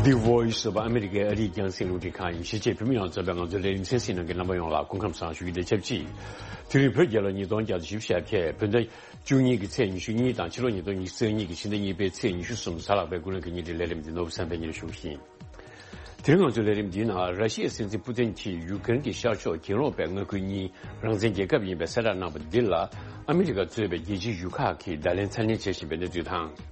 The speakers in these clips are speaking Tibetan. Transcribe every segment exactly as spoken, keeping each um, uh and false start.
The Voice of America ཨ་རིའི་རྒྱང་སྲིང་རླུང་འཕྲིན་ཁང་ཡིན། གཞིས་བྱེས་བོད་མི་ཡོངས་རྫོགས་པའི་ང་ཚོའི་ལས་རིམ་གསན་གཟིགས་གནང་མཁན་རྣམ་པ་ཡོངས་ལ་སྐུ་ཁམས་བཟང་ཞུ་རྒྱུ་དང་ཆབས་ཅིག་དེ་རིང་བོད་རྒྱལ་ལོ་ཉིས་སྟོང་བརྒྱ་དང་བཞི་བཅུ་ཞེ་བརྒྱད། བོད་ཟླ་བཅུ་གཉིས་ཀྱི་ཚེས་ཉི་ཤུ་གཉིས་དང་ཕྱི་ལོ་ཉིས་སྟོང་ཉི་ཤུ་རྩ་གཉིས་ཀྱི་ཕྱི་ཟླ་གཉིས་པའི་ཚེས་ཉི་ཤུ་གསུམ་གཟའ་ལྷག་པའི་དགུན་ལོའི་ཉིན་དེའི་ལས་རིམ་འདི་ནོར་བུ་བསམ་འཕེལ་གཉིས་ཞུ་བཞིན། དེ་རིང་ང་ཚོའི་ལས་རིམ་འདིའི་ནང་ར་ཤི་ཡའི་སྲིད་འཛིན་པུ་ཏིན་གྱིས་ཡུ་ཀེ་རེན་གྱི་ཤར་ཕྱོགས་གྱེན་ལོག་པའི་མངའ་ཁུལ་གཉིས་རང་བཙན་རྒྱལ་ཁབ་ཡིན་པའི་གསལ་བསྒྲགས་གནང་བ་འདི་ལ་ཨ་མི་རི་ཀ་གཙོས་པའི་རྒྱལ་སྤྱིའི་ཡུལ་ཁག་གིས་བརྡ་ལན་ཚ་ནན་བྱེད་བཞིན་པའི་གནས་ཚུལ་དང་། དེ་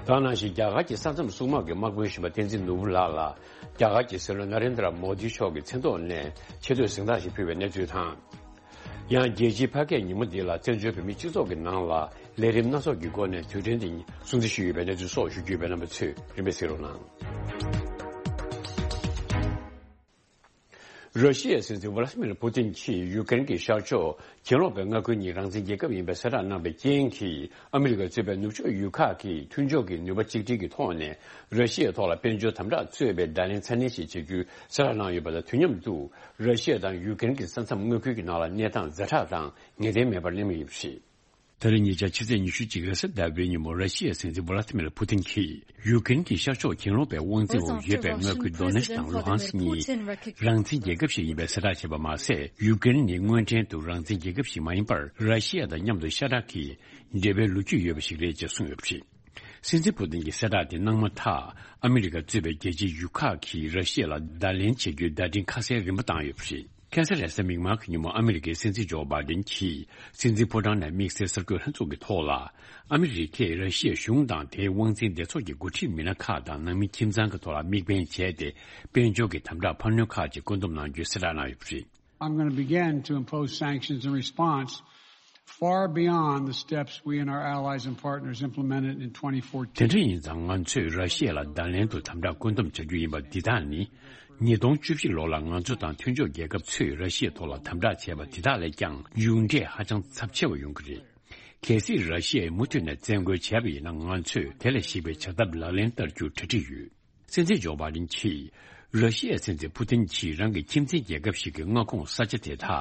ག་ནང་བཞིན་རྒྱ་གར་གྱི་ས་མཚམས་སྲུང་དམག་གི་དམག་དཔོན་གཞོན་པ་བསྟན་འཛིན་ནོར་བུ་ལགས་ལ་རྒྱ་གར་གྱི་སྲིད་བློན་ན་རེན་དྲ་མོ་དི་མཆོག་གི་མཚན་ཐོག་ནས་ཆེ་བསྟོད་གཟེངས་རྟགས་ཤིག་ཕུལ་བའི་གནས་ཚུལ་དང་། ཡང་རྒྱལ་སྤྱིའི་ཕ་སྐད་ཉིན་མོ་འདི་ལ་བཙན་བྱོལ་བོད་མིའི་སྤྱི་ཚོགས་ཀྱི་ནང་ལ་ལས་རིམ་སྣ་ཚོགས་ཀྱི་སྒོ་ནས་དུས་དྲན་དེ་སྲུང་བརྩི་ཞུས་ཡོད་པའི་གནས་ཚུལ་སོགས་ཞུ་རྒྱུ་ཡོད་པས་རྣམ་པ་ཚོས་རིམ་པས་གཟིགས་རོགས་གནང་། ར་ཤི་ཡའི་སྲིད་འཛིན་ཝ་ལ་ཏི་མིར་པུ་ཏིན་གྱིས་ཡུ་ཀེ་རེན་གྱི་ཤར་ཕྱོགས་གྱེན་ལོག་པའི་མངའ་ཁུལ་གཉིས་རང་བཙན་རྒྱལ་ཁབ་ཡིན་པའི་གསལ་བསྒྲགས་གནང་བའི་རྐྱེན་གྱིས་ཨ་མི་རི་ཀ་གཙོས་པའི་ནུབ་ཕྱོགས་ཡུལ་ཁག་གིས་མཐུན་ཕྱོགས་ཀྱི་ནུས་པ་གཅིག་སྒྲིལ་གྱི་ཐོག་ནས་ར་ཤི་ཡའི་ཐོག་ལ་དཔལ་འབྱོར་དམ་དྲག་གཙོས་པའི་བརྡ་ལན་ཚ་ནན་ཞིག་བྱེད་རྒྱུའི་གསལ་བསྒྲགས་གནང་ཡོད་པ་དང་དུས་མཉམ་དུ། ར་ཤི་ཡ་དང་ཡུ་ཀེ་རེན་གྱི་ས་མཚམས་མངའ་ཁུལ་གྱི་ནང་ལ་གནས་སྟངས་ཛ་དྲག་དང་ངེས་གཏན་མེད་པར་གླེང་མུས་ཡོད་པ་རེད། ད་རེས་ཉེ་ཆར་ཕྱི་ཚེས་ཉི་ཤུ་གཅིག་རེས་གཟའ་ཟླ་བའི་ཉིན་མོ་ར་ཤི་ཡའི་སྲིད་འཛིན་ཝ་ལ་ཏི་མིར་པུ་ཏིན་གྱིས་ཡུ་ཀེ་རེན་གྱི་ཤར་ཕྱོགས་གྱེན་ལོག་པའི་དབང་འཛིན་འོག་ཡོད་པའི་མངའ་ཁུལ་དོ་ནེ་སི་དང་ལུ་ཧན་སི་གཉིས་རང་བཙན་རྒྱལ་ཁབ་ཞིག་ཡིན་པའི་གསལ་བསྒྲགས་བྱས་པ་མ་ཟད། ཡུ་ཀེ་རེན་ནི་དངོས་འབྲེལ་དུ་རང་བཙན་རྒྱལ་ཁབ་ཞིག་མ་ཡིན་པར་ར་ཤི་ཡ་དང་མཉམ་དུ་ཤ་ཁྲག་གི་འབྲེལ་བའི་ལོ་རྒྱུས་ཡོད་པ་ཞིག་རེད་ཅེས་གསུངས་ཡོད་པ་རེད། སྲིད་འཛིན་པུ་ཏིན་གྱི་གསལ་བསྒྲགས་དེ་གནང་མ་ཐག་ཨ་མི་རི་ཀ་གཙོས་པའི་རྒྱལ་སྤྱིའི་ཡུལ་ཁག་གིས་ར་ཤི་ཡ་ལ་བརྡ་ལན་བྱེད་རྒྱུའི་བརྡ་འཕྲིན་ཁ་གསལ་རིམ་པ་བཏང་ཡོད་པ་རེད། ཁ་སང་རེས་གཟའ་མིག་དམར་གྱི་ཉིན་མོ་ཨ་མི་རི་ཀའི་སྲིད་འཛིན་ཇོ་བྷའི་ཌེན་གྱིས་སྲིད་འཛིན་ཕོ་བྲང་ནས་དམིགས་བསལ་གསར་འགོད་ལྷན་ཚོགས་ཀྱི་ཐོག་ལ། ཨ་མི་རི་ཀས་ར་ཤི་ཡའི་གཞུང་དང་དེའི་དབང་འཛིན་སྡེ་ཚོགས་ཀྱི་འགོ་ཁྲིད་མི་སྣ་ཁག་དང་ནང་མི་ཁྱིམ་ཚང་གི་ཐོག་ལ་དམིགས་འབེན་བྱས་ཏེ། དཔལ་འབྱོར་གྱི་དམ་དྲག་འཕར་སྣོན་ཁག་ཅིག་བཀོད་འདོམས་གནང་རྒྱུའི་གསལ་བསྒྲགས་གནང་ཡོད་པ་རེད། I'm going to begin to impose sanctions in response far beyond the steps we and our allies and partners implemented in twenty fourteen. དེ་འདྲ་ཡིན་ཙང་ང་ཚོས་ར་ཤི་ཡ་ལ་བརྡ་ལན་དུ་དམ་དྲག་བཀོད་འདོམས་བྱ་རྒྱུ་ཡིན་པ་འདི་དག་ནི། ཉིས་སྟོང་བཅུ་བཞི་ལོ་ལ་ང་ཚོ་དང་མཐུན་ཕྱོགས་རྒྱལ་ཁབ་ཚོས་ར་ཤི་ཡའི་ཐོག་ལ་དམ་དྲག་བྱས་པ་འདི་དག་ལས་ཀྱང་མཇུག་འབྲས་ཧ་ཅང་ཚབས་ཆེ་བ་ཡོང་གི་རེད། གལ་སྲིད་ར་ཤི་ཡས་མུ་མཐུད་ནས་བཙན་རྒོལ་བྱས་པ་ཡིན་ན་ང་ཚོས་དེ་ལས་ཞིག་པའི་བྱ་ཐབས་ལག་ལེན་བསྟར་རྒྱུར་གྲ་སྒྲིག་ཡོད། སྲིད་འཛིན་ཇོ་བྷའི་ཌེན་གྱིས་ར་ཤི་ཡའི་སྲིད་འཛིན་པུ་ཏིན་གྱིས་རང་གི་ཁྱིམ་མཚེས་རྒྱལ་ཁབ་ཞིག་གི་མངའ་ཁོངས་ས་ཆ་དེ་དག་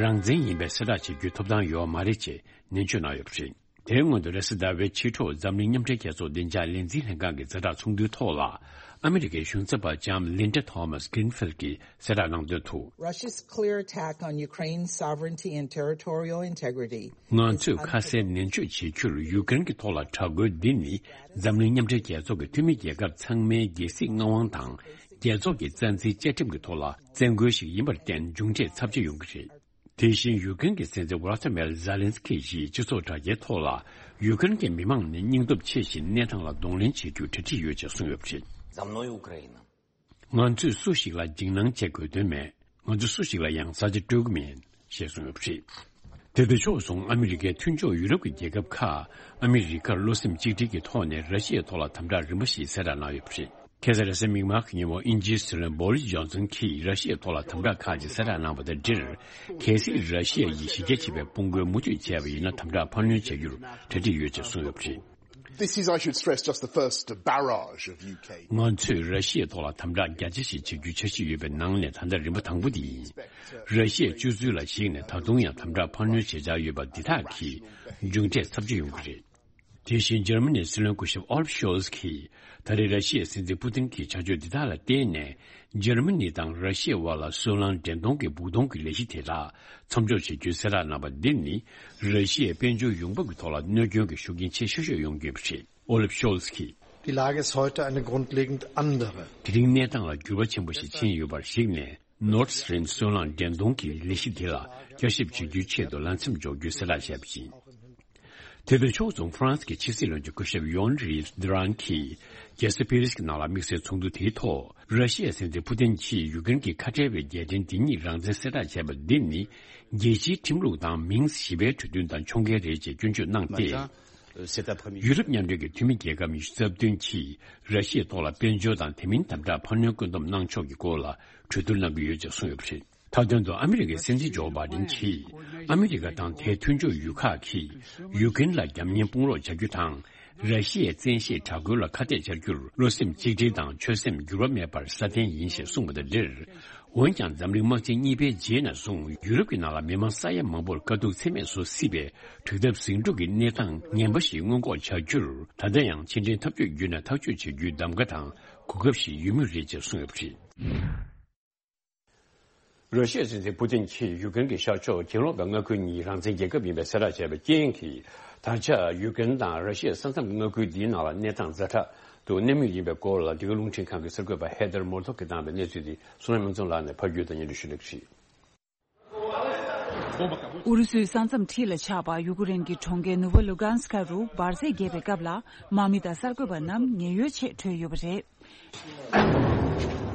རང་བཙན་ཡིན་པའི་གསལ་བསྒྲགས་བྱེད་རྒྱུའི་ཐོབ་ཐང་ཡོད་མ་རེད་ཅེས་ནན་བརྗོད་གནང་ཡོད་པ་རེད། དེའི་སྔོན་དུ་རེས་གཟའ་ཟླ་བའི་ཕྱི་དྲོ་འཛམ་གླིང་མཉམ་འབྲེལ་རྒྱལ་ཚོགས་བདེ་འཇགས་ལས་འཛིན་ལྷན་ཁང་གི་ཛ་དྲག་ཚོགས་འདུའི་ཐོག་ལ་ཨ་མི་རི་ཀའི་གཞུང་ཚབ་པ་ལྕམ་ལིན་ཌ་ཐོ་མཱས་གྷི་རིན་ཕིལ་གྱིས་གསལ་བསྒྲགས་གནང་དོན་དུ། Russia's clear attack on Ukraine's sovereignty and territorial integrity ང་ཚོས་ཁ་གསལ་ནན་བརྗོད་བྱེད་རྒྱུར་ཡུ་ཀེ་རེན་གྱི་ཐོག་ལ་དྲག་རྒོལ་འདི་ནི་འཛམ་གླིང་མཉམ་འབྲེལ་རྒྱལ་ཚོགས་ཀྱི་འཐུས་མི་རྒྱལ་ཁབ་ཚང་མའི་རྒྱལ་སྲིད་མངའ་དབང་དང་རྒྱལ་ཚོགས་ཀྱི་རྩ་འཛིན་བཅའ་ཁྲིམས་ཀྱི་ཐོག་ལ་བཙན་རྒོལ་ཞིག་ཡིན་པར་བརྟེན་མཇུག་འབྲས་ཚབས་ཆེ་ཡོང་གི་རེད། དེ་བཞིན་ཡུ་ཀེ་རེན་གྱི་སྲིད་འཛིན་ཝོ་ལོ་ཏི་མེར་ཛེ་ལན་སི་ཀི་ཡིས་སྤྱི་ཚོགས་དྲ་རྒྱའི་ཐོག་ལ་ཡུ་ཀེ་རེན་གྱི་མི་མང་ནི་སྙིང་སྟོབས་ཆེ་ཞིང་གནས་སྟངས་ལ་གདོང་ལེན་བྱེད་རྒྱུར་གྲ་སྒྲིག་ཡོད་ཅེས་གསུངས་ཡོད་པ་རེད། За мной Украина. ང་ཚོས་སུ་ཞིག་ལ་འཇིགས་སྣང་བྱེད་དགོས་དོན་མེད། ང་ཚོ་སུ་ཞིག་ལ་ཡང་ས་ཆ་སྤྲོད་ཀྱི་མེད། ཞེས་གསུངས་ཡོད་པ་རེད། དེ་དང་ཕྱོགས་མཚུངས་ཨ་མི་རི་ཀའི་མཐུན་ཕྱོགས་ཡུ་རོབ་ཀྱི་རྒྱལ་ཁབ་ཁག་ཨ་མི་རི་ཀར་བློ་སེམས་གཅིག་སྒྲིལ་གྱི་ཐོག་ནས་ར་ཤི་ཡའི་ཐོག་ལ་དམ་དྲག་རིམ་པ་ཞིག་གསལ་བསྒྲགས་གནང་ཡོད་པ་རེད། ཁ་སང་རེས་གཟའ་མིག་དམར་གྱི་ཉིན་མོ་དབྱིན་ཇིའི་སྲིད་བློན་བོ་རིས་ཇོན་སན་གྱིས་ར་ཤི་ཡའི་ཐོག་ལ་དམ་དྲག་ཁག་ཅིག་གསལ་བསྒྲགས་གནང་བ་དང་འབྲེལ། གལ་སྲིད་ར་ཤི་ཡ་ཡིས་གཞི་རྒྱ་ཆེ་བའི་དཔུང་རྒོལ་མུ་མཐུད་བྱས་པ་ཡིན་ན་དམ་དྲག་འཕར་སྣོན་བྱ་རྒྱུར་གྲ་སྒྲིག་ཡོད་ཅེས་གསུངས་ཡོད་པ་རེད། This is, I should stress, just the first barrage of U K. ང་ཚོས་ར་ཤི་ཡའི་ཐོག་ལ་དམ་དྲག་རྒྱ་ཆེ་ཞིག་བྱེད་རྒྱུའི་འཆར་གཞི་ཡོད་པའི་ནང་ནས་ད་ལྟ་རིམ་པ་དང་པོ་དེ་ཡིན། ར་ཤི་ཡའི་སྤྱོད་ཚུལ་ལ་གཞིགས་ནས་ད་དུང་ཡང་དམ་དྲག་འཕར་སྣོན་བྱེད་འཆར་ཡོད་པ་འདི་དག་གིས་མཇུག་འབྲས་ཚབས་ཆེ་ཡོང་གི་རེད། དེ་བཞིན་འཇར་མ་ནིའི་སྲིད་བློན་སྐུ་ཞབས་ཨོ་ལབ་ཤོལ་ཚ་གིས་ད་རེས་ར་ཤི་ཡའི་སྲིད་འཛིན་པུ་ཏིན་གྱི་བྱ་སྤྱོད་འདི་དག་ལ་བརྟེན་ནས་འཇར་མ་ནི་དང་ར་ཤི་ཡའི་དབར་ལ་སོལ་རླངས་འདྲེན་གཏོང་གི་སྦུག་གཏོང་གི་ལས་གཞི་དེ་དག་མཚམས་འཇོག་བྱེད་རྒྱུའི་གསལ་བསྒྲགས་གནང་བ་འདི་ནི་ར་ཤི་ཡའི་དཔལ་འབྱོར་ཡོང་འབབ་ཀྱི་ཐོག་ལ་གནོད་སྐྱོན་གྱི་ཤུགས་རྐྱེན་ཆེ་ཤོས་ཤིག་ཡོང་གི་ཡོད་པ་རེད། ཨོ་ལབ་ཤོལ་ཚ་གིས། Die Lage ist heute eine grundlegend andere. དེ་རིང་གནས་སྟངས་ལ་འགྱུར་བ་ཆེན་པོ་ཞིག་ཕྱིན་ཡོད་པར་གཞིགས་ནས། Nord Stream སོལ་རླངས་འདྲེན་གཏོང་གི་ལས་གཞི་དེ་ལ་བསྐྱར་ཞིབ་བྱེད་རྒྱུའི་ཆེད་དུ་ལམ་སེང་འཇོག་རྒྱུའི་གསལ་བསྒྲགས་བྱས་པ་ཡིན། དེ་དང་ཕྱོགས་མཚུངས་ཧྥ་རན་སི་གི་ཕྱི་སྲིད་བློན་ཆེན་སྐུ་ཞབས་ཡོན་རི་ཌི་རན་གྱིས་རྒྱལ་ས་པེ་རིས་ཀྱི་ནང་ལ་དམིགས་བསལ་ཚོགས་འདུ་དེའི་ཐོག་ར་ཤི་ཡའི་སྲིད་འཛིན་ཕུ་ཏིན་གྱིས་ཡུ་ཀེ་རེན་གྱི་ཁ་བྲལ་བའི་རྒྱལ་ཕྲན་དེ་ཉིད་རང་བཙན་གསལ་བསྒྲགས་བྱས་པ་འདི་ནི་རྒྱལ་སྤྱིའི་ཁྲིམས་ལུགས་དང་མིང་གཞི་པའི་གྲོས་མཐུན་དང་མཆོང་བརྒལ་རེད་ཅེས་སྐྱོན་བརྗོད་གནང་སྟེ། ཡུ་རོབ་མཉམ་འབྲེལ་གྱི་འཐུས་མི་རྒྱལ་ཁབ་ཉི་ཤུ་རྩ་བདུན་གྱིས་ར་ཤི་ཡའི་ཐོག་ལ་དཔལ་འབྱོར་དང་དེ་མིན་དམ་དྲག་འཕར་སྣོན་བཀོད་འདོམས་གནང་ཕྱོགས་ཀྱི་སྐོར་ལ་གྲོས་བསྡུར་གནང་གི་ཡོད་ཅེས་གསུངས་ཡོད་པ་རེད། མཐའ་དོན་དུ་ཨ་མི་རི་ཀའི་སྲིད་འཛིན་ཇོ་བྷའི་ཌེན་གྱིས་ཨ་མི་རི་ཀ་དང་དེའི་མཐུན་ཕྱོགས་ཡུལ་ཁག་གིས་ཡུ་ཀེ་རེན་ལ་རྒྱབ་གཉེར་དཔུང་རོགས་བྱ་རྒྱུ་དང་། ར་ཤི་ཡའི་བཙན་ཤེད་དྲག་རྒོལ་ལ་ཁ་གཏད་བཅར་རྒྱུར་བློ་སེམས་གཅིག་སྒྲིལ་དང་ཆོད་སེམས་འགྱུར་བ་མེད་པར་སྲ་བརྟན་ཡིན་ཞེས་གསུངས་པ་དང་འབྲེལ། འོན་ཀྱང་འཛམ་གླིང་དམག་ཆེན་གཉིས་པའི་རྗེས་ནས་བཟུང་ཡུ་རོབ་ཀྱི་ནང་ལ་མི་མང་ས་ཡ་མང་པོར་དཀའ་སྡུག་ཚད་མེད་བཟོ་སྲིད་པའི་དྲག་འཐབ་ཟིང་འཁྲུག་གི་གནས་སྟངས་ངན་པ་ཞིག་སྔོན་འགོག་བྱ་རྒྱུར་ད་ལྟ་ཡང་ཕྱི་འབྲེལ་འཐབ་ཇུས་བརྒྱུད་ནས་ཐག་གཅོད་བྱེད་རྒྱུའི་གདམ་ག་དང་ གོ་སྐབས་ཤིག་ཡོད་མུས་རེད་ཅེས་གསུངས་ཡོད་པ་རེད། ར་ཤི་ཡའི་སྲིད་འཛིན་པུ་ཏིན་གྱིས་ཡུཀ་རེན་གྱི་ཤར་ཕྱོགས་གྱེན་ལོག་པའི་མངའ་ཁུལ་གཉིས་རང་བཙན་རྒྱལ་ཁབ་ཡིན་པའི་གསལ་བསྒྲགས་བྱས་པའི་རྐྱེན་གྱིས། ད་ཆ་ཡུཀ་རེན་དང་ར་ཤི་ཡའི་ས་མཚམས་མངའ་ཁུལ་འདིའི་ནང་ལ་གནས་སྟངས་ཛ་དྲག་ཏུ་གནས་མུས་ཡིན་པའི་སྐོར་ལ་འདི་ག་རླུང་འཕྲིན་ཁང་གི་གསར་འགོད་པ་ཧེ་དར་མོར་ཐོག་གིས་བཏང་བའི་གནས་ཚུལ་དེ་བསོད་ནམས་དབྱངས་འཛོམས་ལགས་ནས་ཕབ་སྒྱུར་དང་སྙན་སྒྲོན་ཞུ་ལེགས་ཤིག། ཨུ་རུ་སུའི་ས་མཚམས་འཁྲིས་ལ་ཆགས་པ་ཡུ་ཀེ་རེན་གྱི་གྲོང་ཁྱེར་ནུ་བ་ལུ་གྷན་སི་ཁ་རུ་འབར་རྫས་རྒྱས་པའི་སྐབས་ལ་དམག་མི་དང་གསར་འགོད་པ་རྣམས་ཉེན་གཡོལ་ཆེད་བྲོས་ཡོད་པ་རེད།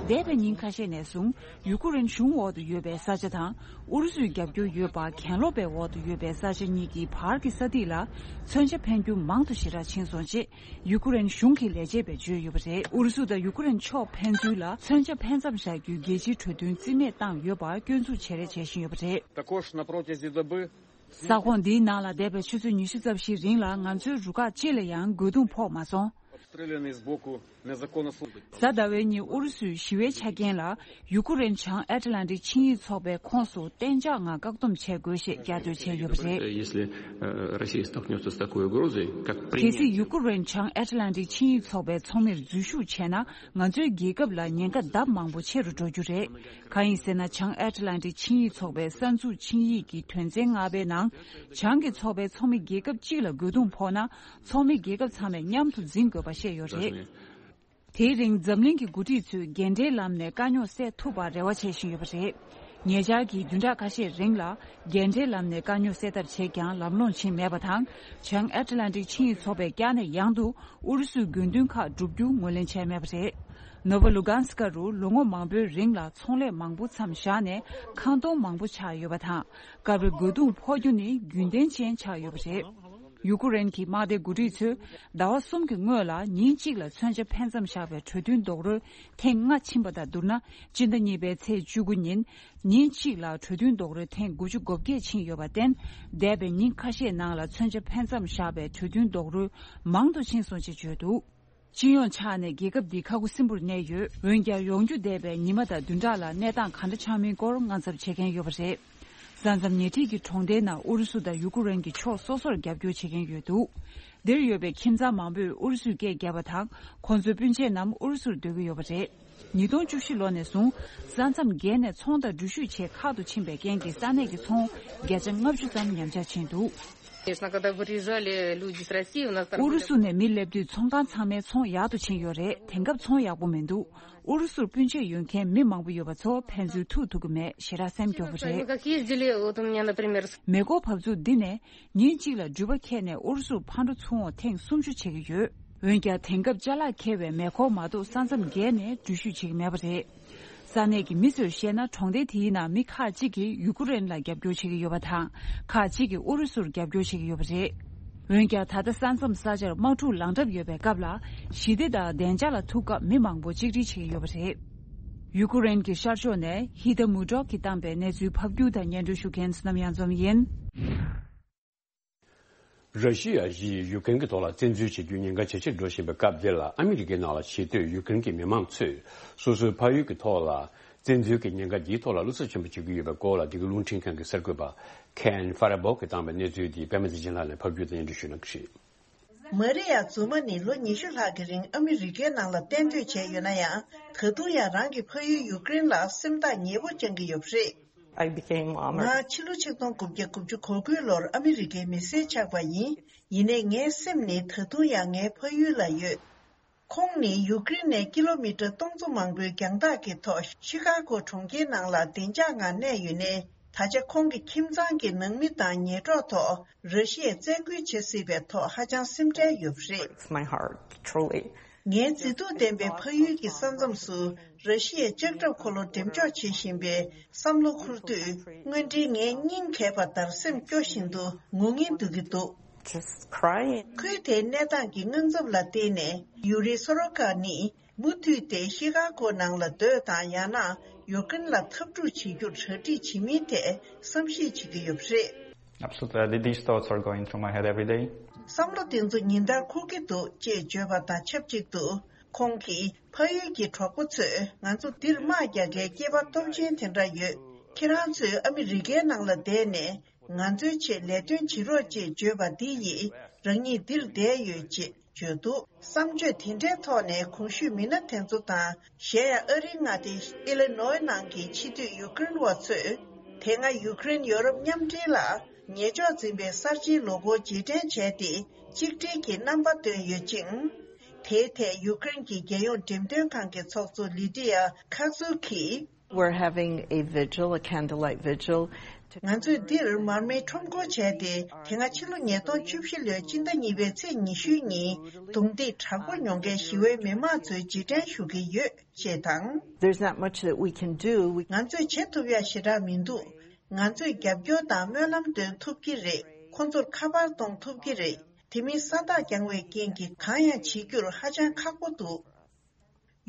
འདས་པའི་ཉིན་ཁ་ཤས་ནས་བཟུང་ཡུ་ཀེ་རེན་གཞུང་འོག་ཏུ་ཡོད་པའི་ས་ཆ་དང་ཨུ་རུ་སུའི་རྒྱབ་སྐྱོར་ཡོད་པ་གྱེན་ལོག་པའི་འོག་ཏུ་ཡོད་པའི་ས་ཆ་གཉིས་ཀྱི་བར་གྱི་ས་ཐིག་ལ་མཚོན་ཆ་འཕེན་རྒྱུ་མང་དུ་ཞེ་དྲག་ཕྱིན་སོང་ཅེས། ཡུ་ཀེ་རེན་གཞུང་གི་ལས་བྱེད་པས་བརྗོད་ཡོད་པ་རེད། ཨུ་རུ་སུ་དང་ཡུ་ཀེ་རེན་ཕྱོགས་ཕན་ཚུན་ལ་མཚོན་ཆ་འཕེན་མཚམས་བཞག་རྒྱུའི་རྒྱལ་སྤྱིའི་གྲོས་མཐུན་རྩིས་མེད་བཏང་ཡོད་པར་སྐྱོན་འཛུགས་བྱེད་རེས་བྱེད་བཞིན་ཡོད་པ་རེད། Також на протязі доби ས་ཁོངས་འདིའི་ནང་ལ་འདས་པའི་ཆུ་ཚོད་ཉི་ཤུ་རྩ་བཞིའི་རིང་ལ་ང་ཚོའི་རུ་ཁག་གཅིག་ལ་ཡང་རྒོལ་རྡུང་ཕོག་མ་སོང་། Обстріляний з боку незаконно служить. གཟའ་ཟླ་བའི་ཉིན་ཨུ་རུ་སུའི་ཞི་བའི་ཆ་རྐྱེན་ལ། ཡུ་ཀེ་རེན་བྱང་ཨེཊ་ལན་ཊིག་ཆིངས་ཡིག་ཚོགས་པའི་ཁོངས་སུ་གཏན་འཇགས་ངང་བཀག་སྡོམ་བྱེད་དགོས་ཞེས་བསྐྱར་ཟློས་བྱས་ཡོད་པ་རེད། Если, э, Россия столкнётся с такой угрозой, как принятие. གལ་སྲིད་ཡུ་ཀེ་རེན་བྱང་ཨེཊ་ལན་ཊིག་ཆིངས་ཡིག་ཚོགས་པའི་ཚོགས་མིར་འཛུལ་ཞུགས་བྱས་ན་ང་ཚོའི་རྒྱལ་ཁབ་ལ་ཉེན་ཁ་ལྡབ་མང་པོ་ཆེ་རུ་འགྲོ་རྒྱུ་རེད། གང་ཡིན་ཟེར་ན་བྱང་ཨེཊ་ལན་ཊིག་ཆིངས་ཡིག་ཚོགས་པའི་གསར་འཛུགས་ཆིངས་ཡིག་གི་དོན་ཚན་ལྔ་པའི་ནང་བྱང་གི་ཚོགས་པའི་ཚོགས་མི་རྒྱལ་ཁབ་གཅིག་ལ་རྒོལ་རྡུང་ཕོག་ན་ཚོགས་མི་རྒྱལ་ཁབ་ཚང་མས་མཉམ་དུ་འཛིང་དགོས་པ་བཤད་ཡོད་རེད། དེའི་རིང་འཛམ་གླིང་གི་འགོ་ཁྲིད་ཚོས་རྒན་གྲས་ལམ་ནས་དཀའ་རྙོག་སེལ་ཐུབ་པར་རེ་བ་བྱེད་བཞིན་ཡོད་པ་རེད། ཉེ་ཆར་གྱི་བདུན་ཕྲག་ཁ་ཤས་རིང་ལ་རྒན་གྲས་ལམ་ནས་དཀའ་རྙོག་སེལ་ཐབས་བྱས་ཀྱང་ལམ་ལྷོང་ཕྱིན་མེད་པ་དང་། བྱང་ཨེཊ་ལན་ཊིག་ཆིངས་ཡིག་ཚོགས་པས་བསྐྱར་ནས་ཡང་དུ་ཨུ་རུ་སུའི་དགོས་འདུན་ཁག་བསྒྲུབ་རྒྱུ་ངོས་ལེན་བྱས་མེད་པ་རེད། ནོ་བོ་ལུ་གྷན་སི་ཀ་རུ་ལོ་ངོ་མང་པོའི་རིང་ལ་ཚོང་ལས་མང་པོ་མཚམས་བཞག་ནས་ཁང་སྟོང་མང་པོ་ཆགས་ཡོད་པ་དང་། སྐབས་རེ་རྒོལ་རྡུང་ཕོག་རྒྱུ་ནི་རྒྱུན་ལྡན་ཅན་ཆགས་ཡོད་པ་རེད། ཡུ་ཀེ་རེན་གྱི་དམག་སྡེ་འགོ་ཁྲིད་ཚོས་ཟླ་བ་གསུམ་གྱི་སྔོན་ལ་ཉིན་གཅིག་ལ་མཚོན་ཆ་འཕེན་མཚམས་བཞག་པའི་གྲོས་མཐུན་རྡོག་རོལ་ཐེངས་ལྔ་ཕྱིན་པ་དང་བསྡུར་ན། སྤྱི་ཟླ་གཉིས་པའི་ཚེས་བཅུ་དགུ་ཉིན་ཉིན་གཅིག་ལ་གྲོས་མཐུན་རྡོག་རོལ་ཐེངས་དགུ་བཅུ་གོ་བརྒྱད་ཕྱིན་ཡོད་པར་བརྟེན། འདས་པའི་ཉིན་ཁ་ཤས་ནང་ལ་མཚོན་ཆ་འཕེན་མཚམས་བཞག་པའི་གྲོས་མཐུན་རྡོག་རོལ་མང་དུ་ཕྱིན་སོང་ཅེས་བརྗོད་འདུག་སྤྱི་ཡོངས་ཆ་ནས་རྒྱལ་ཁབ་འདི་ཁ་ཁུ་སིམ་པོར་གནས་ཡོད། འོན་ཀྱང་ཡོང་རྒྱུ་འདས་པའི་ཉི་མ་དང་བདུན་ཕྲག་ལ་གནས་སྟངས་ག་འདྲ་ཆགས་མིན་སྐོར་དངངས་འཚབ་བྱེད་མཁན་ཡོད་པ་རེད། ས་མཚམས་ཉེ་འཁྲིས་ཀྱི་གྲོང་སྡེའི་ནང་ཨུ་རུ་སུ་དང་ཡུ་ཀེ་རེན་གྱི་ཕྱོགས་སོ་སོར་རྒྱབ་སྐྱོར་བྱེད་མཁན་ཡོད་འདུག་འདིར་ཡོད་པའི་ཁྱིམ་ཚང་མང་པོས་ཨུ་རུ་སུར་སྐད་བརྒྱབ་པ་དང་། ཁོང་ཚོའི་སྤུན་མཆེད་རྣམས་ཨུ་རུ་སུར་སྡོད་ཀྱི་ཡོད་པ་རེད། ཉིས་སྟོང་བཅུ་བཞི་ལོ་ནས་བཟུང་ས་མཚམས་བརྒལ་ནས་ཚོང་དང་འགྲུལ་བཞུད་ཆེད་ཁག་ཏུ་ཕྱིན་པའི་རྐྱེན་གྱིས་ས་གནས་ཀྱི་ཚོང་བརྒྱ་ཆ་ལྔ་བཅུ་ཙམ་ཉམས་ཆག་ཕྱིན་འདུག Конечно, когда выезжали люди с России, у нас там ཨུ་རུ་སུ་ནས་མི་སླེབས་དུས་ཚོང་ཁང་ཚང་མའི་ཚོང་ཡག་ཏུ་ཕྱིན་ཡོད་རེད། དེང་སྐབས་ཚོང་ཡག་པོ་མི་འདུག་ཨུ་རུ་སུར་སྤུན་མཆེད་ཡོད་མཁན་མི་མང་པོ་ཡོད་པ་ཚོ་ཕན་ཚུན་ཐུག་ཐུབ་ཀྱི་མེད། ཞེ་དྲག་སེམས་སྐྱོ་པོ་རེད། Мы как ездили, вот у меня, например, с- མེ་འཁོར་བབས་ཚུགས་འདི་ནས་ཉིན་གཅིག་ལ་འགྲུལ་པ་འཁྱེར་ནས་ཨུ་རུ་སུར་ཕར་འགྲོ་ཚུར་འོང་ཐེངས་སུམ་ཅུ་བྱེད་ཀྱི་ཡོད། འོན་ཀྱང་དེང་སྐབས་ཅ་ལག་འཁྱེར་བའི་མེ་འཁོར་མ་གཏོགས་ས་མཚམས་བརྒལ་ནས་འགྲུལ་བཞུད་བྱེད་ཀྱི་མེད་པ་རེད། ས་གནས་ཀྱི་མི་ཚོས་བཤད་ན་གྲོང་སྡེ་དེའི་ནང་མི་ཁག་ཅིག་གིས་ཡུ་ཀེ་རེན་ལ་རྒྱབ་སྐྱོར་བྱེད་ཀྱི་ཡོད་པ་དང་། ཁག་ཅིག་གིས་ཨུ་རུ་སུར་རྒྱབ་སྐྱོར་བྱེད་ཀྱི་ཡོད་པ་རེད། འོན་ཀྱང་ད་ལྟ་ས་མཚམས་ས་ཆར་དམག་འཁྲུག་ལངས་གྲབས་ཡོད་པའི་སྐབས་ལ་ཞི་བདེ་དང་བདེ་འཇགས་ལ་ཐུག་སྐབས་མི་མང་པོ་གཅིག་སྒྲིལ་བྱེད་ཀྱི་ཡོད་པ་རེད། ཡུ་ཀེ་རེན་གྱི་ཤར་ཕྱོགས་ནས་ཧི་ད་མུ་ཏྲོག་གིས་བཏང་པའི་གནས་ཚུལ་ཕབ་སྒྱུར་དང་སྙན་སྒྲོན་ཞུ་མཁན་བསོད་ནམས་དབྱངས་འཛོམས་ཡིན། ར་ཤི་ཡ་ཡིས་ཡུཀ་རེན་གྱི་ཐོག་ལ་བཙན་འཛུལ་བྱེད་རྒྱུའི་ཉེན་ཁ་ཇེ་ཆེར་འགྲོ་བཞིན་པའི་སྐབས་འདི་ལ་ཨ་མི་རི་ཀའི་ནང་ལ་ཆེས་མཐོའི་ཡུཀ་རེན་གྱི་མི་མང་ཚོས་སོ་སོའི་ཕ་ཡུལ་གྱི་ཐོག་ལ་བཙན་འཛུལ་གྱི་ཉེན་ཁ་འདིའི་ཐོག་ལ་བློ་འཚབ་ཆེན་པོ་བྱེད་ཀྱི་ཡོད་པའི་སྐོར་ལ་འདི་གའི་རླུང་འཕྲིན་ཁང་གི་གསར་འགོད་པ་ཁེན་ཧྥ་ར་བོག་གིས་བཏང་པའི་གནས་ཚུལ་འདི་པད་མ་ཚེ་རིང་ལགས་ནས་ཕབ་སྒྱུར་དང་སྙན་སྒྲོན་ཞུ་གནང་གི་རེད། མ་རི་ཡ་ཛུ་མ་ནི་ལོ་ཉི་ཤུ་ལྷག་གི་རིང་ཨ་མི་རི་ཀའི་ནང་ལ་གཏན་སྡོད་བྱས་ཡོད་ན་ཡང་། ད་དུང་ཡང་རང་གི་ཕ་ཡུལ་ཡུཀ་རེན་ལ་སེམས་ཐག་ཉེ་པོ་བཅངས་ཀྱི་ཡོད་པ་རེད། I became, um, ང་ཕྱི་ལོ་ཆིག་སྟོང་དགུ་བརྒྱ་དགུ་བཅུ་གོ་དགུའི་ལོར་ཨ་མི་རི་ཀའི་མི་སེར་ཆགས་པ་ཡིན། ཡིན་ནའི་ངའི་སེམས་ནི་ད་དུང་ཡང་ངའི་ཕ་ཡུལ་ལ་ཡོད། ཁོང་ནི་ཡུཀ་རེན་ནས་ཀི་ལོ་མི་ཊར་སྟོང་ཚོ་མང་པོའི་རྒྱང་ཐག་གི་ཐོག་ཤི་ཀ་གོ་གྲོང་ཁྱེར་ནང་ལ་བདེ་འཇགས་ངང་གནས་ཡོད་ནའི། ད་ཆ་ཁོང་གི་ཁྱིམ་ཚང་གི་ནང་མི་དང་ཉེ་གྲོགས་ཐོག་ར་ཤི་ཡས་བཙན་རྒོལ་བྱེད་སྲིད་པའི་ཐོག་ཧ་ཅང་སེམས་ཁྲལ་ཡོད་པ་རེད། Breaks my heart, truly. ངའི་མཛེས་སྡུག་ལྡན་པའི་ཕ་ཡུལ་གྱི་ས་མཚམས་སུ་ར་ཤི་ཡའི་ལྕགས་ཁྲབ་འཁོར་ལོ་འགྲེམས་འཇོག་བྱེད་བཞིན་པའི་བསམ་བློ་འཁོར་དུས། དངོས་འབྲེལ་ངའི་སྙིང་གས་པ་ལྟར་སེམས་སྐྱོ་བཞིན་དུ་ངུ་ངེན་སྡོད་ཀྱི་འདུག Just crying. ཁུལ་དེའི་གནས་སྟངས་ཀྱི་དངངས་འཚབ་ལ་བརྟེན་ནས། ཡུ་རི་སོ་རོ་ཀ་ནི་མུ་མཐུད་དེ་ཤི་ཀ་གོ་ནང་ལ་སྡོད་དང་། ཡང་ན་ཡུཀ་རེན་ལ་འཐབ་འཁྲུག་བྱེད་རྒྱུར་གྲ་སྒྲིག་བྱེད་མིན་ཐད་བསམ་གཞིག་བྱེད་ཀྱི་ཡོད་པ་རེད། Absolutely, th- these thoughts are going through my head every day. བསམ་བློ་དེ་ཚོ་ཉིན་ལྟར་འཁོར་གྱི་འདུག་ཅེས་བརྗོད་པ་དང་ཆབས་ཅིག་ཏུ། ཁོང་གིས་ཕ་ཡུལ་གྱི་གྲོགས་པོ་ཚོས་ང་ཚོ་འདིར་དམག་རྒྱག་མཁན་སྐྱེས་པ་སྟོབས་ཆེན་དེ་འདྲ་ཡོད། ཁྱེད་རང་ཚོས་ཨ་མི་རི་ཀའི་ནང་ལ་བསྡད་ནས་ང་ཚོའི་ཆེད་ལས་དོན་བྱེད་རོགས་ཅེས་བརྗོད་པ་འདི་ཡིས་རང་ཉིད་འདིར་བསྡད་ཡོད་ཅེས་ བརྗོད་འདུག་བསམ་བརྗོད་དེ་འདྲའི་ཐོག་ནས་གོང་ཞུས་མི་སྣ་དེ་ཚོ་དང་། གཞན་ཡང་ཨ་རིའི་མངའ་སྡེ་ཨི་ལི་ནོའི་ནང་གི་ཕྱི་སྡོད་ཡུ་ཀེ་རེན་བ་ཚོས། དེ་སྔ་ཡུ་ཀེ་རེན་ཡོ་རོབ་མཉམ་འབྲེལ་ལ་ཉེས་འཇོག་འཛིན་པའི་གསར་བརྗེའི་ལོ་འཁོར་རྗེས་དྲན་བྱས་ཏེ། གཅིག་སྒྲིལ་གྱི་རྣམ་པ་བཏོན་ཡོད་ཅིང་། དེའི་ཐད་ཡུ་ཀེ་རེན་གྱི་རྒྱལ་ཡོངས་འགྲེམས་སྟོན་ཁང་གི་ཚོགས་གཙོ་ལི་ཏི་ཡ་ཁ་ཛུ་གིས། We're having a vigil, a candlelight vigil. ང་ཚོས་འདིར་མར་མེའི་ཁྲོམ་སྐོར་བྱས་ཏེ། དེ་སྔ་ཕྱི་ལོ་ཉིས་སྟོང་བཅུ་བཞི་ལོའི་སྤྱི་ཟླ་གཉིས་པའི་ཚེས་ཉི་ཤུའི་ཉིན་རྡུང་རྡེག་དྲག་པོ་མྱོང་མཁན་ཞི་བའི་མི་མང་ཚོའི་རྗེས་དྲན་ཞུ་གི་ཡོད་ཅེས་དང་། There's not much that we can do. We ང་ཚོས་བྱེད་ཐུབ་ཡ་ཞེ་དྲག་མི་འདུག་ང་ཚོས་རྒྱབ་སྐྱོར་དང་སྨོན་ལམ་འདོན་ཐུབ་ཀྱི་རེད། ཁོ་ཚོར་ཁ་པར་གཏོང་ཐུབ་ཀྱི་རེད། དེ་མིན་ས་རྟགས་རྐྱང་བའི་རྐྱེན་གྱིས་གང་ཡང་བྱེད་རྒྱུར་ཧ་ཅང་ཁག་པོ་འདུག་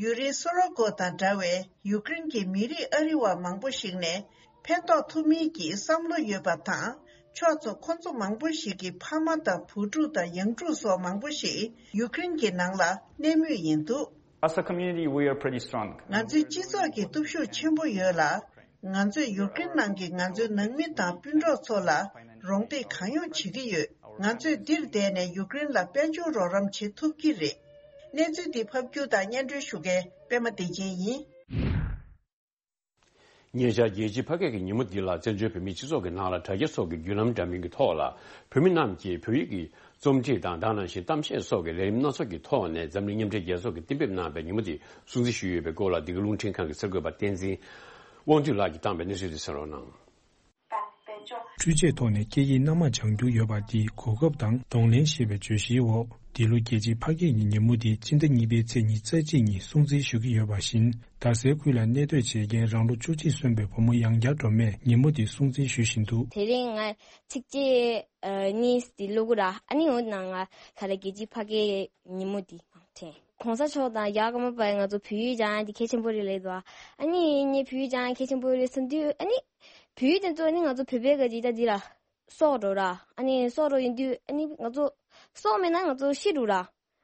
ཡུ་རེན་སུ་རོ་ཀོ་དང་འདྲ་བའི་ཡུ་ཀེ་རེན་གྱི་མི་རིགས་ཨ་རི་བ་མང་པོ་ཞིག་ནས་ཕན་ཐོགས་ཐུབ་མིན་གྱི་བསམ་བློ་ཡོད་པ་དང་། ཕྱོགས་མཚུངས་ཁོ་ཚོ་མང་པོ་ཞིག་གི་ཕ་མ་དང་བུ་ཕྲུག་དང་ཡང་ཕྲུག་སོགས་མང་པོ་ཞིག་ཡུ་ཀེ་རེན་གྱི་ནང་ལ་གནས་མུས་ཡིན་འདུག As a community, we are pretty strong. ང་ཚོའི་སྤྱི་ཚོགས་ཀྱི་སྟོབས་ཤུགས་ཆེན་པོ་ཡོད་ལ། ང་ཚོས་ཡུཀ་རེན་ནང་གི་ང་ཚོའི་ནང་མི་དང་སྤུན་གྲོགས་ཚོ་ལ་རོགས་འདེགས་གང་ཡོང་བྱེད་ཀྱི་ཡོད། ང་ཚོས་འདིར་བསྡད་ནས་ཡུཀ་རེན་ལ་དཔལ་འབྱོར་རོགས་རམ་བྱེད་ཐུབ་ཀྱི་རེད། གནས་ཚུལ་འདི་ཕབ་སྒྱུར་དང་སྙན་སྒྲོན་ཞུ་མཁན་པད་མ་བདེ་ཆེན་ཡིན། ཉེ་ཆར་རྒྱལ་སྤྱིའི་ཕ་སྐད་ཀྱི་ཉིན་མོ་འདི་ལ་བཙན་བྱོལ་བོད་མིའི་སྤྱི་ཚོགས་ཀྱི་ནང་ལ་དྲ་རྒྱ་སོགས་ཀྱི་བརྒྱུད་ལམ་འདྲ་མིན་གྱི་ཐོག་ལ་བོད་མི་རྣམས་ཀྱིས་བོད་ཡིག་གི་རྩོམ་བྲིས་དང་དེ་ནང་བཞིན་གཏམ་བཤད་སོགས་ཀྱི་ལས་རིམ་སྣ་ཚོགས་ཀྱི་ཐོག་ནས་འཛམ་གླིང་མཉམ་འབྲེལ་རྒྱལ་ཚོགས་ཀྱིས་གཏན་འབེབས་གནང་བའི་ཉིན་མོ་དེ་སྲུང་བརྩི་ཞུས་ཡོད་པའི་སྐོར་ལ་འདི་ག་རླུང་འཕྲིན་ཁང་གི་གསར་འགོད་པ་བསྟན་འཛིན་དབང་འདུས་ལགས་ཀྱིས་བཏང་བའི་གནས་ཚུལ་དེ་གསན་རོགས་གནང་། འཕྲུལ་ཆས་ཐོག་ནས་སྐད་ཡིག་སྣ་མང་སྦྱང་རྒྱུ་ཡོད་པ་དེའི་གོ་སྐབས་དང་གདོང་ལེན་ཞེས་པའི་བརྗོད་གཞིའི་འོག་འདི་ལོ་རྒྱལ་སྤྱིའི་ཕ་སྐད་ཀྱི་ཉིན་མོ་དེ་སྤྱི་ཟླ་གཉིས་པའི་ཚེས་ཉི་ཤུ་རྩ་གཅིག་ཉིན་སྲུང་བརྩི་ཞུ་གི་ཡོད་པ་བཞིན། རྡ་སའི་ཁུལ་ལ་གནས་སྡོད་བྱེད་མཁན་རང་ལོ་བཅུ་གཅིག་སོན་པའི་བུ་མོ་ཡང་བསྐྱར་སྒྲོལ་མས་ཉིན་མོ་དེ་སྲུང་བརྩི་ཞུ་བཞིན་འདུག་དེ་རིང་ང་ཚིགས་བཅད་ཨ་གཉིས་དེ་ཀློག་གི་ར། ཨ་ནི་འོ་ན་ང་ག་རེ་རྒྱལ་སྤྱིའི་ཕ་སྐད་ཉིན་མོ་དེ་དྲན། གོང་ས་མཆོག་དང་རྒྱ་གར་དཀར་མོ་པས་ང་ཚོ་བོད་ཡིག་སྦྱང་ཡ་དེ་གལ་ཆེན་པོ་རེད་ལབ་འདུག་ཨ་ནི་ངས་བོད་ཡིག་སྦྱང་ཡ་གལ་ཆེན་པོ་རེད་བསམ་དུས། ཨ་ནི་བོད་ཡིག་དེ་ཚོ་ཨ་ནི་ང་ཚོ་བོད་པའི་ག་ཅིག་ད་འདི་ར་སྲོག་འགྲོ་ར། ཨ་ནི་སྲོག་འགྲོ་ཡིན་དུས་ཨ་ནི་ང་ཚོ་སྲོག་མེད་ན་ང་ཚོ་ཤི་འགྲོ་ར།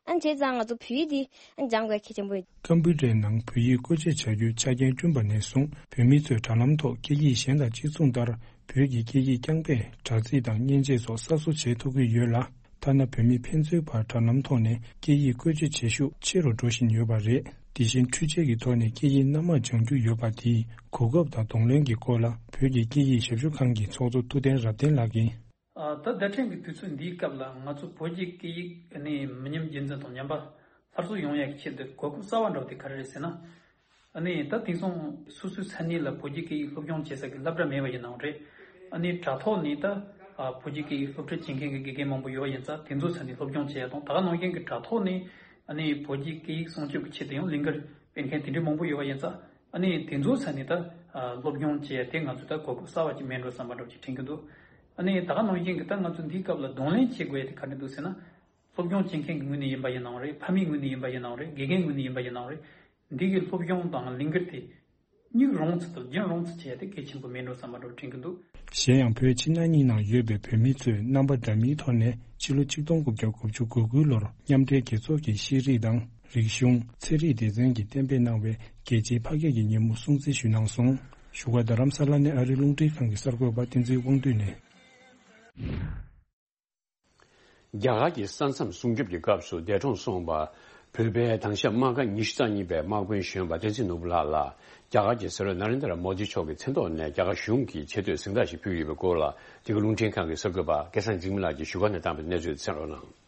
ཨ་ནི་བྱས་ཙང་ང་ཚོ་བོད་ཡིག་འདི་ཨ་ནི་སྦྱང་དགོས་གལ་ཆེན་པོ་ཡིན། ཀམ་པུ་ཊར་ནང་བོད་ཡིག་བཀོལ་སྤྱོད་བྱ་རྒྱུའི་ཆ་རྐྱེན་བསྐྲུན་པ་ནས་བཟུང་བོད་མི་ཚོས་དྲ་ལམ་ཐོག་སྐད་ཡིག་གཞན་དང་གཅིག་མཚུངས་ལྟར་བོད་ཀྱི་སྐད་ཡིག་རྐྱང་པས་དྲ་ཚིགས་དང་མཉེན་ཆས་སོགས་གསར་བཟོ་བྱེད་ཐུབ་ཀྱི་ཡོད་ལ། ཐ་ན་བོད་མི་ཕན་ཚུན་བར་དྲ་ལམ་ཐོག་ནས་སྐད་ཡིག་བཀོལ་སྤྱོད་བྱེད་ཤུགས་ཆེ་རུ་འགྲོ་བཞིན་ཡོད་པ་རེད། དེ་བཞིན་འཕྲུལ་ཆས་ཀྱི་ཐོག་ནས་སྐད་ཡིག་སྣ་མང་སྦྱང་རྒྱུ་ཡོད་པ་དེའི་གོ་སྐབས་དང་གདོང་ལེན་གྱི་སྐོར་ལ་བོད་ཀྱི་སྐད་ཡིག་ཞབས་ཞུ་ཁང་གི་ཚོགས་གཙོ་ཐུབ་བསྟན་རབ་བརྟན་ལགས་ཀྱིས། ཨ། ད་བརྡ་འཕྲིན་གྱི་དུས་ཚོད་འདིའི་སྐབས་ལ་ང་ཚོ་བོད་ཀྱི་སྐད་ཡིག་ནི་མི་ཉམས་རྒྱུན་འཛིན་དང་ཉམས་པ་སླར་གསོ་ཡོང་ཡག་གི་ཆེད་དུ་གོ་སྐབས་གསར་བ་འདྲ་བོ་དེ་ག་རེ་རེད་ཟེར་ན། ཨ་ནི་ད་དེང་སང་སོ་སོའི་ས་གནས་ལ་བོད་ཀྱི་སྐད་ཡིག་སློབ་སྦྱོང་བྱེད་ས་ཀྱི་སློབ་གྲྭ་མེད་པ་ཡིན་ནའང་རེད། ཨ་ནི་དྲ་ཐོག་ནས་ད་ཨ་བོད་ཀྱི་སྐད་ཡིག་སློབ་ཁྲིད་བྱེད་མཁན་གྱི་དགེ་རྒན་མང་པོ་ཡོད་པ་ཡིན་ཙང་དེ་ཚོའི་ས་ནས་སློབ་སྦྱོང་བྱེད་ཡ་དང་། ད་ག་ནང་བཞིན་གྱི་དྲ་ཐོག་ནས་ཨ་ནི་བོད་ཀྱི་སྐད་ཡིག་སྲུང་སྐྱོབ་ཀྱི་ཆེད་དུ་ཡང་ལས་འགུལ་སྤེལ་མཁན་དེ་འདྲའི་མང་པོ་ཡོད་པ་ཡིན་ཙང་། ཨ་ནི་དེ་ཚོའི་ས་ནས་ད་ཨ་སློབ་སྦྱོང་བྱེད་ཡ་དེ་ང་ཚོས་ད་གོ་སྐབས་གསར་བ་ཅིག་མེད་འགྲོ་བསམ་པ་འདྲ་བོ་ཅིག་དྲན་གྱི་འདུག་ཨ་ནི་ད་ག་ནང་བཞིན་གྱི་ད་ང་ཚོ་འདིའི་སྐབས་ལ་གདོང་ལེན་བྱེད་དགོས་ཡ་དེ་ག་རེ་འདུག་ཟེར་ན། སློབ་སྦྱོང་བྱེད་མཁན་གྱི་ངོས་ནས་ཡིན་པ་ཡིན་ནའང་རེད། ཕ་མའི་ངོས་ནས་ཡིན་པ་ཡིན་ནའང་རེད། དགེ་རྒན་ངོས་ནས་ཡིན་པ་ཡིན་ནའང་རེད། འདི་གི་སློབ་སྦྱོང་དང་ལས་འགུལ་དེ་སྙིང་རུས་ཚུལ་དང་རྒྱུན་རིང་ཚུལ་བྱས་ཏེ་གལ་ཆེན་པོ་མེད་འགྲོ་བསམ་པ་འདྲ་བོ་དྲན་གྱི་འདུག་གཞན་ཡང་བོད་ཕྱི་ནང་གཉིས་ནང་ཡོད་པའི་བོད་མི་ཚོས་རྣམ་པ་འདྲ་མིན་ཐོག་ནས་ཕྱི་ལོ་ཆིག་སྟོང་དགུ་བརྒྱ་དགུ་བཅུ་གོ་དགུ་ལོར་མཉམ་འབྲེལ་རྒྱལ་ཚོགས་ཀྱིས་ཤེས་རིག་དང་རིག་གཞུང་། ཚན་རིག་སྡེ་ཚན་གྱིས་གཏན་འབེབས་གནང་བའི་རྒྱལ་སྤྱིའི་ཕ་སྐད་ཀྱི་ཉིན་མོ་སྲུང་བརྩི་ཞུས་གནང་སོང་། བཞུགས་སྒར་རྡ་རམ་ས་ལ་ནས་ཨ་རིའི་རླུང་འཕྲིན་ཁང་གི་གསར་འགོད་པ་བསྟན་འཛིན་དབང་འདུས་ནས། རྒྱ་གར་གྱི་ས་མཚམས་སྲུང་སྐྱོབ་ཀྱི་སྐབས་སུ་འདས་གྲོངས་སོང་བ། བོད་པའི་དྭང་ཞབས་དམག་ཁང་ཉི་ཤུ་རྩ་གཉིས་པའི་དམག་དཔོན་གཞོན་པ་བསྟན་འཛིན་ནོར་བུ་ལགས་ལ། རྒྱ་གར་གྱི་སྲིད་བློན་ན་རེན་དྲ་མོ་དི་མཆོག་གི་མཚན་ཐོག་ནས་རྒྱ་གར་གཞུང་གིས་ཆེ་བསྟོད་གཟེངས་རྟགས་ཤིག་ཕུལ་ཡོད་པའི་སྐོར་ལ། འདི་ག་རླུང་འཕྲིན་ཁང་གི་གསར་འགོད་པ་སྐལ་བཟང་འཇིགས་མེད་ལགས་ཀྱིས་བཞུགས་སྒར་ནས་བཏང་བའི་གནས་ཚུལ་གསན་རོགས་གནང་།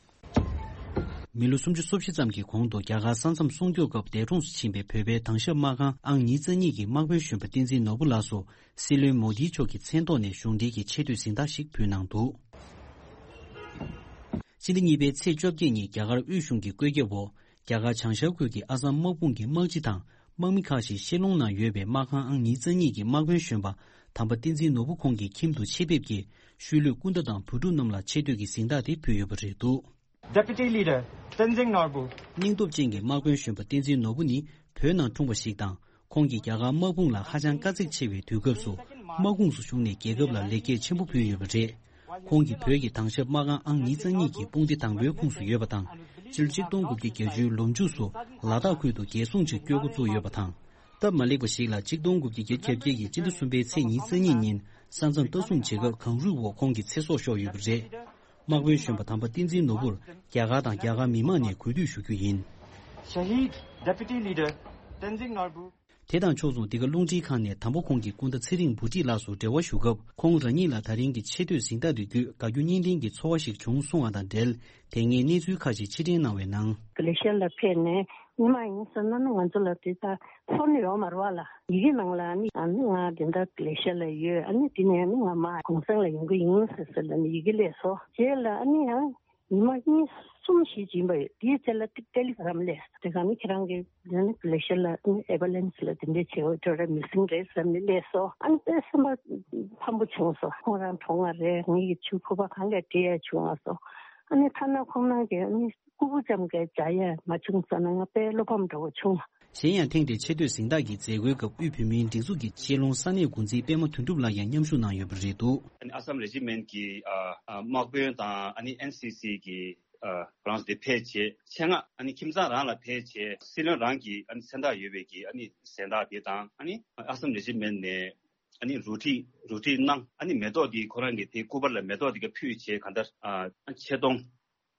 མི་ལོ་སུམ་ཅུ་སོ་བཞི་ཙམ་གྱི་གོང་དུ་རྒྱ་གར་ས་མཚམས་སྲུང་སྐྱོབ་སྐབས་འདས་གྲོངས་སུ་ཕྱིན་པའི་བོད་པའི་དྭང་ཞབས་དམག་ཁང་ཨང་ཉི་ཤུ་རྩ་གཉིས་ཀྱི་དམག་དཔོན་གཞོན་པ་བསྟན་འཛིན་ནོར་བུ་ལགས་སུ། སྲིད་བློན་མོ་དིའི་མཆོག་གི་མཚན་ཐོག་ནས་གཞུང་འབྲེལ་གྱི་ཆེ་བསྟོད་གཟེངས་རྟགས་ཤིག་ཕུལ་གནང་འདུག་སྤྱི་ཟླ་གཉིས་པའི་ཚེས་བཅོ་བརྒྱད་ཉིན་རྒྱ་གར་དབུས་གཞུང་གི་བཀོད་ཁྱབ་འོག་རྒྱ་གར་བྱང་ཤར་ཁུལ་གྱི་ཨ་སམ་དམག་དཔུང་གི་དམག་སྤྱི་དང་དམག་མི་ཁག་ཅིག་ཤེ་ལོང་ནང་ཡོད་པའི་དམག་ཁང་ཨང་ཉི་ཤུ་རྩ་གཉིས་ཀྱི་དམག་དཔོན་གཞོན་པ་དམ་པ་བསྟན་འཛིན་ནོར་བུ་ཁོང་གི་ཁྱིམ་དུ་ཆེད་ཕེབས་ཀྱིས་ཤུལ་ལུས་སྐུ་ཟླ་དང་བུ་ཕྲུག་རྣམས་ལ་ཆེ་བསྟོད་ཀྱི་གཟེངས་རྟགས་དེ་ཕུལ་ཡོད་པ་རེད་འདུག Deputy Leader Tenzing Norbu. སྙིང་སྟོབས་ཅན་གྱི་དམག་དཔོན་གཞོན་པ་བསྟན་འཛིན་ནོར་བུ་ནི་བོད་ནང་འཁྲུངས་པ་ཞིག་དང་། ཁོང་གིས་རྒྱ་གར་དམག་དཔུང་ལ་ཧ་ཅང་དཀའ་ཚེགས་ཆེ་བའི་དུས་སྐབས་སུ་དམག་དཔུང་སུ་ཞུགས་ནས་རྒྱལ་ཁབ་ལ་ལེགས་སྐྱེས་ཆེན་པོ་ཕུལ་ཡོད་པ་རེད། ཁོང་གིས་བོད་ཀྱི་དྭང་ཞབས་དམག་ཁང་ཨང་ཉི་ཤུ་རྩ་གཉིས་ཀྱི་དཔུང་སྡེ་དང་པོའི་ཁོངས་སུ་ཡོད་པ་དང་། སྤྱི་ལོ་ཆིག་སྟོང་དགུ་བརྒྱ་བརྒྱད་ཅུའི་ལོ་མཇུག་སུ་ལ་དྭགས་ཁུལ་དུ་རྒྱལ་སྲུང་ཆེད་བསྐྱོད་འགོ་བཙུགས་ཡོད་པ་དང་། སྟབས་མ་ལེགས་པ་ཞིག་ལ་ཆིག་སྟོང་དགུ་བརྒྱ་བརྒྱད་ཅུ་གྱ་བརྒྱད་ཀྱི་སྤྱི་ཟླ་གསུམ་པའི་ཚེས་ཉི་ཤུ་རྩ་གཉིས་ཉིན་ས་མཚམས་ལྟ་སྲུང་བྱེད་སྐབས་གངས་རུད་འོག་ཁོང་གི་ཚེ་སྲོག་ཤོར་ཡོད་པ་རེད། དམག་དཔོན་གཞོན་པ་དམ་པ་བསྟན་འཛིན་ནོར་བུར་རྒྱ་གར་དང་རྒྱ་གར་མི་མང་ནས་གུས་འདུད་ཞུ་རྒྱུ་ཡིན། Shahid Deputy Leader Tenzing Norbu དེ་དང་ཕྱོགས་མཚུངས། འདི་ག་རླུང་འཕྲིན་ཁང་ནས་དམ་པ་ཁོང་གི་སྐུ་ཟླ་ཚེ་རིང་བུ་ཁྲིད་ལགས་སུ་འབྲེལ་བ་ཞུ་སྐབས། ཁོང་རང་ཉིད་ལ་ད་རིང་གི་ཆེ་བསྟོད་གཟེངས་རྟགས་དེ་བརྒྱུད་དགའ་སྐྱོ་གཉིས་ལྡན་གྱི་ཚོར་བ་ཞིག་བྱུང་གསུང་བ་དང་འབྲེལ། དེ་སྔའི་གནས་ཚུལ་ཁག་ཅིག་ཕྱིར་དྲན་གནང་བའི་ནང་། མ་ལེ་ཤི་ཡ་ལ་ཕེབས་ནས་མི་མང་ཡིན་ཟེར་ན་ནི་ང་ཚོ་ལ་དེ་ལྟ་ཚོར་ནི་ཡོད་མ་རེད་བ་ལ། ཡི་གེ་ནང་ལ་ནི་ཨ་ནི་ང་དེ་འདྲ་མ་ལེ་ཤི་ཡ་ལ་ཡོད། ཨ་ནི་དེ་ནས་ནི་ང་མ་གུང་སེང་ལ་ཡོང་གི་ཡིན་ཟེར་ཟེར་ལ་ནི་ཡི་གེ་སླེབས་སོང་། རྗེས་ལ་ཨ་ནི་ཡང་། ཉི་མ་གཉིས་གསུམ་ཞིག་ཕྱིན་པ་ཡོད། དེའི་ཚེ་ལ་ཏི་ཏེ་ལི་གྷ་རམ་སླེབས། དེ་ག་ནི་ཁྱེད་རང་གི་དེ་ནི་མ་ལེ་ཤི་ཡ་ལ་ནི་ཨེམ་བུ་ལེན་སི་ལ་དེ་འདྲས་བྱེད་འོས་འཕྲོད་ར་མི་སིང་རེད་ཟེར་ནས་སླེབས་སོང་། ཨ་ནི་དཔེ་སེམས་པ་ཕམ་པོ་བྱུང་སོང་། ཁོང་རང་གྲོངས་པ་རེད། ངེད་ཀྱི་ཆུ་ཁུ་པ་གང་ག་བྲིས་ཡ་བྱུང་བ་སོང་། ཨ་ནི་ཐ་ན་ཁོང་རང་གི་ཨ་ནི་སྐུ་པུ་ཙམ་གྱི་མཇལ་ཡ་མ་བྱུང་ཟེར་ན་ང་དཔེ་བློ་ཕམ་འདྲ་བོ་བྱུང་། གཞན་ཡང་ཐེངས་འདིའི་ཆེ་བསྟོད་གཟེངས་རྟགས་ཀྱི་མཛད་སྒོའི་སྐབས་དབུས་བོད་མིའི་སྒྲིག་འཛུགས་ཀྱི་སྤྱི་ལོ་ས་གནས་འགོ་འཛིན་པད་མ་དོན་གྲུབ་ལགས་ཀྱང་མཉམ་ཞུགས་གནང་ཡོད་པ་རེད་འདུག་ཨ་ནི་ཨ་སམ་རེ་ཇི་མེན་གྱི་ཨ་ཨ་དམག་དཔོན་དང་ཨ་ནི་ཨེན་སི་སི་གི་ཨ་ཁོ་རང་ཚོ་དེ་ཕེབས་བྱས། ཆེད་མངགས་ཨ་ནི་ཁྱིམ་ཚང་རང་ལ་ཕེབས་བྱས། སྲིད་བློན་རང་གི་ཨ་ནི་མཚན་རྟགས་ཡོད་པའི་གི་ཨ་ནི་གཟེངས་རྟགས་དེ་དང་། ཨ་ནི་ཨ་སམ་རེ་ཇི་མེན་ནས་ཨ་ནི་རོ་ཁྲིད་རོ་ཁྲིད་གནང་། ཨ་ནི་མེ་ཏོག་དེ་ཁོ་རང་གི་དེ་སྐུ་པར་ལ་མེ་ཏོག་དེ་ག་ཕུལ་བྱས། གང་ལྟར་ཨ་ཆེ་མཐོང་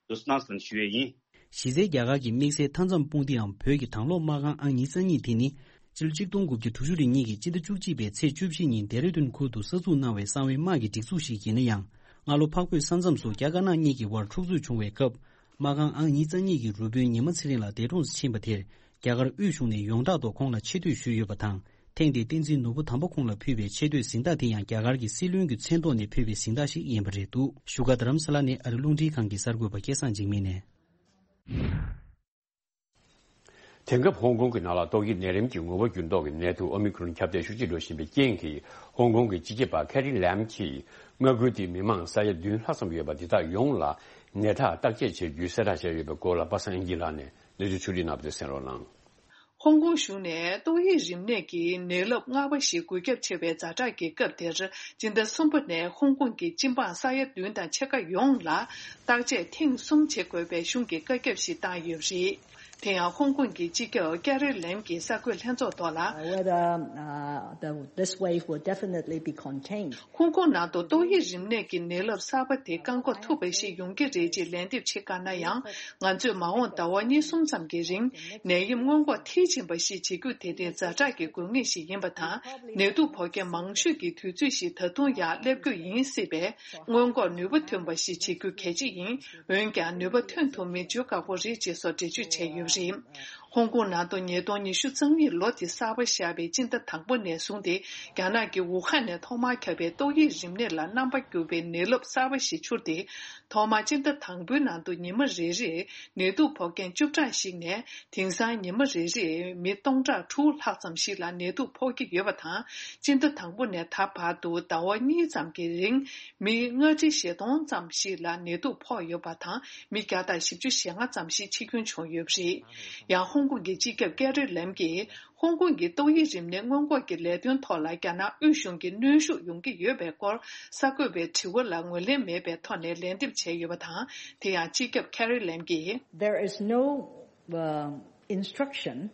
དུ་སྣང་ཟིན་ཞུ་ཡས་ཡིན། གཞི་རྩའི་རྒྱ་གར་གྱི་དམིགས་བསལ་མཐའ་མཚམས་དཔུང་སྡེའམ་བོད་ཀྱི་དྭང་སློབ་དམག་ཁང་ཨང་ཉི་ཤུ་རྩ་གཉིས་དེ་ནི། སྤྱི་ལོ་གཅིག་སྟོང་དགུ་བརྒྱ་དྲུག་ཅུ་རེ་གཉིས་ཀྱི་སྤྱི་ཟླ་བཅུ་གཅིག་པའི་ཚེས་བཅུ་བཞི་ཉིན་ལྡེ་ར་ལྡུན་ཁུལ་དུ་གསར་འཛུགས་གནང་བའི་གསང་བའི་དམག་གི་སྒྲིག་འཛུགས་ཤིག་ཡིན་ན་ཡང་། སྔ་ལོ་འཕགས་བོད་ས་མཚམས་སུ་རྒྱ་དཀར་ནག་གཉིས་ཀྱི་དབར་འཁྲུག་རྩོད་བྱུང་བའི་སྐབས། དམག་ཁང་ཨང་ཉི་ཤུ་རྩ་གཉིས་ཀྱི་རུ་དཔོན་ཉི་མ་ཚེ་རིང་ལགས་འདས་གྲོངས་སུ་ཕྱིན་པ་དེར། རྒྱ་གར་དབུས་གཞུང་ནས་ཡོངས་གྲགས་ཐོག་ཁོང་ལ་ཆེ་བསྟོད་ཞུས་ཡོད་པ་དང་། ཐེངས་འདིའི་བསྟན་འཛིན་ནོར་བུ་དམ་པ་ཁོང་ལ་ཕུལ་བའི་ཆེ་བསྟོད་གཟེངས་རྟགས་དེ་ཡང་རྒྱ་གར་གྱི་སྲིད་བློན་གྱི་མཚན་ཐོག་ནས་ཕུལ་བའི་གཟེངས་རྟགས་ཤིག་ཡིན་པ་རེད་འདུག་བཞུགས་སྒར་རྡ་རམ་ས་ལ་ནས་ཨ་རི་རླུང་འཕྲིན་ཁང་གི་གསར་འགོད་པ་སྐལ་བཟང་འཇིགས་མེད་ནས། དེང་སྐབས་ཧོང་ཀོང་གི་ནང་ལ་ཏོག་དབྱིབས་ནད་རིམས་ཀྱི་ངོ་བོ་འགྱུར་ལྡོག་གི་ནད་དུག་ཨོ་མི་ཀྲོན་ཁྱབ་གདལ་ཤུགས་ཆེ་འགྲོ་བཞིན་པའི་རྐྱེན་གྱིས། ཧོང་ཀོང་གི་སྤྱི་ཁྱབ་པ་ཁེ་རི་ལེམ་གྱིས། མངའ་ཁུལ་དེའི་མི་མང་ས་ཡ་བདུན་ལྷག་ཙམ་ཡོད་པ་འདི་དག་ཡོངས་ལ་ནད་རྟགས་བརྟག་དཔྱད་བྱེད་རྒྱུའི་གསལ་བསྒྲགས་བྱས་ཡོད་པའི་སྐོར་ལ་པ་སངས་དབྱངས་སྐྱིད་ལགས་ནས་ནུ་ཆུ་ཆུ་རིལ་ནག་པོ་དེ་གསན་རོགས་གནང་། ཧོང་ཀོང་གཞུང་ནས་ཏོག་དབྱིབས་རིམས་ནད་ཀྱི་ནད་རླབས་ལྔ་པ་ཞིག་འགོས་ཁྱབ་ཆེ་བའི་ཛ་དྲག་གི་སྐབས་དེར། སྤྱི་ཟླ་གསུམ་པ་ནས་ཧོང་ཀོང་གི་སྤྱི་འབངས་ས་ཡ་བདུན་དང་ཕྱེད་ཀ་ཡོངས་ལ་བརྟག་དཔྱད་ཐེངས་གསུམ་བྱེད་དགོས་པའི་གཞུང་གི་བཀའ་ཁྱབ་ཞིག་བཏང་ཡོད་པ་རེད། དེ་ཡང་ཧོང་ཀོང་གི་སྤྱི་ཁྱབ་ཀེ་རི་ལེམ་གྱིས་གསར་འགོད་ལྷན་ཚོགས་ཐོག་ལ། Whether, uh, the, this wave will definitely be contained. ཧོང་ཀོང་ནང་དུ་ཏོག་དབྱིབས་རིམས་ནད་ཀྱི་ནད་རླབས་གསར་པ་དེ་བཀག་འགོག་ཐུབ་པ་ཞིག་ཡོང་གི་རེད་ཅེས་ལན་འདེབས་བྱེད་དཀའ་ན་ཡང་། ང་ཚོས་མ་འོངས་ཟླ་བ་གཉིས་གསུམ་ཙམ་གྱི་རིང་ནད་ཡམས་སྔོན་འགོག་མཐིལ་ཕྱིན་པ་ཞིག་བྱེད་རྒྱུ་དེ་ནི་ཛ་དྲག་གི་དགོས་ངེས་ཤིག་ཡིན་པ་དང་། ནད་དུག་ཕོག་མཁན་མང་ཤོས་ཀྱི་དུས་ཚོད་ཞིག་ད་དུང་ཡང་སླེབས་རྒྱུ་ཡིན་སྲིད་པས། སྔོན་འགོག་ནུས་པ་ཐོན་པ་ཞིག་བྱེད་རྒྱུ་གལ་ཆེ་ཡིན། འོན་ཀྱང་ནུས་པ་ཐོན་ཐུབ་མིན་བརྗོད་དཀའ་པོ་རེད་ཅེས་སོགས་འགྲེལ་བརྗོད་བྱས་ཡོད་པ་རེད། ཧོང་ཀོང་ནང་དུ་ཉིས་སྟོང་ཉི་ཤུ་རྩ་གཉིས་ལོ་དེ་གསར་པ་ཤར་བའི་སྤྱི་ཟླ་དང་པོ་ནས་བཟུང་སྟེ། རྒྱ་ནག་གི་ཝུ་ཧན་ནས་ཐོག་མར་ཁྱབ་པའི་ཏོག་དབྱིབས་རིམས་ནད་ལ་རྣམ་པ་འགྱུར་བའི་ནད་རླབས་གསར་པ་ཞིག་འཕྱུར་ཏེ། ཐོག་མར་སྤྱི་ཟླ་དང་པོའི་ནང་དུ་ཉི་མ་རེ་རེར་ནད་དུག་ཕོག་མཁན་བཅུ་ཕྲག་ཞིག་ནས། དེང་སང་ཉི་མ་རེ་རེར་མི་སྟོང་ཕྲག་དྲུག་ལྷག་ཙམ་ཞིག་ལ་ནད་དུག་ཕོག་གི་ཡོད་པ་དང་། སྤྱི་ཟླ་དང་པོ་ནས་ད་བར་དུ་ཟླ་བ་གཉིས་ཙམ་གྱི་རིང་མི་ལྔ་ཁྲི་བཞི་སྟོང་ཙམ་ཞིག་ལ་ནད་དུག་ཕོག་ཡོད་པ་དང་། མི་བརྒྱ་དང་བཞི་བཅུ་ཞེ་ལྔ་ཙམ་ཞིག་འཆི་སྐྱོན་བྱུང་ཡོད་པ་རེད། ཡང་ཧོང་ཀོང་གི་སྤྱི་ཁྱབ་ཀེ་རི་ལེམ་གྱིས། ཧོང་ཀོང་གི་ཏོག་དབྱིབས་རིམས་ནད་སྔོན་འགོག་གི་ལས་དོན་ཐོག་ལ་རྒྱ་ནག་དབུས་གཞུང་གི་གནོན་ཤུགས་ཡོང་གི་ཡོད་པའི་སྐོར། གསར་འགོད་པའི་དྲི་བ་ལ་ངོས་ལེན་མེད་པའི་ཐོག་ནས་ལན་འདེབས་བྱས་ཡོད་པ་དང་། དེ་ཡང་སྤྱི་ཁྱབ་ཁེ་རི་ལེམ་གྱིས། There is no, uh, instruction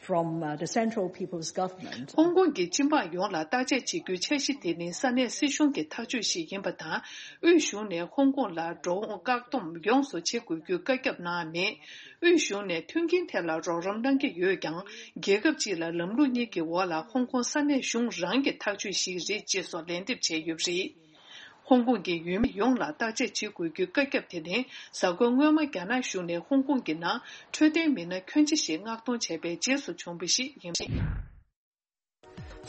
from, uh, the Central People's Government. ཧོང་ཀོང་གི་སྤྱི་འབངས་ཡོངས་ལ་བརྟག་དཔྱད་བྱེད་རྒྱུའི་འཆར་གཞི་དེ་ནི་ས་གནས་སྲིད་གཞུང་གི་ཐག་གཅོད་ཞིག་ཡིན་པ་དང་། དབུས་གཞུང་ནས་ཧོང་ཀོང་ལ་འགྲོ་འོང་བཀག་སྡོམ་ཡོངས་སུ་བྱེད་དགོས་རྒྱུའི་བཀའ་ཁྱབ་གནང་མེད། དབུས་གཞུང་ནས་མཐུན་རྐྱེན་ཐད་ལ་རོགས་རམ་གནང་གི་ཡོད་ཀྱང་། རྒྱལ་ཁབ་གཅིག་ལ་ལམ་ལུགས་གཉིས་ཀྱི་འོག་ལ་ཧོང་ཀོང་ས་གནས་གཞུང་རང་གི་ཐག་གཅོད་ཞིག་རེད་ཅེས་སོགས་ལན་འདེབས་བྱས་ཡོད་པ་རེད། ཧོང་ཀོང་གི་ཡུལ་མི་ཡོངས་ལ་བརྟག་དཔྱད་བྱེད་དགོས་རྒྱུའི་བཀའ་ཁྱབ་དེ་ནི། གཟའ་འཁོར་སྔོན་མ་རྒྱ་ནག་གཞུང་ནས་ཧོང་ཀོང་གི་ནང་འཕྲོད་བསྟེན་མི་སྣ་ཁྱོན་ཆེ་ཞིག་མངགས་གཏོང་བྱས་པའི་རྗེས་སུ་བྱུང་བ་ཞིག་ཡིན། དེ་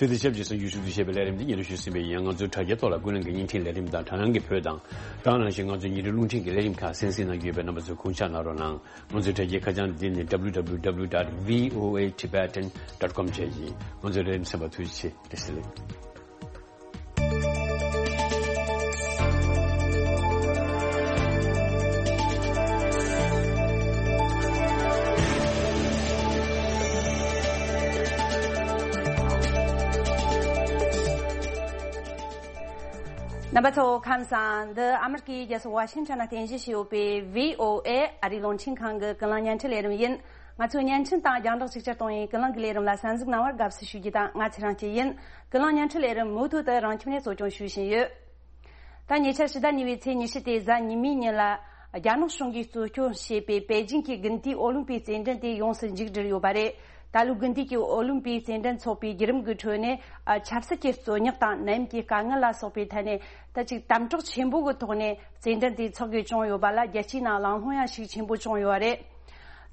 དང་ཆབས་ཅིག་གསར་འགྱུར་ཞུ་གཏུག་བྱས་པའི་ལས་རིམ་འདི་ཉན་རེ་ཞུས་ཟིན་པ་ཡིན། ང་ཚོའི་དྲ་རྒྱའི་ཐོག་ལ་ཀུན་གླེང་གི་བརྙན་འཕྲིན་ལས་རིམ་དང་དྲ་སྣང་གི་བོད་དང་། དེ་ནང་བཞིན་ང་ཚོའི་ཉིན་རེའི་རླུང་འཕྲིན་གྱི་ལས་རིམ་ཁག་གསན་གཟིགས་གནང་རྒྱུ་ཡོད་པས་རྣམ་པ་ཚོས་དགོངས་འཇགས་གནང་རོགས་གནང་། ང་ཚོའི་དྲ་རྒྱའི་ཁ་བྱང་འདི་ནི་W W W dot V O A Tibetan dot com བཅས་ཡིན། ང་ཚོའི་ལས་རིམ་གསན་པར་ཐུགས་རྗེ་ཆེ། བཀྲ་ཤིས་བདེ་ལེགས། རྣམ་པ་ཚོ་ཁམས་བཟང་། འདི་ཨ་མི་རི་ཀའི་རྒྱལ་ས་ཝ་ཤིང་ཊོན་ལ་རྟེན་གཞི་བྱས་ཡོད་པའི་V O A ཨ་རིའི་རླུང་འཕྲིན་ཁང་གི་ཀུན་གླེང་བརྙན་འཕྲིན་ལས་རིམ་ཡིན། ང་ཚོའི་བརྙན་འཕྲིན་དང་རྒྱང་བསྒྲགས་ཅིག་ཅར་གཏོང་བའི་ཀུན་གླེང་གི་ལས་རིམ་ལ་གསན་གཟིགས་གནང་བར་དགའ་བསུ་ཞུ་རྒྱུ་དང་། ང་ཚེ་རིང་སྐྱིད་ཡིན། ཀུན་གླེང་བརྙན་འཕྲིན་ལས་རིམ་མུ་མཐུད་དུ་རང་ཁྱིམ་ནས་གཙོ་སྐྱོང་ཞུ་བཞིན་ཡོད། ད་ཉེ་ཆར་ཕྱི་ཟླ་གཉིས་པའི་ཚེས་ཉི་ཤུ་སྟེ་གཟའ་ཉི་མའི་ཉིན་ལ། རྒྱ་ནག་གཞུང་གིས་གཙོ་སྐྱོང་བྱས་པའི་པེ་ཅིང་གི་དགུན་དུས་ཨོ་ལིམ་པིག་རྩེད་འགྲན་དེ་ཡོངས་སུ་མཇུག་བསྒྲིལ་ཡོད་པ་རེད། ད་ལོའི་དགུན་དུས་ཀྱི་ཨོ་ལིམ་པིག་རྩེད་འགྲན་ཚོགས་པའི་བརྒྱུད་རིམ་གྱི་ཁྲོད་ནས། ཨ། ཆབ་སྲིད་ཀྱི་རྩོད་རྙོག་དང་ནད་ཡམས་ཀྱི་དཀའ་ངལ་ལ་སོགས་པའི་ཐད་ནས། ད་ཅིག་དམ་དྲག་ཆེན་པོ་གི་ཐོག་ནས་རྩེད་འགྲན་དེ་འཚོགས་དགོས་བྱུང་ཡོད་པ་ལ། རྒྱལ་སྤྱིའི་ནང་གླེང་སློང་ཡང་ཤུགས་ཆེན་པོ་བྱུང་ཡོད་པ་རེད།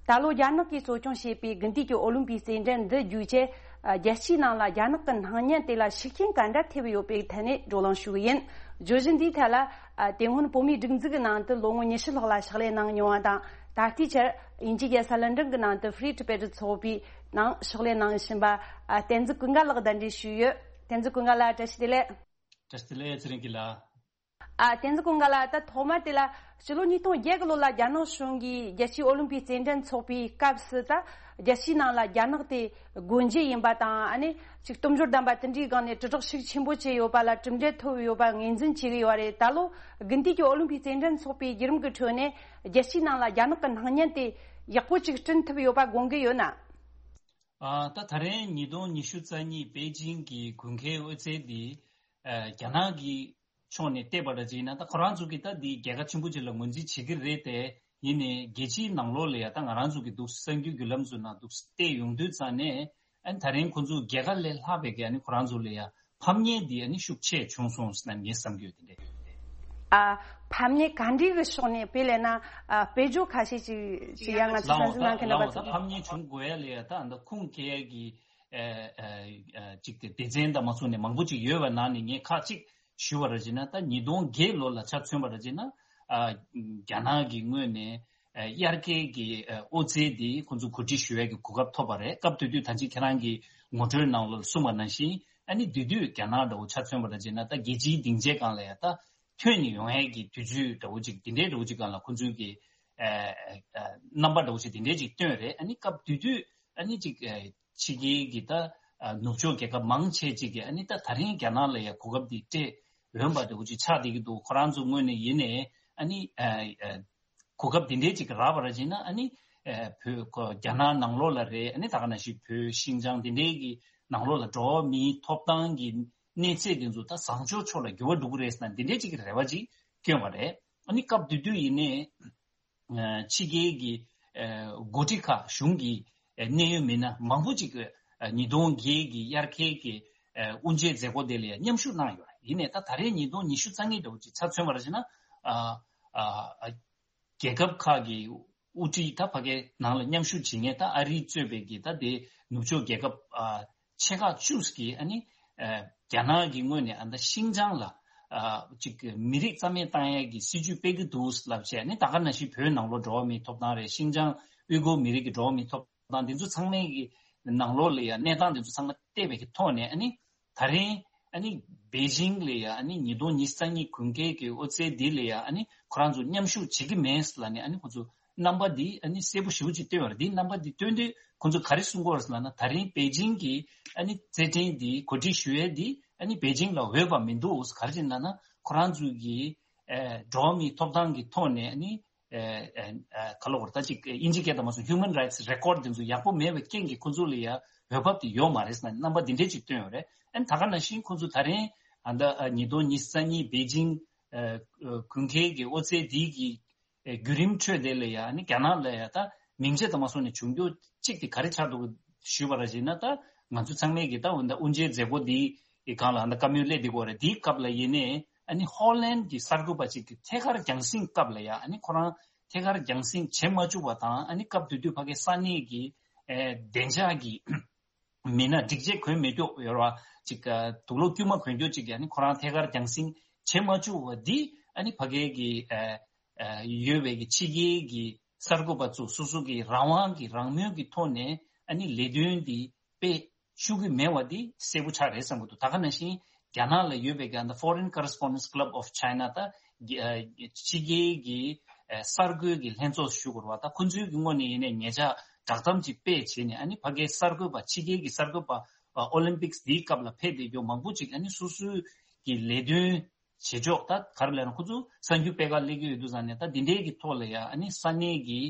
ད་ལོ་རྒྱ་ནག་གིས་གཙོ་སྐྱོང་བྱས་པའི་དགུན་དུས་ཀྱི་ཨོ་ལིམ་པིག་རྩེད་འགྲན་འདི་བརྒྱུད་བྱས། རྒྱལ་སྤྱིའི་ནང་ལ་རྒྱ་ནག་གི་སྣང་བརྙན་དེ་ལ་ཤུགས་རྐྱེན་ག་འདྲ་ཐེབས་ཡོད་པའི་ཐད་ནས་བགྲོ་གླེང་ཞུ་གི་ཡིན། བརྗོད་གཞི་འདིའི་ཐད་ལ། ཨ། དེ་སྔོན་བོད་མིའི་སྒྲིག་འཛུགས་ཀྱི་ནང་དུ་ལོ་ངོ་ཉི་ཤུ་ལྷག་ལ་ཕྱག་ལས་གནང་མྱོང་བ་དང་། ད་ལྟའི་ཆར་དབྱིན་ཇིའི་རྒྱལ་ས་ལན་ཀྲན་གྱི་ནང་དུ་Free Tibet ཚོགས་པའི་ནང་ཕྱག་ལས་གནང་བཞིན་པ། ཨ། བསྟན་འཛིན་ཀུན་དགའ་ལགས་གདན་འདྲེན་ཞུས་ཡོད། བསྟན་འཛིན་ཀུན་དགའ་ལགས། བཀྲ་ཤིས་བདེ་ལེགས། བཀྲ་ཤིས་བདེ་ལེགས། ཚེ་རིང་སྐྱིད་ལགས། ཨ། བསྟན་འཛིན་ཀུན་དགའ་ལགས། ད་ཐོག་མར་དེ་ལ་ཕྱི་ལོ་ཉིས་སྟོང་བརྒྱད་གི་ལོ་ལ་རྒྱ་ནག་གཞུང་གིས་རྒྱལ་སྤྱིའི་ཨོ་ལིམ་པིག་རྩེད་འགྲན་འཚོགས་པའི་སྐབས་སུ། ད་རྒྱལ་སྤྱིའི་ནང་ལ་རྒྱ་ནག་དེ་སྒོ་འབྱེད་ཡིན་པ་དང་། ཨ་ནི་ཅིག་སྟོབས་འབྱོར་ལྡན་པ་དེ་འདྲའི་སྒང་ནས་དྲིལ་བསྒྲགས་ཤུགས་ཆེན་པོ་བྱས་ཡོད་པ་ལ་གྲུབ་འབྲས་ཐོབ་ཡོད་པ་ངོས་འཛིན་བྱེད་ཀྱི་ཡོད་པ་རེད། ད་ལོ་དགུན་དུས་ཀྱི་ཨོ་ལིམ་པིག་རྩེད་འགྲན་འཚོགས་པའི་བརྒྱུད་རིམ་གྱི་ཁྲོད་ནས་རྒྱལ་སྤྱིའི་ནང་ལ་རྒྱ་ནག་གི་སྣང་བརྙན་དེ་ཡག་པོ་ཅིག་བསྐྲུན་ཐུབ་ཡོད་པ་དགོངས་ཀྱི་ཡོད་ན། ཨ། ད་ད་རེས་ཉིས་སྟོང་ཉི་ཤུ་རྩ་གཉིས་པེ་ཅིང་གི་དགུན་ཁའི་དབུ་རྩེ་འདི། ཨ། རྒྱ་ནག་གི་ཕྱོགས་ནས་བལྟས་པ་འདྲ་ཅིག་ཡིན་ན། ད་ཁོ་རང་ཚོ་གིས་ད་འདི་རྒྱལ་ཁ་ཆེན་པོ་ཅིག་ལ་ངོས་འཛིན་བྱེད་ཀྱི་རེད་དེ། ཡིན་ནའི་རྒྱལ་སྤྱིའི་ནང་ལོགས་ལ་ཡ་ད་ང་རང་ཚོ་གི་འདུག་གསར་འགྱུར་བརྒྱུད་ལམ་ཚོའི་ནང་འདུག་བལྟས་ཡོང་དུས་ཙང་ནས། ཨ་ནི་ད་རིང་ཁོ་ཚོ་རྒྱལ་ཁ་ལས་ལྷག་པའི་གི་ཨ་ནི་ཁོ་རང་ཚོ་ལ་ཡ་ཕམ་ཉེས་འདི་ཨ་ནི་ཤུགས་ཆེ་བྱུང་སོང་ཟེར་ན་ངས་བསམ་གྱི་ཡོད། དེ་འདྲ། ཨ། ཕམ་ཉེས་ག་འདྲའི་གི་ཕྱོགས་ནས། དཔེ་ལབ་ན། ཨ། དཔེ་བརྗོད་ཁ་ཤས་ཅིག་ཅིག་ཡང་ང་ཚོས་གསན་གཟིགས་གནང་མཁན་རྣམ་པ་ཚོ། ལའོ། ད་ཕམ་ཉེས་བྱུང་དགོས་ཡ་ལ་ཡ་ད་ཨ་ད་ཁུངས་སྐྱེལ་ཡ་གི། ཨ། ཨ། ཨ། ཅིག་དེ་སྡེ་ཚན་དང་མ་ཚོགས་ནས་མང་པོ་ཅིག་ཡོད་པ་ནང་ནས་ངས་ཁག་ཅིག་ཞུ་བ་ར་བྱས་ན། ད་ཉིས་སྟོང་བརྒྱད་ལོ་ལ་ཆ་མཚོན་པ་ར་བྱས་ན། ཨ། རྒྱ་ནག་གི་ངོས་ནས། ཨ། དབྱར་ཁའི་གི། ཨ། དབུ་རྩེ་འདི་ཁོང་ཚོ་གོ་སྒྲིག་ཞུ་ཡས་ཀྱི་གོ་སྐབས་ཐོབ་པ་རེད། སྐབས་དེ་དུས་ད་ཅི་ཁྱེད་རང་གི་ངོ་སྤྲོད་ནང་ལ་གསུངས་པ་ནང་བཞིན། ཨ་ནི་དེ་དུས་རྒྱ་ནག་འདྲ་བོ་ཆ་མཚོན་པ་ར་བྱས་ན། ད་རྒྱལ་སྤྱིའི་སྡིངས་ཆའི་སྒང་ལ་ཡ་ད་ཐོན་ནས་ཡོང་ཡས་ཀྱི་དུས་ཚོད་འདྲ་བོ་ཅིག་དེ་འདྲའི་འདྲ་བོ་ཅིག་སྒང་ལ་ཁོང་ཚོའི་གི། ཨ། ཨ། རྣམ་པ་འདྲ་བོ་ཅིག་དེ་འདྲའི་ཅིག་བཏོན་རེད། ཨ་ནི་སྐབས་དེ་དུས་ཨ་ནི་ཅིག་ཨ། ཕྱི་རྒྱལ་གྱི་ད། ཨ། ནུབ་ཕྱོགས་རྒྱལ་ཁབ་མང་ཆེ་ཅིག་གིས་ཨ་ནི་ད་ད་རིང་རྒྱ་ནག་ལ་ཡ་གོ་སྐབས་འདི་སྤྲད་འོས་པ་འདྲ་བོ་ཅིག་ཆགས་བསྡད་ཀྱི་འདུག་ཁོ་རང་ཚོ་ངོས་ནས་ཡིན་ནའི་ཨ་ནི། ཨ། ཨ། གོ་སྐབས་འདི་འདྲའི་ཅིག་རག་པ་ར་བྱས་ན། ཨ་ནི། ཨ། བོད་ཁོ་རྒྱ་ནག་ནང་ལོགས་ལ་རེད། ཨ་ནི་ད་ག་ནང་བཞིན་བོད་ཤིན་ཅང་འདི་འདྲའི་གི་ནང་ལོགས་ལ་འགྲོ་བ་མིའི་ཐོབ་ཐང་གི་གནས་ཚད་འདི་ཚོ་ད་བཟང་ཕྱོགས་ཕྱོགས་ལ་འགྱུར་བ་འགྲོ་གི་རེད་ཟེར་ན། འདི་འདྲའི་ཅིག་གི་རེ་བ་ཅིག་བསྐྱོན་པ་རེད། ཨ་ནི་སྐབས་དེ་དུས་ཡིན་ནའི། ཨ། ཕྱི་རྒྱལ་གྱི། ཨ། འགོ་ཁྲིད་ཁག་གཞུང་གི། ཨ། གནད་ཡོད་མི་སྣ་མང་པོ་ཅིག་ཨ། ཉིས་སྟོང་བརྒྱད་ཀྱི་དབྱར་ཁའི་གི། ཨ། དབུ་འབྱེད་མཛད་སྒོ་དེ་ལ་ཡང་མཉམ་ཞུགས་གནང་ཡོད་རེད། ཡིན་ནའི་ད་ད་རེས་ཉིས་སྟོང་ཉི་ཤུ་རྩ་གཉིས་འདྲ་བོ་ཅིག་ཆ་མཚོན་པ་ར་བྱས་ན། ཨ། ཨ། ཨ། རྒྱལ་ཁབ་ཁག་གི་དབུ་ཁྲིད་ད་ཕ་གིའི་ནང་ལ་མཉམ་ཞུགས་བྱེད་མཁན་ད་ཨ་རི་གཙོས་པའི་གི་ད་དེ་ནུབ་ཕྱོགས་རྒྱལ་ཁབ། ཨ། ཆེ་ཁག་བཅུ་གིས་ཨ་ནི། ཨ། རྒྱ་ནག་གི་ངོས་ནས་ཨ་ད་ཤིན་ཅང་ལ། ཨ། ཅིག་མི་རིགས་རྩ་མེད་བཏང་ཡས་ཀྱི་སྲིད་ཇུས་སྤེལ་གྱི་འདུག་ལབ་བྱས། ཨ་ནི་ད་ག་ནང་བཞིན་བོད་ནང་ལོགས་འགྲོ་བ་མིའི་ཐོབ་ཐང་རེད། ཤིན་ཅང་ཨུའི་གུར་མི་རིགས་ཀྱི་འགྲོ་བ་མིའི་ཐོབ་ཐང་འདི་ཚོ་ཚང་མའི་གི་ནང་ལོགས་ལ་ཡང་གནས་སྟངས་འདི་ཚོ་ཚང་མ་བལྟས་པའི་གི་ཐོག་ནས། ཨ་ནི་ད་རིང་ཨ་ནི་པེ་ཅིང་ལ་ཡང་ཨ་ནི་ཉིས་སྟོང་ཉི་ཤུ་རྩ་གཉིས་དགུན་ཁའི་གི་དབུ་རྩེ་འདི་ལ་ཡང་ཨ་ནི་ཁོ་རང་ཚོ་མཉམ་ཞུགས་བྱེད་ཀྱི་མེད་ལབ་ནས། ཨ་ནི་ཁོ་ཚོ་རྣམ་པ་འདི་ཨ་ནི་གསལ་པོ་ཞེ་པོ་ཅིག་བཏོན་པ་རེད། འདི་རྣམ་པ་འདི་བཏོན་དུས་ཁོ་ཚོ་ག་རེ་གསུང་གི་ཡོད་རེད་ཟེར་ལབ་ན། ད་རིང་པེ་ཅིང་གི་ཨ་ནི་རྩེད་འགྲན་འདི་གོ་སྒྲིག་ཞུ་ཡས་འདི་ཨ་ནི་པེ་ཅིང་ལ་འོས་པ་མི་འདུག་ག་རེ་བྱས་ན་ན་ཁོ་རང་ཚོའི་གི། ཨ། འགྲོ་བ་མིའི་ཐོབ་ཐང་གི་ཐོག་ནས་ཨ་ནི། ཨ། ཨ། ག་ལབ་དགོས་རེད། ད་ཅིག་དབྱིན་ཇི་སྐད་དུ་མ་སོང་། Human Rights Record འདི་ཚོ་ཡག་པོ་མེད་པའི་རྐྱེན་གྱིས་ཁོ་ཚོ་ལ་ཡ་འོས་འབབ་དེ་ཡོད་མ་རེད་ཟེར་ན། རྣམ་པ་འདི་འདྲས་ཅིག་བཏོན་ཡོད་རེད། ཨ་ནི་ད་ག་ནང་བཞིན་ཁོ་ཚོ་ད་རིང་ཨ་ད་ཉིས་སྟོང་ཉི་ཤུ་རྩ་གཉིས་པེ་ཅིང་། ཨ། དགུན་ཁའི་གི་དབུ་རྩེ་འདི་གི། ཨ། བརྒྱུད་རིམ་ཁྲོད་དེ་ལ་ཡ་ཨ་ནི་རྒྱ་ནག་ལ་ཡ་ད་མིང་ཆད་དུ་མ་སོང་ནས་བྱུང་རྒྱུ་གཅིག་དེ་ག་རེ་ཆགས་འདུག་ཞུས་པ་ར་བྱས་ན། ད་ང་ཚོ་ཚང་མས་གི་ད་འོ་ད་དབུ་འབྱེད་མཛད་སྒོ་འདི་གི་སྒང་ལ་ཨ་ད་བཀའ་མོལ་སླེབས་བསྡད་ཀྱི་ཡོད་རེད། འདིའི་སྐབས་ལ་ཡིན་ནའི་ཨ་ནི་ཧོ་ལན་གྱི་གསར་འགོད་པ་གཅིག་གི་ཐད་ཀར་རྒྱང་སྲིང་སྐབས་ལ་ཡ་ཨ་ནི་ཁོ་རང་ཐད་ཀར་རྒྱང་སྲིང་བྱེད་མ་བཅུག་པ་དང་། ཨ་ནི་སྐབས་དེ་དུས་ཕ་གི་ས་གནས་ཀྱི། ཨ། བདེ་འཇགས་ཀྱི་མི་སྣ་སྒྲིག་ཆས་གོན་མི་ཆོག་ཡོད་ར་ཅིག་ཨ། དུག་ལོག་དཀྱུས་མ་གོན་རྒྱུ་ཅིག་གི་ཨ་ནི་ཁོ་རང་ཐད་ཀར་རྒྱང་སྲིང་བྱེད་མ་བཅུག་པ་འདི། ཨ་ནི་ཕ་གི་གི། ཨ། ཨ། ཡོད་པའི་གི་ཕྱི་རྒྱལ་གྱི་གསར་འགོད་པ་ཚོ་སོ་སོ་གི་རང་དབང་གི་རང་མོས་ཀྱི་ཐོག་ནས་ཨ་ནི་ལས་དོན་འདི་སྤེལ་ཤུགས་ཀྱི་མེད་པ་འདི་གསལ་པོ་ཆགས་རེད་བསམ་གྱི་འདུག་ད་ག་ནང་བཞིན་རྒྱ་ནག་ལ་ཡོད་པའི་གི་ཨ་ད་Foreign Correspondents Club of China ད་ཕྱི་རྒྱལ་གྱི་གསར་འགོད་ཀྱི་ལྷན་ཚོགས་ཞུ་དགོས་རེད་བ། ད་ཁོ་ཚོའི་གི་ངོས་ནས་ཡིན་ནའི་ཉེ་ཆར་བསྒྲགས་གཏམ་ཅིག་སྤེལ་བྱས་ནས། ཨ་ནི་ཕ་གིའི་གསར་འགོད་པ་ཕྱི་རྒྱལ་གྱི་གསར་འགོད་པ་ཨོ་ལིམ་པིག་སི་འདིའི་སྐབས་ལ་ཕེབས་བསྡད་རྒྱུ་མང་པོ་ཅིག་ཨ་ནི་སོ་སོའི་གི་ལས་དོན་བྱེད་ཕྱོགས་ད་ག་རེ་ལབ་ན་ཁོ་ཚོ་གསར་འགྱུར་སྤེལ་ག་སླེབས་ཀྱི་ཡོད་དུས་ཙང་ནས། ད་འདི་འདྲའི་གི་ཐོག་ལ་ཡ་ཨ་ནི་ས་གནས་ཀྱི་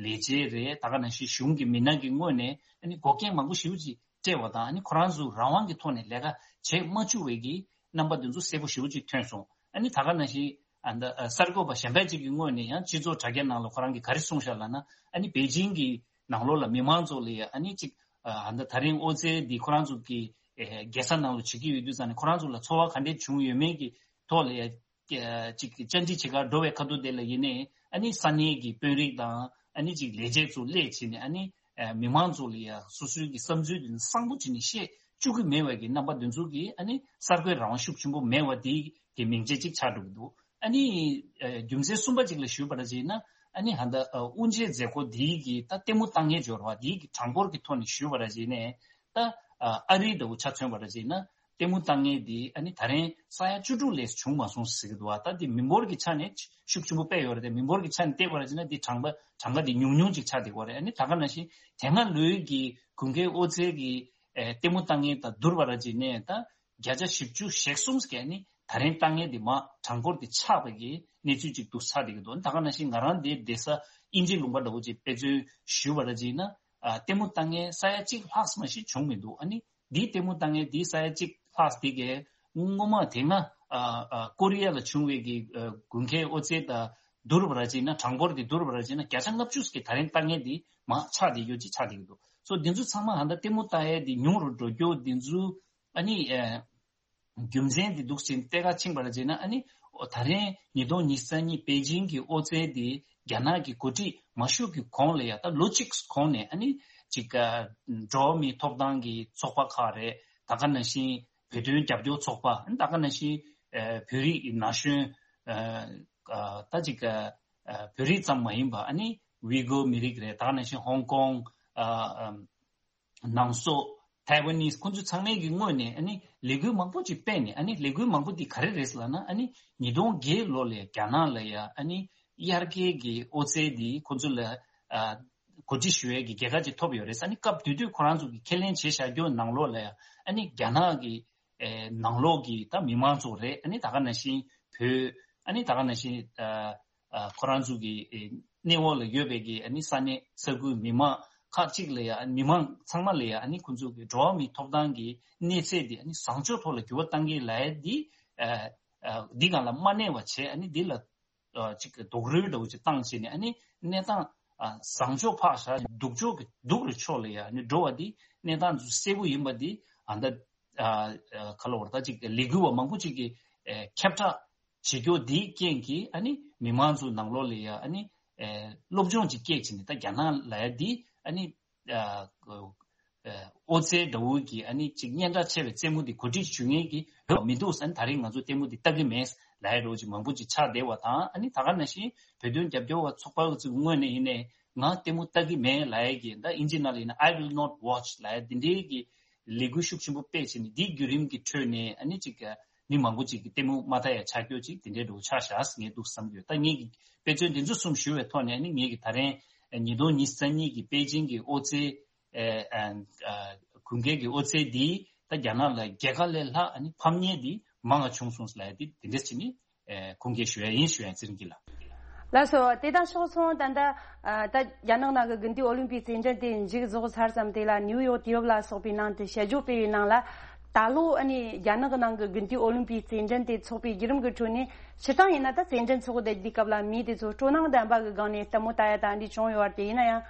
ལས་བྱེད་རེད། ད་ག་ནང་བཞིན་གཞུང་གི་མི་སྣ་གི་ངོས་ནས་ཨ་ནི་འགོག་རྐྱེན་མང་པོ་ཞེ་པོ་ཅིག་སྤྲད་པ་དང་། ཨ་ནི་ཁོ་རང་ཚོ་རང་དབང་གི་ཐོག་ནས་ལས་ཀ་བྱེད་མ་བཅུག་པའི་གི་རྣམ་པ་འདི་ཚོ་གསལ་པོ་ཞེ་པོ་ཅིག་ཐོན་སོང་ ཨ་ནི་ད་ག་ནང་བཞིན་ཨ་ད་ཨ་གསར་འགོད་པ་གཞན་པ་ཅིག་གི་ངོས་ནས་ཡང་སྤྱི་ཚོགས་དྲ་རྒྱ་ནང་ལ་ཁོ་རང་གིས་ག་རེ་གསུངས་ཤག་ལབ་ན། ཨ་ནི་པེ་ཅིང་གི་ནང་ལོགས་ལ་མི་མང་ཚོ་ལ་ཡ་ཨ་ནི་ཅིག་ཨ་ད་ད་རིང་ཨོ་རྩལ་འདི་ཁོ་རང་ཚོ་གི་ཨེ་རྒྱལ་ས་ནང་ལ་བྱེད་ཀྱི་ཡོད་དུས་ཙང་ནས་ཁོ་རང་ཚོ་ལ་ཚོར་བ་ག་འདྲས་བྱུང་ཡོད་མེད་ཀྱི་ཐོག་ལ་ཡ། ཅིག་བཅར་འདྲི་བྱེད་གར་འགྲོ་བའི་ཁ་ཐུག་དེ་ལ་ཡིན་ནའི་ཨ་ནི་ས་གནས་ཀྱི་དཔོན་རིགས་དང་ཨ་ནི་ཅིག་ལས་བྱེད་ཚོ་སླེབས་བྱས་ནས་ཨ་ནི་ཨ་མི་མང་ཚོ་ལ་ཡ་སོ་སོའི་གི་བསམ་ཚུལ་དེ་གསལ་པོ་བྱས་ནས་བཤད་བཅུག་གི་མེད་པ་གི་རྣམ་པ་དེ་ཚོ་གི་ཨ་ནི་གསར་འགོད་རང་དབང་ཤུགས་ཆེན་པོ་མེད་པ་དེ་གི་མིང་ཚིག་ཅིག་ཆགས་འགྲོ་གི་འདུག་ཨ་ནི་ཨ་རྒྱུ་མཚན་གསུམ་པ་ཅིག་ལ་ཞུས་པ་ར་བྱས་ན། ཨ་ནི་ཧ་ད་ཨ་དབུ་འབྱེད་མཛད་སྒོ་དེ་གི་ད་ལྟད་མོ་ལྟ་མཁན་འབྱོར་བ་དེ་གི་གྲངས་འབོར་གི་ཐོག་ནས་ཞུས་པ་ར་བྱས་ནས་ད་ཨ་རི་འདྲ་བོ་ཆ་མཚོན་པ་ར་བྱས་ན། ལྟད་མོ་ལྟ་མཁན་འདི་ཨ་ནི་ད་རེས་ས་ཡ་བཅུ་དྲུག་ལས་བྱུང་མ་སོང་ཟེར་གྱི་འདུག་བ། ད་འདི་མི་འབོར་གྱི་ཆ་ནས་ཤུགས་ཆེན་པོ་དཔེ་ཡོད་རེད་དེ། མི་འབོར་གྱི་ཆ་ནས་བལྟས་པ་ར་བྱས་ན་འདི་གྲངས་པ་གྲངས་ཀ་འདི་ཉུང་ཉུང་ཅིག་ཆགས་བསྡད་ཀྱི་ཡོད་རེད། ཨ་ནི་ད་ག་ནང་བཞིན་དེ་སྔ་ལོའི་གི་དགུན་ཁའི་ཨོ་རྩལ་གྱི་ཨེ་ལྟད་མོ་ལྟ་མཁན་དང་བསྡུར་བ་ར་བྱས་ནས་ད་བརྒྱ་ཆ་བཞི་བཅུ་ཞེ་གསུམ་ཟེར་ཨ་ནི་ད་རེས་ལྟ་མཁན་འདི་མར་གྲངས་འབོར་འདི་ཆག་པ་གི་གནས་ཚུལ་ཅིག་འདུག་ཆགས་བསྡད་ཀྱི་འདུག་ད་ག་ནང་བཞིན་ང་རང་འདིར་བསྡད་ས་དབྱིན་ཇི་ལུང་པ་འདྲ་བོ་ཅིག་དཔེ་མཚོན་ཞུས་པ་ར་བྱས་ན། ཨ་ལྟད་མོ་ལྟ་མཁན་ས་ཡ་གཅིག་ལྷག་ཙམ་ཞིག་བྱུང་མི་འདུག་ཨ་ནི་འདིའི་ལྟད་མོ་ལྟ་མཁན་འདིའི་ས་ཡ་གཅིག་ལྷག་དེ་གས་སྔོན་མ་དེ་སྔ་ཨ་ཨ་ཀོ་རི་ཡ་ལ་བྱུང་བའི་གི་ཨ་དགུན་ཁའི་ཨོ་རྩེད་དང་བསྡུར་བ་ར་བྱས་ན། གྲངས་འབོར་དེ་བསྡུར་བ་ར་བྱས་ན་བརྒྱ་ཆ་ལྔ་བཅུ་གི་ད་རིང་ལྟ་མཁན་དེ་མར་ཆག་བསྡད་ཡོད་ཅེས་ཆགས་བསྡད་ཀྱི་འདུག་སོ་འདི་ཚོ་ཚང་མ་ཧ་ད་ལྟད་མོ་ལྟ་ཡས་དེ་ཉུང་རུ་འགྲོ་རྒྱུ་འདི་ཚོ་ཨ་ནི་ཨ། རྒྱུ་མཚན་འདི་འདུག་ཅིང་ལྟེ་ཁ་ཕྱིན་པར་བྱས་ན། ཨ་ནི་ད་རིང་ཉིས་སྟོང་ཉི་ཤུ་རྩ་གཉིས་པེ་ཅིང་གི་ཨོ་རྩལ་འདི་རྒྱ་ནག་གི་འགོ་ཁྲིད་མ་ཞུགས་ཀྱི་གོང་ལ་ཡ་ད་ལོ་གཅིག་གོང་ནས་ཨ་ནི་ཅིག་འགྲོ་བ་མིའི་ཐོབ་ཐང་གི་ཚོགས་པ་ཁག་རེད། ད་ག་ནང་བཞིན་བོད་དོན་རྒྱབ་སྐྱོར་ཚོགས་པ། ད་ག་ནང་བཞིན་བོད་རིགས་ན་གཞོན་ད་ཅིག་བོད་རིགས་ཙམ་མ་ཡིན་པ་ཨ་ནི་ཝི་གོ་མི་རིགས་རེད། ད་ག་ནང་བཞིན་ཧོང་ཀོང་། ནང་སོག་ཐའེ་ཝན་ནི་ཁོང་ཚོ་ཚང་མའི་གི་ངོས་ནས་ཨ་ནི་ལས་འགུལ་མང་པོ་ཅིག་སྤེལ་ནས། ཨ་ནི་ལས་འགུལ་མང་པོ་འདི་ག་རེ་རེད་ལབ་ན། ཨ་ནི་ཉིས་སྟོང་བརྒྱད་ལོ་ལ་རྒྱ་ནག་ལ་ཡ་ཨ་ནི་དབྱར་ཁའི་གི་ཨོ་རྩལ་འདི་ཁོང་ཚོ་ལ་ཨ་གོ་སྒྲིག་ཞུ་ཡས་ཀྱི་རྒྱལ་ཁ་ཅིག་ཐོབ་ཡོད་རེད། ཨ་ནི་སྐབས་དེ་དུས་ཁོ་རང་ཚོ་གི་ཁས་ལེན་བྱས་བཞག་རྒྱུ་ནང་ལོགས་ལ་ཡ་ཨ་ནི་རྒྱ་ནག་གི་ཨེ་ནང་ལོགས་ཀྱི་ད་མི་མང་ཚོ་རེད། ཨ་ནི་ད་ག་ནང་བཞིན་བོད། ཨ་ནི་ད་ག་ནང་བཞིན་ཨ་ཨ་ཁོ་རང་ཚོ་གི་ཨེ་གནས་འོག་ལ་ཡོད་པའི་གི་ཨ་ནི་ས་གནས་ས་ཁུལ་མི་མང་ཁག་ཅིག་ལ་ཡ། མི་མང་ཚང་མ་ལ་ཡ་ཨ་ནི་ཁོ་ཚོ་གི་འགྲོ་བ་མིའི་ཐོབ་ཐང་གི་གནས་ཚད་འདི་ཨ་ནི་བཟང་ཕྱོགས་ཐོག་ལ་འགྱུར་བ་གཏང་གི་ལབ་ཡ་འདི་ཨ་ཨ་འདི་སྒང་ལ་མ་གནས་པ་བྱས། ཨ་ནི་འདི་ལ་ཨ་ཅིག་རྡོག་རོལ་འདྲ་བོ་ཅིག་བཏང་བྱས་ནས། ཨ་ནི་གནས་སྟངས་ཨ་བཟང་ཕྱོགས་ཕར་བཞག་སྡུག་ཕྱོགས་ཀྱི་སྡུག་རུ་ཕྱོགས་ལ་ཡ་ཨ་ནི་འགྲོ་བ་འདི་གནས་སྟངས་ཚོ་གསལ་པོ་ཡིན་པ་འདི་ཨ་ད་ཨ་ཨ་ག་ལ་བར་ད་ཅིག་ལས་འགུལ་བ་མང་པོ་ཅིག་གིས་ཨ་ཁྱབ་བསྒྲགས་བྱེད་རྒྱུ་འདིའི་རྐྱེན་གྱིས་ཨ་ནི་མི་མང་ཚོའི་ནང་ལོགས་ལ་ཡ་ཨ་ནི་ཨ་སློབ་སྦྱོང་ཅིག་སྐྱེས་བྱས་ནས། ད་རྒྱ་ནག་ལབ་ཡ་འདི་ཨ་ནི་ཨ་ཨ་ཨོ་རྩལ་འདྲ་བོ་གི་ཨ་ནི་ཅིག་སྙན་གྲགས་ཆེ་བའི་རྩེད་མོ་འདི་གོ་སྒྲིག་ཞུ་མཁན་གྱི་ཡོད་མི་འདུག་ཟེར། ཨ་ནི་ད་རེས་ང་ཚོ་ལྟད་མོ་འདི་ལྟ་གི་མེད་ལབ་ཡ་འདྲ་བོ་ཅིག་མང་པོ་ཅིག་ཆགས་བསྡད་པ་དང་། ཨ་ནི་ད་ག་ནང་བཞིན་བོད་དོན་རྒྱབ་སྐྱོར་བ་ཚོགས་པ་ཚོའི་ངོས་ནས་ཡིན་ནའི་ང་ལྟད་མོ་ལྟ་གི་མེད་ལབ་ཡ་གི། ད་དབྱིན་ཇི་ནང་ལ་ཡིན་ན་I will not watch ལབ་ཡ་འདི་འདྲའི་གི་ལས་འགུལ་ཤུགས་ཆེན་པོ་སྤེལ་བྱས་ནས། འདིའི་བརྒྱུད་རིམ་གྱི་ཁྲོད་ནས་ཨ་ནི་ཅིག་མི་མང་པོ་ཅིག་གིས་ལྟད་མོ་མ་ལྟ་ཡ་ཆགས་རྒྱུ་ཅིག་དེ་འདྲའི་འགྲོ་ཆགས་བཞག་ངས་འདུག་བསམ་གྱི་ཡོད། ད་ངེད་ཀྱི་དཔེ་མཚོན་འདི་ཚོ་གསུམ་ཞུ་བའི་ཐོག་ནས་ཨ་ནི་ངེད་ཀྱི་ད་རིང་ཉིས་སྟོང་ཉི་ཤུ་རྩ་གཉིས་ཀྱི་པེ་ཅིང་གི་ཨོ་རྩལ་ཨ་ཨ་ཨ་དགུན་ཁའི་གི་ཨོ་རྩལ་འདིས་ད་རྒྱ་ནག་ལ་རྒྱལ་ཁ་ལས་ལྷག་ཨ་ནི་ཕམ་ཉེས་འདི་མང་བ་བྱུང་སོང་ལབ་ཡ་འདི་དེ་འདྲ་བྱས་ནས་ཨ་ཁུངས་སྐྱེལ་ཞུ་ཡ་ཡིན་ཞུ་ཡ་ཚེ་རིང་སྐྱིད་ལགས། ལགས་སོ། དེ་དང་ཕྱོགས་མཚུངས་ད་ལྟ་ཨ་ད་རྒྱ་ནག་ནང་གི་དགུན་དུས་ཨོ་ལིམ་པིག་རྩེད་འགྲན་དེ་མཇུག་རྫོགས་ཚར་ཙམ་དེ་ལ་ནིའུ་ཡོག་དུས་བབ་ལ་སོགས་པའི་ནང་དུ་དཔྱད་བརྗོད་སྤེལ་བའི་ནང་ལ། ད་ལོ་ཨ་ནི་རྒྱ་ནག་གི་ནང་གི་དགུན་དུས་ཨོ་ལིམ་པིག་རྩེད་འགྲན་དེ་འཚོགས་པའི་བརྒྱུད་རིམ་གྱི་ཁྲོད་ནས། སྤྱིར་བཏང་ཡིན་ན་ད་རྩེད་འགྲན་འཚོགས་བསྡད་དུས་སྐབས་ལ་མི་དེ་ཚོ་སྤྲོ་སྣང་ལྡན་པ་གི་སྒང་ནས་ལྟད་མོ་ལྟ་ཡ་ད་འདི་བྱུང་ཡོད་རེད་དེ། ཡིན་ན་ཡང་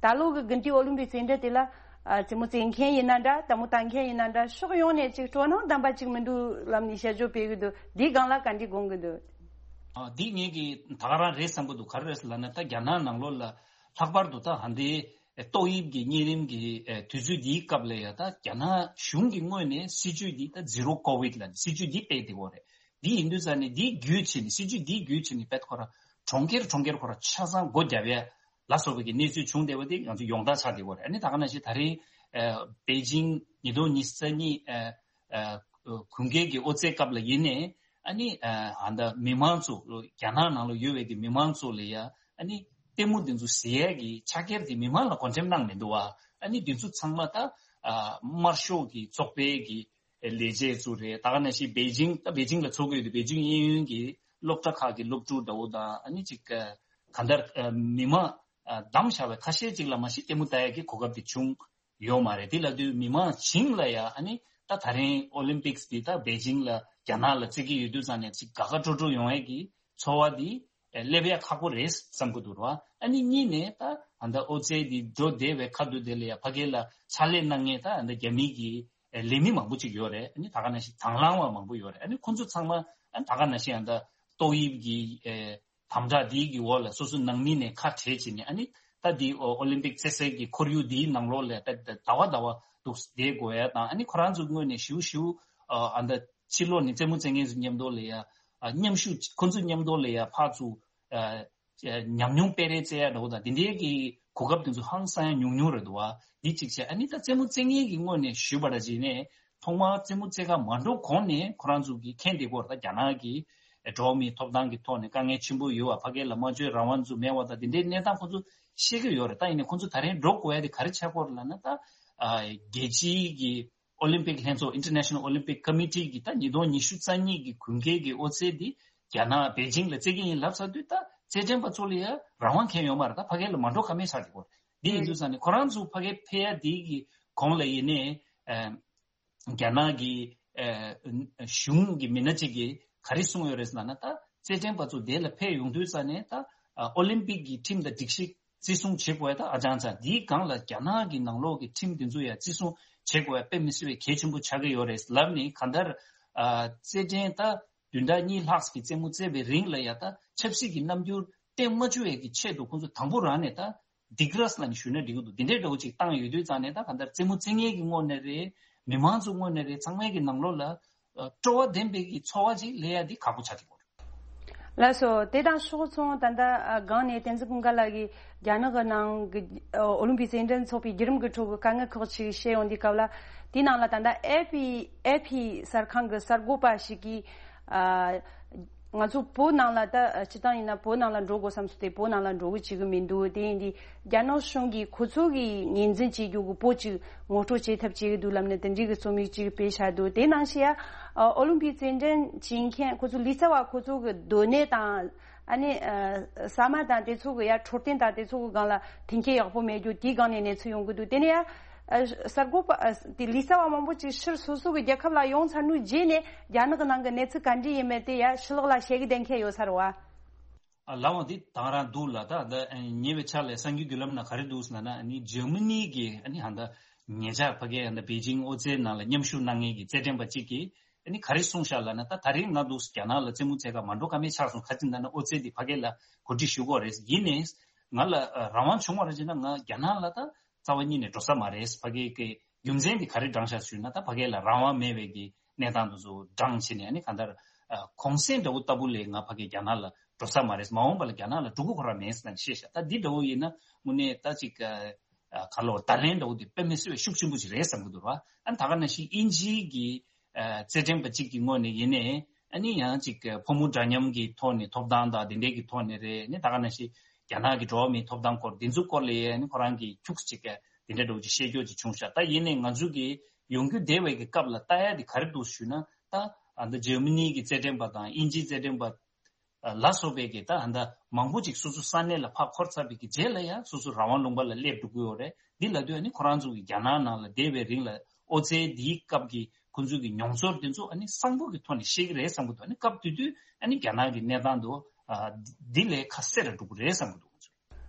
ད་ལོ་གི་དགུན་དུས་ཨོ་ལིམ་པིག་རྩེད་འགྲན་དེ་ལ་ཨ་རྩེད་མོ་རྩེད་མཁན་ཡིན་ན་འདྲ། ལྟད་མོ་ལྟ་མཁན་ཡིན་ན་འདྲ། ཕྱོགས་ཡོངས་ནས་ཅིག་སྤྲོ་སྣང་ལྡན་པ་ཅིག་མི་འདུག་ལབ་ནས་དཔྱད་བརྗོད་སྤེལ་གི་འདུག་འདིའི་སྒང་ལ་ག་འདྲ་དགོངས་གི་འདུག་ཨ་འདི་ངེད་ཀྱིས་ད་ག་རང་རེད་བསམ་གི་འདུག་ག་རེ་རེད་ཟེར་ལབ་ན། ད་རྒྱ་ནག་ནང་ལོགས་ལ་ལྷག་པར་དུ་ད་ཧ་འདི་ཏོག་དབྱིབས་ཀྱི་གཉན་རིམས་ཀྱི་ཨེ་དུས་ཚོད་འདིའི་སྐབས་ལ་ཡ་ད་རྒྱ་ནག་གཞུང་གི་ངོས་ནས་སྲིད་ཇུས་འདི་ད་ཟི་རོ་ཀོ་བིད་ལབ་སྲིད་ཇུས་འདི་སྤེལ་བསྡད་ཡོད་རེད། འདི་ཡིན་དུས་ཙང་ནས་འདི་བརྒྱུད་བྱས་ནས་སྲིད་ཇུས་འདི་བརྒྱུད་བྱས་ནས་དཔེ་ཁོ་རང་གྲོང་ཁྱེར་གྲོང་ཁྱེར་ཁོ་རང་ཆ་ཚང་སྒོ་བརྒྱབ་ཡ་ལ་སོགས་པའི་གི་གནས་ཚུལ་བྱུང་བསྡད་པ་དེ་ང་ཚོ་ཡོངས་གྲགས་ཆགས་བསྡད་ཡོད་རེད། ཨ་ནི་ད་ག་ནང་བཞིན་ད་རེས་ཨ་པེ་ཅིང་ཉིས་སྟོང་ཉི་ཤུ་རྩ་གཉིས་ཨ་ཨ་དགུན་ཁའི་གི་ཨོ་རྩལ་སྐབས་ལ་ཡིན་ནའི་ཨ་ནི་ཨ་ད་མི་མང་ཚོ་རྒྱ་ནག་ནང་ལ་ཡོད་པའི་གི་མི་མང་ཚོ་ལ་ཡ་ཨ་ནི་ལྟད་མོ་འདི་ཚོ་གཟིགས་ཡས་ཀྱི་ཕྱག་འཁྱེར་དེ་མི་མང་ལ་བགོ་འགྲེམས་གནང་མི་འདུག་བ། ཨ་ནི་འདི་ཚོ་ཚང་མ་ད་ཨ་དམར་ཤོག་གི་ཚོགས་པའི་གི་ལས་བྱེད་ཚོ་རེད། ད་ག་ནང་བཞིན་པེ་ཅིང་ད་པེ་ཅིང་ལ་འཚོགས་ཀྱི་ཡོད་དུས་པེ་ཅིང་གཡས་གཡོན་གྱི་སློབ་གྲྭ་ཁག་གི་སློབ་ཕྲུག་འདྲ་བོ་དང་། ཨ་ནི་ཅིག་ག་འདར་མི་མང་བདམས་བཞག་པའི་ཁ་ཤས་ཅིག་ལ་མ་གཞི་ལྟད་མོ་ལྟ་ཡག་གི་གོ་སྐབས་དེ་བྱུང་ཡོད་མ་རེད། དེ་ལབ་དུས་མི་མང་བྱིངས་ལ་ཡ་ཨ་ནི་ ད་ད་རིང་ཨོ་ལིམ་པིག་སི་འདི་ད་པེ་ཅིང་ལ་རྒྱ་ནག་ལ་རྩེ་གི་ཡོད་དུས་ཙང་ནས་ཅིག་དགའ་དགའ་སྤྲོ་སྤྲོ་ཡོང་ཡས་ཀྱི་ཚོར་བ་འདི་ཨེ་སླེབས་ཡ་ཁག་པོ་རེད་བསམ་གི་འདུག་ར། ཨ་ནི་གཉིས་ནས་ད་ཨ་ད་ཨོ་ཙེ་འདི་འགྲོ་བདེ་བའི་ཁ་ཐུག་དེ་ལ་ཡ་ཕ་གི་ལ་ཕྱག་ལས་གནང་མཁན་ད་ཨ་ད་རྒྱ་མི་གི་ཨེ་ལས་མི་མང་པོ་ཅིག་ཡོད་རེད། ཨ་ནི་ད་ག་ནང་བཞིན་དང་བླངས་པ་མང་པོ་ཡོད་རེད། ཨ་ནི་ཁོང་ཚོ་ཚང་མ་ཨ་ད་ག་ནང་བཞིན་ཨ་ད་ཏོག་དབྱིབས་ཀྱི་ཨེ་དམ་དྲག་འདིའི་གི་འོག་ལ་སོ་སོ་ནང་མི་ནས་ཁ་བྲལ་བྱས་ནས་ཨ་ནི་ད་འདི་ཨོ་ཨོ་ལིམ་པིག་རྩེད་སའི་གི་ཁོར་ཡུག་འདིའི་ནང་ལོགས་ལ་ད་ད་ཟླ་བ་ཟླ་བ་འདུག་བསྡད་དགོས་ཡ་དང་། ཨ་ནི་ཁོ་རང་ཚོའི་ངོས་ནས་ཞིའུ་ཞིའུ་ཨ་ཨ་ད་ཕྱི་ལོགས་ནས་རྩེད་མོ་རྩེ་མཁན་ཚོ་མཉམ་དུ་ལ་ཡ་ཨ་མཉམ་ཞུགས་ཁོ་ཚོ་མཉམ་དུ་ལ་ཡ་ཕར་ཚུར་ཨ་ཨ་ཉམས་མྱོང་སྤེལ་རེས་རྩེ་ཡ་འདྲ་བོ་དང་དེ་འདྲའི་གི་གོ་སྐབས་དེ་ཚོ་ཧང་སང་ཡ་ཉུང་ཉུང་རེད་འདུག་བ། འདི་གཅིག་བྱས། ཨ་ནི་ད་རྩེད་མོ་རྩེ་མཁན་གི་ངོས་ནས་ཞུས་པ་འདྲ་བྱས་ནས་ཐོག་མར་རྩེད་མོ་རྩེ་ག་མ་འགྲོ་གོང་ནས་ཁོ་རང་ཚོ་གི་མཁྱེན་བསྡད་ཀྱི་ཡོད་རེད། ད་རྒྱ་ནག་གི་འགྲོ་བ་མིའི་ཐོབ་ཐང་གི་ཐོག་ནས་དཀའ་ངལ་ཆེན་པོ་ཡོད་པ། ཕ་གི་ལ་སྨྲ་བརྗོད་རང་དབང་ཚོ་མེད་པ་དང་དེ་འདྲའི་གནས་སྟངས་ཁོ་ཚོ་ཤེས་ཀྱི་ཡོད་རེད། ད་ཡིན་ནའི་ཁོ་ཚོ་ད་རིང་འགྲོ་དགོས་ཡ་དེ་ག་རེ་ཆགས་ཀྱི་ཡོད་རེད་ལབ་ན། ད་ཨ་རྒྱལ་སྤྱིའི་གི་ཨོ་ལིམ་པིག་ལྷན་ཚོགས། International Olympic Committee གི་ད་ཉིས་སྟོང་ཉི་ཤུ་རྩ་གཉིས་གི་དགུན་ཁའི་གི་ཨོ་རྩེད་འདི་རྒྱ་ནག་པེ་ཅིང་ལ་རྩེ་གི་ཡིན་ལབ་ཚར་དུས་ད་རྩེད་འགྲན་པ་ཚོ་ལ་ཡ་རང་དབང་གང་ཡང་ཡོད་མ་རེད། ད་ཕ་གི་ལ་མ་འགྲོ་ཀ་མེད་ཆགས་ཀྱི་ཡོད་རེད། འདི་ཡིན་དུས་ཙང་ནས་ཁོ་རང་ཚོ་ཕ་གི་ཕེབས་ཡ་འདི་གི་གོང་ལ་ཡིན་ནའི་ཨ་རྒྱ་ནག་གི་ཨ་གཞུང་གི་མི་སྣ་གཅིག་གིས་ག་རེ་གསུངས་ཡོད་རེད་ཟེར་ན། ད་རྩེད་འགྲན་པ་ཚོ་དེ་ལ་ཕེབས་ཡོང་དུས་ཙང་ནས་ད་ཨ་ཨོ་ལིམ་པིག་གི་ཁྲིམས་དང་སྒྲིག་གཞི་བརྩི་སྲུང་བྱེད་དགོས་ཡ་ད་ཨ་ཅང་ཅང་། དེའི་སྒང་ལ་རྒྱ་ནག་གི་ནང་ལོགས་ཀྱི་ཁྲིམས་དེ་ཚོ་ཡ་བརྩི་སྲུང་བྱེད་དགོས་ཡ་དཔེ་མི་སྲིད་པའི་གལ་ཆེན་པོ་ཆགས་ཀྱི་ཡོད་རེད་ལབ་ནས། གང་ལྟར་ཨ་རྩེད་འགྲན་ད་བདུན་ཕྲག་གཉིས་ལྷག་གི་རྩེད་མོ་རྩེ་བའི་རིང་ལ་ཡ་ད་ཆབ་སྲིད་ཀྱི་རྣམ་འགྱུར་བསྟན་མ་བཅུག་ཡས་ཀྱི་ཆེད་དུ་ཁོང་ཚོ་དང་པོ་རང་ནས་ད་སྡིགས་ར་ལབ་ནས་ཞུས་ན་འགྲིག་གི་འདུག། འདི་འདྲའི་འདྲ་བོ་ཅིག་བཏང་ཡོད་དུས་ཙང་ནས་ད་གང་ལྟར་རྩེད་མོ་རྩེ་མཁན་གྱི་ངོས་ནས་རེད། མི་མང་ཚོའི་ངོས་ནས་རེད། ཚང་མའི་གི་ནང་ལོགས་ལ་ཨ་སྤྲོ་བ་ལྡན་པའི་གི་ཚོར་བ་ཅིག་སླེབས་ཡ་འདི་ཁག་པོ་ཆགས་ཀྱི་ཡོད་རེད། ལགས་སོ། དེ་དང་ཕྱོགས་མཚུངས་ད་ལྟ་ཨ་སྒང་ནས་བསྟན་འཛིན་ཀུན་དགའ་ལགས་ཀྱིས་རྒྱ་ནག་གི་ནང་གི་ཨ་ཨོ་ལིམ་པིག་རྩེད་འགྲན་ཚོགས་པའི་བརྒྱུད་རིམ་གྱི་ཁྲོད་ཀྱི་དཀའ་ངལ་ཁག་ཅིག་བཤད་ཡོང་དུས་སྐབས་ལ། དེའི་ནང་ལ་ད་ལྟ་ཨེ་ཕི་ཨེ་ཕི་གསར་ཁང་གི་གསར་འགོད་པ་ཞིག་གིས་ཨ་ང་ཚོ་བོད་ནང་ལ་ད་སྤྱིར་བཏང་ཡིན་ན་བོད་ནང་ལ་འགྲོ་དགོས་བསམ་སོང་སྟེ་བོད་ནང་ལ་འགྲོ་གི་བཅུག་གི་མི་འདུག། དེ་ཡིན་དུས་རྒྱ་ནག་གཞུང་གིས་ཁོ་ཚོ་གི་ངོས་འཛིན་བྱེད་རྒྱུ་གི་བོད་ཅིག་ངོ་སྤྲོད་བྱེད་ཐབས་བྱེད་ཀྱི་འདུག་ལབ་ནས་དེ་འདྲའི་གི་རྩོམ་ཡིག་ཅིག་སྤེལ་བཞག་འདུག། དེ་ནང་བཞིན་ཡ་ཨོ་ལིམ་པིག་རྩེད་འགྲན་བྱེད་མཁན་ཁོ་ཚོ་ལུས་རྩལ་བ་ཁོ་ཚོ་གི་སྡོད་གནས་དང་ཨ་ནི་ཨ་ཟ་མ་དང་དེ་ཚོ་གི་ཡ་འཕྲོད་བསྟེན་དང་དེ་ཚོ་གི་སྒང་ལ་མཐུན་རྐྱེན་ཡག་པོ་མེད་རྒྱུ་དེའི་སྒང་ནས་གནས་ཚུལ་ཡོང་གི་འདུག། དེ་ནས་ཡ་ཨ་གསར་འགོད་པ་ཨ་དེ་ལུས་རྩལ་བ་མང་པོ་ཅིག་ཕྱིར་སོ་སོ་གི་རྒྱལ་ཁབ་ལ་ཡོང་ཚར་ནུས་རྗེས་ནས་རྒྱ་ནག་གི་ནང་གི་གནས་ཚུལ་ག་འདྲ་ཡིན་མིན་དེ་ཡ་ཕྱི་ལོགས་ལ་བཤད་གི་བསྡད་མཁན་ཡོད་ས་རེད་བ། ཨ་ལགས་འོང་། འདི་དང་རང་འདུག་ལ། ད་ད་ཉེ་བའི་ཆར་ལ་གསར་འགྱུར་བརྒྱུད་ལམ་ནང་ག་རེ་འདུག་ཟེར་ན། ཨ་ནི་འཇར་མ་ནི་གི་ཨ་ནི་ཧ་ད་ཉེ་ཆར་ཕ་གི་ཧ་ད་པེ་ཅིང་ཨོ་རྩེད་ནང་ལ་མཉམ་ཞུགས་གནང་མཁན་གྱི་རྩེད་འགྲན་པ་གཅིག་གིས་ཨ་ནི་ག་རེ་གསུངས་ཤག་ལབ་ན། ད་ད་རིང་ང་འདུག་རྒྱ་ནག་ལ་རྩེད་མོ་རྩེ་ག་མ་འགྲོ་ཀ་མེད་ཆགས་སོང་། ག་ཅི་ལབ་ན་ཨོ་རྩེད་འདི་ཕ་གི་ལ་གོ་སྒྲིག་ཞུ་དགོས་རེད། ཡིན་ནའི་ང་ལ་ཨ་རང་དབང་བྱུང་བ་རེད་ཅེ་ན་ང་རྒྱ་ནག་ལ་ད་རྩ་བ་ཉིད་ནས་འགྲོ་ས་མ་རེད། ཕ་གི་གི་རྒྱུ་མཚན་འདི་ག་རེ་བགྲངས་ཤག་ཞུས་ན། ད་ཕ་གི་ལ་རང་དབང་མེད་པའི་གི་གནས་སྟངས་དེ་ཚོ་བགྲངས་བྱས་ནས་ཨ་ནི་གང་ལྟར་ཨ་གུང་སེང་འདྲ་བོ་ལྟ་བུ་ལས་ང་ཕ་གི་རྒྱ་ནག་ལ་འགྲོ་ས་མ་རེད། མ་འོངས་པ་ལ་རྒྱ་ནག་ལ་འགྲོ་གི་ཁོ་རང་མེད་ཟེར་ནས་བཤད་ཤག། ད་འདི་འདྲ་བོ་ཡིན་ན་དངོས་གནས་ད་ཅིག་ཨ་ཨ་ག་ལོ་བརྡ་ལན་འདྲ་བོ་དེ་དཔེ་མི་སྲིད་པའི་ཤུགས་ཆེན་པོ་ཞིག་རེད་བསམ་གི་འདུག་ར། ཨ་ནི་ད་ག་ནང་བཞིན་དབྱིན་ཇིའི་གི་ཨ་རྩེད་འགྲན་པ་གཅིག་གི་ངོས་ནས་ཡིན་ནའི་ཨ་ནི་ཡང་ཅིག་ཕོ་མོ་འདྲ་མཉམ་གྱི་ཐོག་ནས་ཐོབ་ཐང་དང་དེ་འདྲའི་གི་ཐོག་ནས་རེད། ཨ་ནི་ད་ག་ནང་བཞིན་རྒྱ་ནག་གི་འགྲོ་བ་མིའི་ཐོབ་ཐང་སྐོར་དེ་ཚོ་སྐོར་ལ་ཡང་ཨ་ནི་ཁོ་རང་གི་ཁྱུག་ཅིག་ག་དེ་འདྲ་འདྲ་བོ་ཅིག་བཤད་རྒྱུ་ཅིག་བྱུང་ཤག། ད་ཡིན་ནའི་ང་ཚོ་གི་ཡོང་རྒྱུ་བདེ་བའི་གི་སྐབས་ལ་ལྟ་ཡ་དེ་ག་རེ་འདུག་ཞུས་ན། ད་ཨ་ད་འཇར་མ་ནི་གི་རྩེད་འགྲན་པ་དང་དབྱིན་ཇིའི་རྩེད་འགྲན་པ་ལ་སོགས་པའི་གི་ད་ཨ་ད་མང་པོ་ཅིག་སོ་སོ་ས་གནས་ལ་ཕར་འཁོར་ཚར་བའི་གི་རྗེས་ལ་ཡང་སོ་སོ་རང་དབང་ལུང་པ་ལ་སླེབས་འགྲོ་གི་ཡོད་རེད། འདི་ལབ་དུས་ཨ་ནི་ཁོ་རང་ཚོ་གི་རྒྱ་ནག་ནང་ལ་བསྡད་པའི་རིང་ལ་ཨོ་རྩལ་འདིའི་སྐབས་ཀྱི་ཁོ་ཚོ་གི་མྱོང་ཚོར་དེ་ཚོ་ཨ་ནི་གསང་པོ་གི་ཐོག་ནས་ཤེས་ཀྱི་རེད་བསམ་གི་འདུག། ཨ་ནི་སྐབས་དེ་དུས་ཨ་ནི་རྒྱ་ནག་གི་གནས་སྟངས་དེ་ཨ་འདི་ལས་ཁ་གསལ་ར་འགྲོ་གི་རེད་བསམ་གི་འདུག་ང་ཚོ།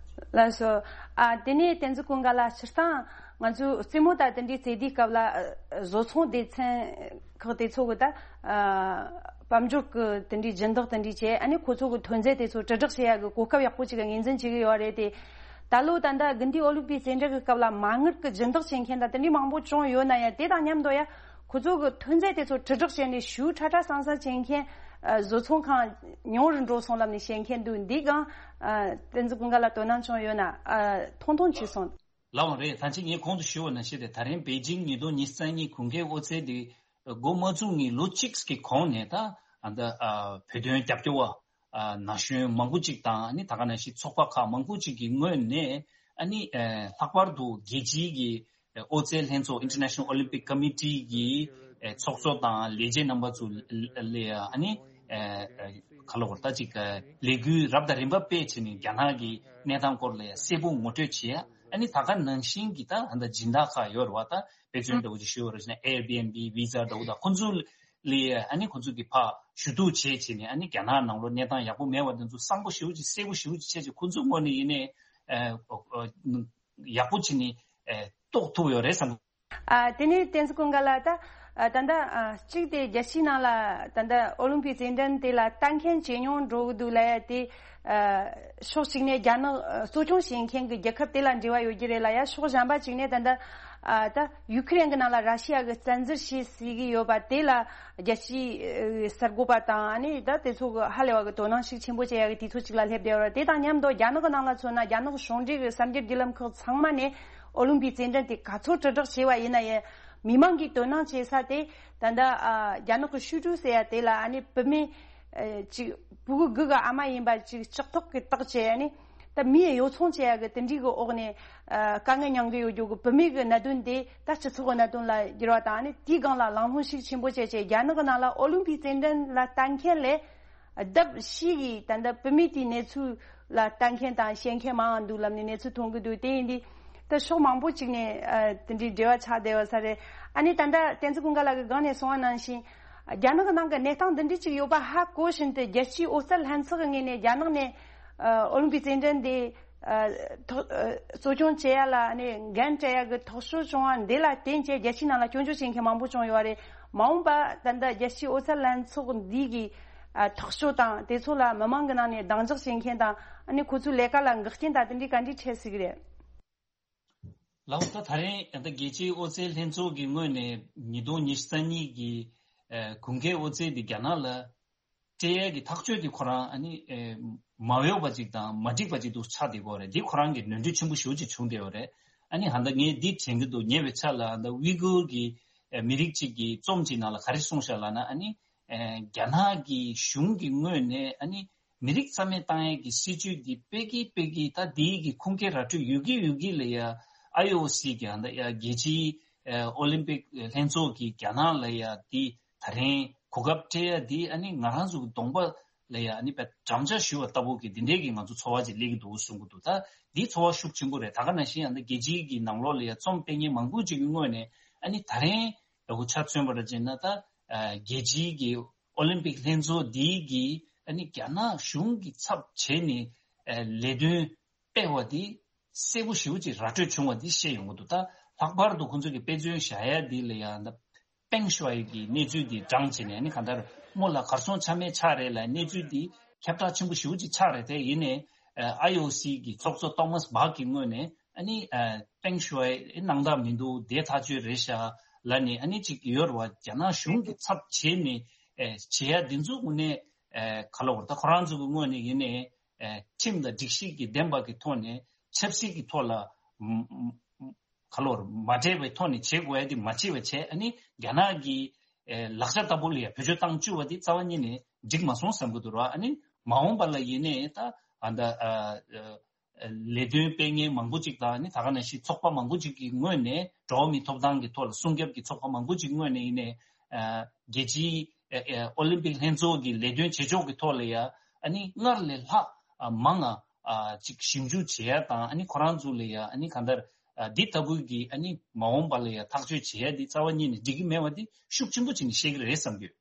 ལགས་སོ། ཨ་དེ་ནས་བསྟན་འཛིན་ཀུན་དགའ་ལགས། སྤྱིར་བཏང་ང་ཚོས་རྩེད་མོ་དང་དེ་འདྲའི་རྩེད་དུས་སྐབས་ལ་ཨ་བཟོ་ཚོང་སྡེ་ཚན་ཁག་དེ་ཚོ་གི་ད་ཨ་དཔལ་འབྱོར་གི་དེ་འདྲའི་སྦྱིན་བདག་དེ་འདྲའི་བྱས། ཨ་ནི་ཁོ་ཚོ་གི་ཐོན་རྫས་དེ་ཚོ་དྲིལ་བསྒྲགས་བྱེད་ཡ་གི་གོ་སྐབས་ཡག་པོ་ཅིག་ངོས་འཛིན་བྱེད་ཀྱི་ཡོད་རེད་དེ། ད་ལོ་ད་ལྟ་དགུན་དུས་ཨོ་ལིམ་པིག་རྩེད་འགྲན་གྱི་སྐབས་ལ་མ་དངུལ་གྱི་སྦྱིན་བདག་བྱེད་མཁན་དང་དེ་འདྲའི་མང་པོ་བྱུང་ཡོད་ན་ཡང་། དེ་དང་མཉམ་དུ་ཡང་ཁོ་ཚོ་གི་ཐོན་རྫས་དེ་ཚོ་དྲིལ་བསྒྲགས་བྱས་ནས་ཞེ་དྲག་དྲག་སང་སང་བྱེད་མཁན་ཨ་བཟོ་ཚོང་ཁང་ཉུང་རུ་འགྲོ་སོང་ལབ་ནས་བཤད་མཁན་འདུག། འདིའི་སྒང་ཨ་བསྟན་འཛིན་ཀུན་དགའ་ལགས་དོ་སྣང་བྱུང་ཡོད་ན་ཨ་ཐུང་ཐུང་ཅིག་གསུངས། ལགས་འོང་རེད། ད་ཅི་ངས་གོང་དུ་ཞུས་པ་ནང་བཞིན་རེད། ད་རིང་པེ་ཅིང་ཉིས་སྟོང་ཉི་ཤུ་རྩ་གཉིས་དགུན་ཁའི་ཨོ་རྩལ་འདི་འགོ་མ་བཙུགས་ངེས་ལོ་གཅིག་གི་གོང་ནས་ད་ཨ་ད་ཨ་བོད་དོན་རྒྱབ་སྐྱོར་བ་ཨ་ན་གཞོན་མང་པོ་ཅིག་དང་། ཨ་ནི་ད་ག་ནང་བཞིན་ཚོགས་པ་ཁག་མང་པོ་ཅིག་གི་ངོས་ནས་ཨ་ནི་ཨ་ལྷག་པར་དུ་རྒྱལ་སྤྱིའི་གི་ཨོ་རྩལ་ལྷན་ཚོགས་International Olympic Committee གི་ཨ་ཚོགས་གཙོ་དང་ལས་བྱེད་རྣམ་པ་ཚོ་ལ་ཨ་ནི་ཨ་ག་ལ་བར་ད་ཅིག་ལས་འགུལ་རབ་དང་རིམ་པ་སྤེལ་བྱས་ནས་རྒྱ་ནག་གི་གནས་སྟངས་སྐོར་ལ་གསལ་པོ་ངོ་སྤྲོད་བྱེད་ཡ། ཨ་ནི་ད་ག་ནང་བཞིན་གྱི་ད་ཨ་ད་སྦྱིན་བདག་ཁག་ཡོད་རེད་བ། ད་དཔེ་མཚོན་འདྲ་བོ་ཅིག་ཞུ་བ་རེད་ཟེར་ན་Airbnb, Visa འདྲ་བོ་ད་ཁོ་ཚོ་ལས་ཨ་ནི་ཁོ་ཚོ་གི་ཕར་ཞུ་གཏུག་བྱས་བྱས་ནས་ཨ་ནི་རྒྱ་ནག་ནང་ལོགས་གནས་སྟངས་ཡག་པོ་མེད་པ་དེ་ཚོ་གསང་པོ་ཞེ་པོ་ཅིག་གསལ་པོ་ཞེ་པོ་ཅིག་བྱས་བྱས་ཁོ་ཚོའི་ངོས་ནས་ཡིན་ནའི་ཨ་ཨ་ཡག་པོ་བྱས་ནས་ཨ་རྟོགས་ཐུབ་ཡོད་རེད་བསམ། ཨ། དེ་ནས་བསྟན་འཛིན་ཀུན་དགའ་ལགས། ད་ཨ་ད་ལྟ་ཨ་གཅིག་དེ་རྒྱལ་སྤྱིའི་ནང་ལ་ད་ལྟ་ཨོ་ལིམ་པིག་རྩེད་འགྲན་དེ་ལ་ལྟ་མཁན་ཇེ་ཉུང་འགྲོ་གི་འདུག་ལབ་ཡ་དེ། ཨ་ཕྱོགས་གཅིག་ནས་རྒྱ་ནག་ཨ་གཙོ་སྐྱོང་བྱེད་མཁན་གྱི་རྒྱལ་ཁབ་དེ་ལ་འབྲེལ་བ་ཡོད་ཀྱི་རེད་ལབ་ཡ། ཕྱོགས་གཞན་པ་གཅིག་ནས་ད་ལྟ་ཨ་ད་ཡུ་ཁུ་རེན་གྱི་ནང་ལ་ར་ཤི་ཡ་གིས་བཙན་འཛུལ་བྱས་ཟེར་གྱི་ཡོད་པ་དེ་ལ་རྒྱལ་སྤྱིའི་ཨ་གསར་འགོད་པ་དང་ཨ་ནི་ད་དེ་ཚོ་གི་ཧ་ལས་པ་གི་དོ་སྣང་ཤུགས་ཆེན་པོ་བྱེད་ཡ་གི་དུས་ཚོད་ཅིག་ལ་སླེབས་བསྡད་ཡོད་རེད། དེ་དང་མཉམ་དུ་རྒྱ་ནག་གི་ནང་ལ་མཚོན་ན་རྒྱ་ནག་གཞུང་འབྲེལ་གྱི་གསར་འགྱུར་བརྒྱུད་ལམ་ཁག་ཚང་མ་ནས་ཨོ་ལིམ་པིག་རྩེད་འགྲན་དེ་ག་ཚོད་དྲིལ་བསྒྲགས་བྱས་པ་ཡིན་ན་ཡང་མི་མང་གིས་དོ་སྣང་བྱེད་ས་དེ་ད་ལྟ་ཨ་རྒྱ་ནག་གི་ཤུ་ཀྲུའུ་ཟེར་ཡ་དེ་ལ་ཨ་ནི་བུད་མེད་ཨ་ཅིག་ཕྲུ་གུ་དགུ་གི་ཨ་མ་ཡིན་པ་ཅིག་ལྕགས་ཐོག་གིས་བཏགས་བྱས་ཨ་ནི་ད་མིའི་གཡོ་ཚོང་བྱེད་ཡ་གི་དེ་འདྲའི་གི་འོག་ནས་ཨ་དཀའ་ངལ་མྱངས་གི་ཡོད་རྒྱུ་གི་བུད་མེད་གི་གནད་དོན་དེ་ད་སྤྱི་ཚོགས་གི་གནད་དོན་ལ་བསྒྱུར་བ་དང་ཨ་ནི་དེའི་སྒང་ལ་གླེང་སློང་ཤུགས་ཆེན་པོ་བྱས་བྱས་རྒྱ་ནག་གི་ནང་ལ་ཨོ་ལིམ་པིག་རྩེད་འགྲན་ལ་ལྟ་མཁན་ལས། ལྡབ་བཞི་གིས་ད་ལྟ་བུད་མེད་དེའི་གནས་ཚུལ་ལ་ལྟ་མཁན་དང་ཤེས་མཁན་མང་བ་འདུག་ལབ་ནས་གནས་ཚུལ་མཐོང་གི་འདུག་དེ་ཡིན་དུས་ད་ཕྱོགས་མང་པོ་ཅིག་ནས་ཨ་དེ་འདྲའི་འབྲེལ་བ་ཆགས་བསྡད་པ་ས་རེད། ཨ་ནི་ད་ལྟ་བསྟན་འཛིན་ཀུན་དགའ་ལགས་ཀྱིས་སྒང་ནས་གསུངས་པ་ནང་བཞིན་རྒྱ་ནག་གི་ནང་གི་གནས་སྟངས་འདི་འདྲའི་ཅིག་ཡོད་པ་ཧ་གོ་བཞིན་དུ་རྒྱལ་སྤྱིའི་ཨོ་རྩལ་ལྷན་ཚོགས་ཀྱི་ངོས་ནས་རྒྱ་ནག་ནས་ཨ་ཨོ་ལིམ་པིག་རྩེད་འགྲན་འདི་ཨ་ཐོག་ཨ་གཙོ་སྐྱོང་བྱེད་ཡ་ལ་ཨ་ནི་འགན་སྤྲད་ཡ་གི་ཐག་གཅོད་བྱུང་བ་འདི་ལ་བརྟེན་བྱས་རྒྱལ་སྤྱིའི་ནང་ལ་སྐྱོན་བརྗོད་བྱེད་མཁན་མང་པོ་བྱུང་ཡོད་རེད། མ་འོངས་པ་ད་ལྟ་རྒྱལ་སྤྱིའི་ཨོ་རྩལ་ལྷན་ཚོགས་འདི་གི་ཨ་ཐག་གཅོད་དང་དེ་ཚོ་ལ་མི་མང་གི་ནང་ནས་གདེང་འཇོག་བྱེད་མཁན་དང་ཨ་ནི་ཁོ་ཚོའི་ལས་ཀ་ལ་འགག་རྐྱེན་དང་དེ་འདྲའི་ག་འདྲའི་འཕྲད་སྲིད་ཀྱི་རེད། ལགས་ད་ད་རེས་ད་རྒྱལ་སྤྱིའི་ཨོ་རྩལ་ལྷན་ཚོགས་ཀྱི་ངོས་ནས་ཉིས་སྟོང་ཉི་ཤུ་རྩ་གཉིས་ཀྱི་ཨ་གུང་ཁའི་ཨོ་རྩལ་འདི་རྒྱ་ནག་ལ་སྤྲད་ཡས་ཀྱི་ཐག་གཅོད་དེ་ཁོ་རང་ཨ་ནི་ཨེ་མ་འོས་པ་ཅིག་དང་མ་འགྲིག་པ་ཅིག་ཏུ་ཆགས་བསྡད་ཀྱི་ཡོད་རེད། འདི་ཁོ་རང་གི་ནོར་འཁྲུལ་ཆེན་པོ་ཞེ་པོ་ཅིག་བྱུང་བསྡད་ཡོད་རེད། ཨ་ནི་ཧ་ད་ངས་འདི་དྲན་གྱི་འདུག་ཉེ་བའི་ཆར་ལ་ཧ་ད་ཝི་གུར་གྱི་ཨེ་མི་རིགས་གཅིག་གི་རྩོམ་གཅིག་ནང་ལ་ག་རེ་གསུངས་ཤག་ལབ་ན་ཨ་ནི་ཨེ་རྒྱ་ནག་གི་གཞུང་གི་ངོས་ནས་ཨ་ནི་མི་རིགས་རྩ་མེད་བཏང་ཡས་ཀྱི་སྲིད་ཇུས་འདི་སྤེལ་གྱི་སྤེལ་གྱི་ད་འདི་གི་ཁུངས་སྐྱེལ་ར་སྤྲོད་ཡོད་ཀྱི་ཡོད་ཀྱི་ལ་ཡ་ཨའི་ཨོ་སི་གི་ཧ་ད་ཡ་རྒྱལ་སྤྱིའི་ཨེ་ཨོ་ལིམ་པིག་ལྷན་ཚོགས་ཀྱིས་རྒྱ་ནག་ལ་ཡ་འདི་ད་རིང་གོ་སྐབས་སྤྲད་ཡ་འདི་ཨ་ནི་ང་རང་ཚོ་གི་གདོང་པ་ལ་ཡ་ཨ་ནི་དཔེ་འགྲམ་ལྕག་གཞུ་བ་ལྟ་བུ་གི་འདི་འདྲའི་གི་ང་ཚོ་ཚོར་བ་ཅིག་སླེབས་ཀྱི་འདུག་གསུང་གི་འདུག་ད་འདི་ཚོར་བ་ཤུགས་ཆེན་པོ་རེད། ད་ག་ནང་བཞིན་ཨ་ནི་རྒྱལ་སྤྱིའི་གི་ནང་ལོགས་ལ་ཡ་རྩོམ་སྤེལ་མཁན་མང་པོ་ཅིག་གི་ངོས་ནས་ཨ་ནི་ད་རིང་ཡག་པོ་ཆ་མཚོན་པ་འདྲ་བྱས་ན་ད་ཨ་རྒྱལ་སྤྱིའི་གི་ཨོ་ལིམ་པིག་ལྷན་ཚོགས་འདིའི་གི་ཨ་ནི་རྒྱ་ནག་གཞུང་གི་ཚབ་བྱས་ནས་ཨ་ལས་དོན་སྤེལ་བ་འདི་གསལ་པོ་ཞེ་པོ་ཅིག་ར་སྤྲོད་བྱུང་བ་འདི་བཤད་ཡོང་གི་འདུག་ད་ལྷག་པར་དུ་ཁོང་ཚོས་ཀྱི་དཔེ་མཚོན་བཞག་ཡ་འདི་ལ་ཡང་ད་པེང་ཞུའེ་གི་གནས་ཚུལ་འདི་བགྲངས་བྱས་ནས་ཨ་ནི་གང་ལྟར་མོ་ལ་གར་སོང་ཆ་མེད་ཆགས་རེད་ལ་གནས་ཚུལ་འདི་ཁྱབ་བསྒྲགས་ཆེན་པོ་ཞེ་པོ་ཅིག་ཆགས་རེད། དེ་ཡིན་ནའི་ཨ་ཨའི་ཨོ་སི་གི་ཚོགས་གཙོ་ཐོ་མཱས་བྷག་གི་ངོས་ནས་ཨ་ནི་ཨ་པེང་ཞུའེ་སྣང་དག་མི་འདུག་དེ་ཐག་ཆོད་རེད་ཤག་ལབ་ནས་ཨ་ནི་ཅིག་ཡོད་རེད་བ། རྒྱ་ནག་གཞུང་གི་ཚབ་བྱས་ནས་ཨ་བྱེད་ཡ་འདི་ཚོ་དངོས་གནས་ཨ་ག་ལ་བར་ད་ཁོ་རང་ཚོ་གི་ངོས་ནས་ཡིན་ནའི། ཨེ་ཁྲིམས་དང་སྒྲིག་གཞི་གི་བདེན་པ་གི་ཐོག་ནས་ཆབ་སྲིད་ཀྱི་ཐོག་ལ་ཨམ་ཨམ་ག་ལོར་མ་འདྲེས་པའི་ཐོག་ནས་བྱེད་དགོས་ཡ་དེ་མ་བྱེད་པ་བྱས། ཨ་ནི་རྒྱ་ནག་གི་ཨེ་ལག་ཆ་ལྟ་བུ་ལ་ཡ་བེད་སྤྱོད་བཏང་བཅུག་པ་དེ་རྩ་བ་ཉིད་ནས་འགྲིག་མ་སོང་བསམ་གི་འདུག་ར། ཨ་ནི་མ་འོངས་པ་ལ་ཡིན་ནའི་ད་ཨ་ད་ཨ་ཨ་ལས་དོན་སྤེལ་མཁན་མང་པོ་ཅིག་དང་ཨ་ནི་ད་ག་ནང་བཞིན་ཚོགས་པ་མང་པོ་ཅིག་གི་ངོས་ནས་འགྲོ་བ་མིའི་ཐོབ་ཐང་གི་ཐོག་ལ་སྲུང་སྐྱོབ་ཀྱི་ཚོགས་པ་མང་པོ་ཅིག་ངོས་ནས་ཡིན་ནའི་ཨ་རྒྱལ་སྤྱིའི་ཨ་ཨ་ཨོ་ལིམ་པིག་ལྷན་ཚོགས་ཀྱི་ལས་དོན་བྱེད་ཕྱོགས་ཀྱི་ཐོག་ལ་ཡ་ཨ་ནི་སྔར་ལས་ལྷག་ཨ་མང་ང་ཨ་ཅིག་ཞིབ་འཇུག་བྱེད་ཡ་དང་ཨ་ནི་ཁོ་རང་ཚོ་ལ་ཡ་ཨ་ནི་གང་ལྟར་ཨ་འདི་ལྟ་བུའི་གི་ཨ་ནི་མ་འོངས་པ་ལ་ཡ་ཐག་གཅོད་བྱེད་ཡ་འདི་རྩ་བ་ཉིད་ནས་འགྲིག་གི་མེད་པ་འདི་ཤུགས་ཆེན་པོ་བྱས་ནས་བཤད་ཀྱི་རེད་བསམ་གྱི་ཡོད།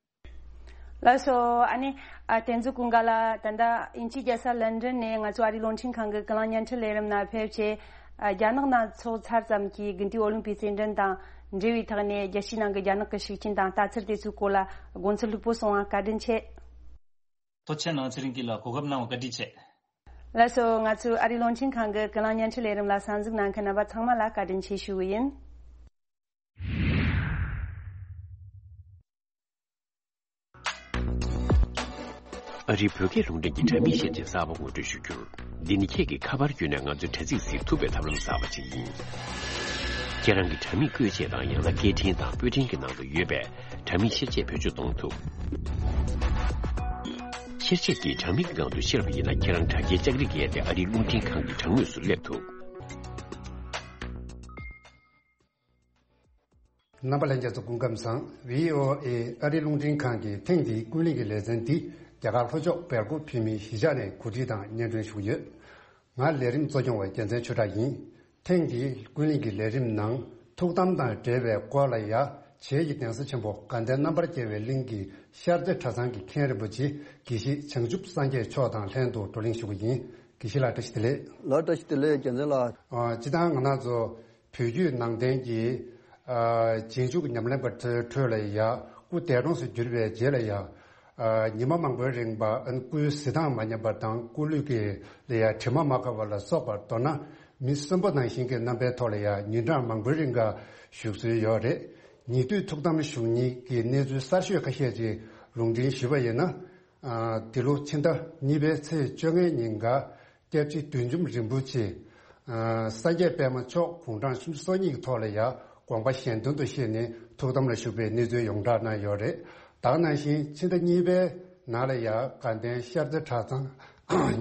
ལགས་སོ། ཨ་ནི་ཨ་བསྟན་འཛིན་ཀུན་དགའ་ལགས་ད་ལྟ་དབྱིན་ཇིའི་རྒྱལ་ས་ལན་ཀྲན་ནས་ང་ཚོ་ཨ་རིའི་རླུང་འཕྲིན་ཁང་གི་ཀུན་གླེང་བརྙན་འཕྲིན་ལས་རིམ་ནང་ཕེབས་བྱས་ཨ་རྒྱ་ནག་ནང་འཚོགས་ཚར་ཙམ་གྱི་དགུན་དུས་ཨོ་ལིམ་པིག་རྩེད་འགྲན་དང་འབྲེལ་བའི་ཐོག་ནས་རྒྱལ་སྤྱིའི་ནང་གི་རྒྱ་ནག་གི་ཤུགས་རྐྱེན་དང་ལྟ་ཚུལ་དེ་ཚོའི་སྐོར་ལ་དགོངས་ཚུལ་ལྷུག་པོ་གསུངས་པ་བཀའ་དྲིན་ཆེ། ཐུགས་རྗེ་གནང་། ཚེ་རིང་སྐྱིད་ལགས་གོ་སྐབས་གནང་བ་བཀའ་དྲིན་ཆེ། ལགས་སོ། ང་ཚོའི་ཨ་རིའི་རླུང་འཕྲིན་ཁང་གི་ཀུན་གླེང་བརྙན་འཕྲིན་ལས་རིམ་ལ་གསན་གཟིགས་གནང་མཁན་རྣམ་པ་ཚང་མ་ལ་བཀའ་དྲིན་ཆེ་ཞུ་གི་ཡིན། ཨ་རིའི་བོད་སྐད་རླུང་འཕྲིན་གྱི་དྲ་མིག་ཤེར་ཆས་གསར་པ་ངོ་སྤྲོད་ཞུ་རྒྱུར། འདི་ནི་ཁྱེད་ཀྱིས་ཁ་པར་བརྒྱུད་ནས་ང་ཚོའི་དྲ་ཚིགས་གཟིགས་ཐུབ་པའི་ཐབས་ལམ་གསར་པ་ཞིག་ཡིན། ཁྱེད་རང་གི་དྲ་མིག་བཀོལ་ཆས་དང་ཡང་ན་སྐད་འཕྲིན་དང་པོད་འཕྲིན་གྱི་ནང་དུ་ཡོད་པའི་དྲ་མིག་ཤེར་ཆས་བེད་སྤྱོད་གཏོང་ཐུབ། ཤེར་ཆས་ཀྱིས་དྲ་མིག་གི་སྒང་དུ་ཤར་བ་ཡིན་ན་ཁྱེད་རང་དྲ་རྒྱའི་ལྕགས་རིགས་བརྒལ་ཏེ་ཨ་རིའི་རླུང་འཕྲིན་ཁང་གི་དྲ་ངོས་སུ་སླེབས་ཐུབ། རྣམ་པ་ལྷན་རྒྱས་ཚོ་སྐུ་ཁམས་བཟང་། ཝི་ཨོ་ཨེ་ཨ་རིའི་རླུང་འཕྲིན་ཁང་གི་ཐེངས་འདིའི་ཀུན་གླེང་གི་ལེ་ཚན་འདི་རྒྱ་གར་ལྷོ་ཕྱོགས་སྦེལ་ཀོབ་བོད་མིའི་གཞིས་ཆགས་ནས་གོ་སྒྲིག་དང་སྙན་སྒྲོན་ཞུ་གི་ཡོད། ང་ལས་རིམ་གཙོ་སྐྱོང་བ་རྒྱལ་མཚན་ཆོས་གྲགས་ཡིན། ཐེངས་འདིའི་ཀུན་གླེང་གི་ལས་རིམ་ནང་ཐུགས་དམ་དང་འབྲེལ་བའི་སྐོར་ལ་ཡ། བྱེས་ཀྱི་གདན་ས་ཆེན་པོ་དགའ་ལྡན་རྣམ་པར་རྒྱལ་བའི་གླིང་གི་ཤར་རྩེ་གྲྭ་ཚང་གི་མཁན་རིན་པོ་ཆེ་དགེ་བཤེས་བྱང་ཆུབ་སངས་རྒྱས་མཆོག་དང་ལྷན་དུ་བགྲོ་གླེང་ཞུ་གི་ཡིན། དགེ་བཤེས་ལགས་བཀྲ་ཤིས་བདེ་ལེགས། ལགས་བཀྲ་ཤིས་བདེ་ལེགས་རྒྱལ་མཚན་ལགས། ཨ། སྤྱིར་བཏང་ང་རང་ཚོ་བོད་བརྒྱུད་ནང་བསྟན་གྱི་ཨ། རྗེས་འཇུག་ཉམས་ལེན་པ་ཚོའི་ཁྲོད་ལ་ཡ། སྐུ་འདས་གྲོངས་སུ་གྱུར་བའི་རྗེས་ལ་ཡ། ཨ། ཉི་མ་མང་པོའི་རིང་པ་སྐུའི་གཟི་མདངས་མ་ཉམས་པ་དང་སྐུ་ལུས་ཀྱི་ལ་ཡ་དྲི་མ་མ་ཁ་བ་ལ་སོགས་པ། མདོར་ན་མི་གསོན་པོ་ནང་བཞིན་གྱི་རྣམ་པའི་ཐོག་ལ་ཡ་ཉིན་གྲངས་མང་པོའི་རིང་ག་བཞུགས་སྲོལ་ཡོད་རེད། ཉེ་དུས་ཐུགས་དམ་བཞུགས་མཁན་གྱི་གནས་ཚུལ་གསར་ཤོས་ཁ་ཤས་ཅིག་ལུང་འདྲེན་ཞུས་པ་ཡིན་ན། ཨ། འདི་ལོ་ཕྱི་ཟླ་གཉིས་པའི་ཚེས་བཅོ་ལྔའི་ཉིན་ག་སྐྱབས་རྗེ་བདུད་འཇོམས་རིན་པོ་ཆེ། ཨ། སངས་རྒྱས་པད་མ་མཆོག་དགུང་གྲངས་སུམ་ཅུ་སོ་གཉིས་ཀྱི་ཐོག་ལ་ཡ་དགོངས་པ་གཞན་དོན་དུ་གཤེགས་ནས་ཐུགས་དམ་ལ་བཞུགས་པའི་གནས་ཚུལ་ཡོངས་གྲགས་གནང་ཡོད་རེད། ད་ག་ནང་བཞིན་ཕྱི་ཟླ་གཉིས་པའི་ནང་ལ་ཡ་དགའ་ལྡན་ཤར་རྩེ་གྲྭ་ཚང་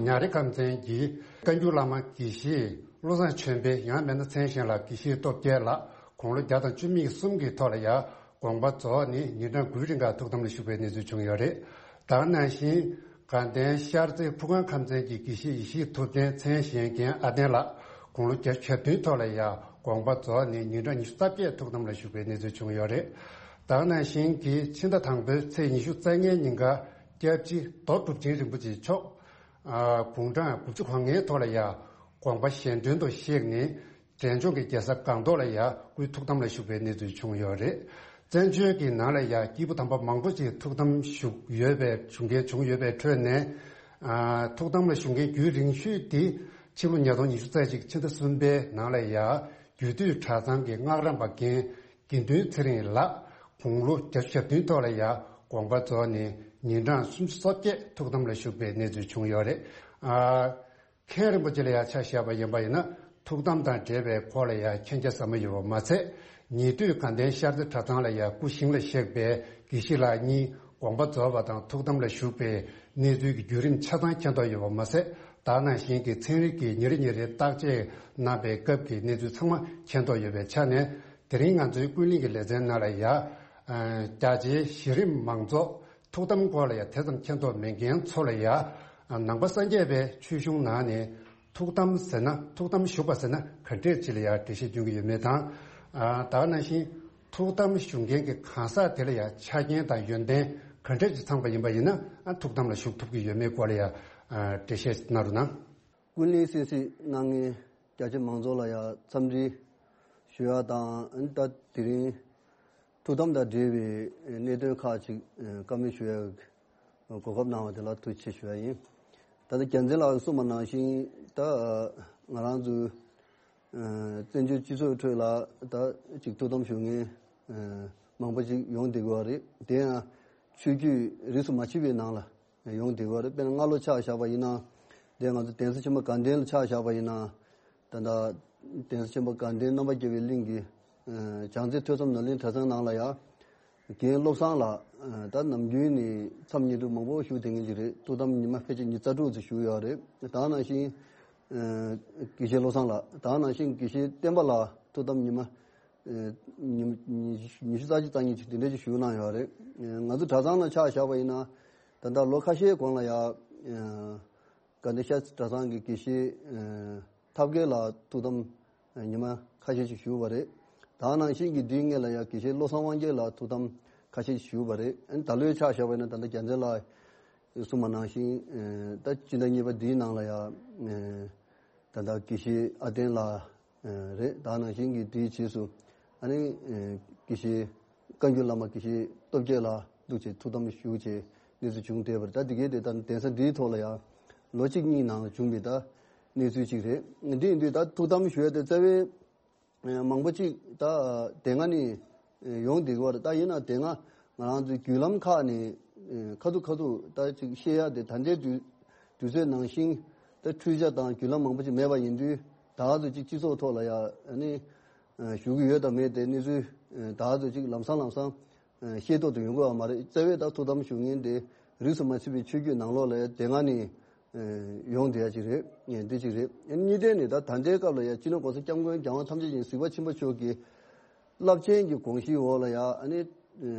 ཉག་རི་ཁམས་ཚན་གྱི་བཀའ་འགྱུར་བླ་མ་དགེ་བཤེས་བློ་བཟང་ཆོས་འཕེལ། ཡང་མིན་ན་མཚན་གཞན་ལ་དགེ་བཤེས་སྟོབས་རྒྱལ་ལགས། དགུང་ལོ་བརྒྱ་དང་བཅུ་མེད་གསུམ་གྱི་ཐོག་ལ་ཡ་དགོངས་པ་རྫོགས་ནས་ཉིན་གྲངས་དགུའི་རིང་ག་ཐུགས་དམ་ལ་བཞུགས་པའི་གནས་ཚུལ་བྱུང་ཡོད་རེད། ད་ག་ནང་བཞིན་དགའ་ལྡན་ཤར་རྩེ་ཕུར་སྒང་ཁམས་ཚན་གྱི་དགེ་བཤེས་ཡེ་ཤེས་ཐུབ་བསྟན། མཚན་གཞན་རྒན་ཨ་བསྟན་ལགས། དགུང་ལོ་བརྒྱད་ཅུ་གྱ་བདུན་ཐོག་ལ་ཡ་དགོངས་པ་རྫོགས་ནས་ཉིན་གྲངས་ཉི་ཤུ་རྩ་བརྒྱད་ཐུགས་དམ་ལ་བཞུགས་པའི་གནས་ཚུལ་བྱུང་ཡོད་རེད། ད་ག་ནང་བཞིན་གྱི་ཕྱི་ཟླ་དང་པོའི་ཚེས་ཉི་ཤུ་རྩ་ལྔའི་ཉིན་ག་སྐྱབས་རྗེ་རྡོ་གྲུབ་ཆེན་རིན་པོ་ཆེ་མཆོག་ཨ། དགུང་གྲངས་དགུ་བཅུ་གོ་ལྔའི་ཐོག་ལ་ཡ་དགོངས་པ་གཞན་དོན་དུ་གཤེགས་ནས་འབྲས་ལྗོངས་ཀྱི་རྒྱལ་ས་སྒང་ཏོག་ལ་ཡ་སྐུའི་ཐུགས་དམ་ལ་བཞུགས་པའི་གནས་ཚུལ་བྱུང་ཡོད་རེད། བཙན་བྱོལ་གྱི་ནང་ལ་ཡ་སྐྱེས་བུ་དམ་པ་མང་པོ་ཅིག་ཐུགས་དམ་བཞུགས་ཡོད་པའི་བཞུགས་མཁན་བྱུང་ཡོད་པའི་ཁྲོད་ནས། ཨ། ཐུགས་དམ་ལ་བཞུགས་མཁན་རྒྱུན་རིང་ཤོས་དེ་ཕྱི་ལོ་ཉིས་སྟོང་ཉི་ཤུ་རྩ་གཅིག་ཕྱི་ཟླ་གསུམ་པའི་ནང་ལ་ཡ་རྒྱུད་སྟོད་གྲྭ་ཚང་གི་སྔགས་རམས་པ་རྒན་དགེ་འདུན་ཚེ་རིང་ལགས། དགུང་ལོ་བརྒྱད་ཅུ་གྱ་བདུན་ཐོག་ལ་ཡ་དགོངས་པ་རྫོགས་ནས་ཉིན་གྲངས་སུམ་ཅུ་སོ་བརྒྱད་ཐུགས་དམ་ལ་བཞུགས་པའི་གནས་ཚུལ་བྱུང་ཡོད་རེད། ཨ། མཁན་རིན་པོ་ཆེ་ལ་ཡ་ཆ་བཞག་པ་ཡིན་པ་ཡིན་ན་ཐུགས་དམ་དང་འབྲེལ་བའི་སྐོར་ལ་ཡ་མཁྱེན་རྒྱ་ཟབ་མོ་ཡོད་པ་མ་ཚད། ཉེ་དུས་དགའ་ལྡན་ཤར་རྩེ་གྲྭ་ཚང་ལ་ཡ་སྐུ་ཞིང་ལ་གཤེགས་པའི་དགེ་བཤེས་ལགས་གཉིས་དགོངས་པ་རྫོགས་པ་དང་ཐུགས་དམ་ལ་བཞུགས་པའི་གནས་ཚུལ་གྱི་བརྒྱུད་རིམ་ཆ་ཚང་མཁྱེན་རྟོགས་ཡོད་པ་མ་ཟད། ད་ག་ནང་བཞིན་གྱི་ཚན་རིག་གིས་ཉིན་རེ་ཉིན་རེ་བརྟག་དཔྱད་གནང་པའི་སྐབས་ཀྱི་གནས་ཚུལ་ཚང་མ་མཁྱེན་རྟོགས་ཡོད་པའི་ཆ་ནས། དེ་རིང་ང་ཚོའི་ཀུན་གླེང་གི་ལེ་ཚན་ནང་ལ་ཡ། ཨ། རྒྱ་ཆེའི་གཞི་རིམ་མང་ཚོགས་ཐུགས་དམ་སྐོར་ལ་ཡ་དེ་ཙམ་མཁྱེན་རྟོགས་མེད་མཁན་ཚོ་ལ་ཡ། ཨ། ནང་པ་སངས་རྒྱས་པའི་ཆོས་གཞུང་ནང་ནས་ཐུགས་དམ་ཟེར་ན། ཐུགས་དམ་བཞུགས་པ་ཟེར་ན་ག་འདྲས་ཅིག་ལ་ཡ་འགྲེལ་བཤད་སྐྱོན་གྱི་ཡོད་མེད་དང་། ཨ། ད་ག་ནང་བཞིན་ཐུགས་དམ་བཞུགས་མཁན་གྱི་གང་ཟག་དེ་ལ་ཡ་ཆ་རྐྱེན་དང་ཡོན་ཏན་ག་འདྲས་ཅིག་ཚང་པ་ཡིན་པ་ཡིན་ན། ཨ། ཐུགས་དམ་ལ་བཞུགས་ཐུབ་ཀྱི་ཡོད་མེད་སྐོར་ལ་ཡ། ཨ། འགྲེལ་བཤད་གནང་རོགས་གནང་། ཀུན་གླེང་གསན་གཟིགས་གནང་མཁན་རྒྱ་ཆེ་མང་ཚོགས་ལ་ཡང་འཚམས་འདྲི་ཞུ་ཡ་དང་། ཨ་ནི་ད་དེ་རིང་ཐུགས་དམ་དང་འབྲེལ་བའི་གནད་དོན་ཁག་ཅིག་བཀའ་མོལ་ཞུ་ཡ་གོ་སྐབས་གནང་བ་དེ་ལ་ཐུགས་རྗེ་ཆེ་ཞུ་ཡ་ཡིན། ད་ལྟ་རྒྱལ་མཚན་ལགས་གསུངས་པ་ནང་བཞིན། ད་ང་རང་ཚོའི་བཙན་བྱོལ་སྤྱི་ཚོགས་ཁྲོད་ལ་ད་ཅིག་ཐུགས་དམ་བཞུགས་མཁན་མང་པོ་ཅིག་ཡོང་བསྡད་ཀྱི་ཡོད་རེད། དེ་ཡང་ཆོས་བརྒྱུད་རིས་སུ་མ་ཆད་པའི་ནང་ལ་ཡོང་བསྡད་ཀྱི་ཡོད་རེད། དཔེར་ན་སྔ་ལོ་ཆ་བཞག་པ་ཡིན་ན། དེ་ང་ཚོ་གདན་ས་ཆེན་པོ་དགའ་ལྡན་ལ་ཆ་བཞག་པ་ཡིན་ན། ད་ལྟ་གདན་ས་ཆེན་པོ་དགའ་ལྡན་རྣམ་པར་རྒྱལ་བའི་གླིང་གི་ཨ་བྱང་རྩེ་ཐོས་བསམ་ནོར་གླིང་གྲྭ་ཚང་ནང་ལ་ཡ་རྒན་བློ་བཟང་ལགས། ཨ་ད་ནམ་རྒྱུན་ནས་མཚམས་ཉིན་དྲུག་མང་པོ་བཞུགས་བསྡད་མཁན་ཅིག་རེད། ཐུགས་དམ་ཉི་མ་ཕལ་ཆེར་ཉི་ཤུ་རྩ་དྲུག་ཙམ་བཞུགས་ཡོད་རེད། ད་ག་ནང་བཞིན་ཨ་དགེ་བཤེས་བློ་བཟང་ལགས། ད་ག་ནང་བཞིན་དགེ་བཤེས་བསྟན་པ་ལགས་ཐུགས་དམ་ཉི་མ་ཨ་ཉི་ཉི་ཉི་ཤུ་རྩ་གཅིག་རྩ་གཉིས་ཅིག་དེ་འདྲ་ཅིག་བཞུགས་གནང་ཡོད་རེད། ཨ་ང་ཚོ་གྲྭ་ཚང་ལ་ཆ་བཞག་པ་ཡིན་ན། ད་ལྟ་ལོ་ཁ་ཤས་གོང་ལ་ཡ་ཨ་དགའ་ལྡན་ཤར་གྲྭ་ཚང་གི་དགེ་བཤེས་ཨ་ཐབས་མཁས་ལགས་ཐུགས་དམ་ཉི་མ་ཁ་ཤས་ཤིག་བཞུགས་པ་རེད། ད་ག་ནང་བཞིན་གྱི་དུས་ངེས་ལ་ཡ་དགེ་བཤེས་བློ་བཟང་དབང་རྒྱལ་ལགས་ཐུགས་དམ་ཁ་ཤས་ཤིག་བཞུགས་པ་རེད། ཨ་ནི་ད་ལོའི་ཆ་བཞག་པ་ཡིན་ན། ད་ལྟ་རྒྱལ་མཚན་ལགས་གསུངས་པ་ནང་བཞིན་ཨ་ད་སྤྱི་ཟླ་གཉིས་པ་འདིའི་ནང་ལ་ཡ་ཨ་ད་ལྟ་དགེ་བཤེས་ཨ་བསྟན་ལགས་ཨ་རེད། ད་ག་ནང་བཞིན་གྱི་དེའི་རྗེས་སུ་ཨ་ནི་ཨ་དགེ་བཤེས་བཀའ་འགྱུར་བླ་མ་དགེ་བཤེས་སྟོབས་རྒྱལ་ལགས་འདུག་བྱས་ཐུགས་དམ་བཞུགས་བྱས་གནས་ཚུལ་བྱུང་བསྡད་པ་རེད། ད་འདི་གའི་དེ་ལྟར་གདན་ས་འདིའི་ཐོག་ལ་ཡང་ལོ་གཅིག་གཉིས་ནང་ལ་བྱུང་བའི་ད་གནས་ཚུལ་ཅིག་རེད། འདི་ཡིན་དུས་ད་ཐུགས་དམ་ཞུ་ཡ་དེ་རྩ་བའི་མང་པོ་ཅིག་ད་དེ་སྔ་ནས་ཡོང་བསྡད་ཀྱི་ཡོད་རེད། ད་ཡིན་ན་དེ་སྔ་ང་རང་ཚོའི་བརྒྱུད་ལམ་ཁག་ནས་ཨ་ཁ་ཐུག་ཁ་ཐུག་ད་ཅིག་བཤད་ཡ་དེ་ད་ལྟའི་དུས་དུས་ཚོད་ནང་བཞིན་ད་འཕྲུལ་ཆ་དང་བརྒྱུད་ལམ་མང་པོ་ཅིག་མེད་པ་ཡིན་དུས། ད་ག་ཚོད་ཅིག་སྤྱི་ཚོགས་ཐོག་ལ་ཡ་ཨ་ནི་ཨ་ཞུ་གི་ཡོད་དང་མེད་དེ་གནས་ཚུལ་ཨ་ད་ག་ཚོད་ཅིག་ལམ་སང་ལམ་སང་ཨ་ཤེས་རྟོགས་དུ་ཡོང་གི་ཡོད་མ་རེད། རྩ་བའི་ད་ཐུགས་དམ་བཞུགས་མཁན་དེ་རིས་སུ་མ་ཆད་པའི་ཆོས་བརྒྱུད་ནང་ལོགས་ལ་ཡ་དེ་སྔ་ནས་ཨ་ཡོང་བསྡད་ཡ་ཅིག་རེད། ཨ་འདི་ཅིག་རེད། ཨ་གཉིས་ལྡན་ནས་ད་ད་ལྟའི་སྐབས་ལ་ཡ་སྤྱི་ནོར་༸གོང་ས་༸སྐྱབས་མགོན་༸རྒྱལ་དབང་ཐམས་ཅད་མཁྱེན་གཟིགས་པ་ཆེན་པོ་མཆོག་གི་རླབས་ཆེན་གྱི་དགོངས་གཞིའི་འོག་ལ་ཡ་ཨ་ནི་ཨ་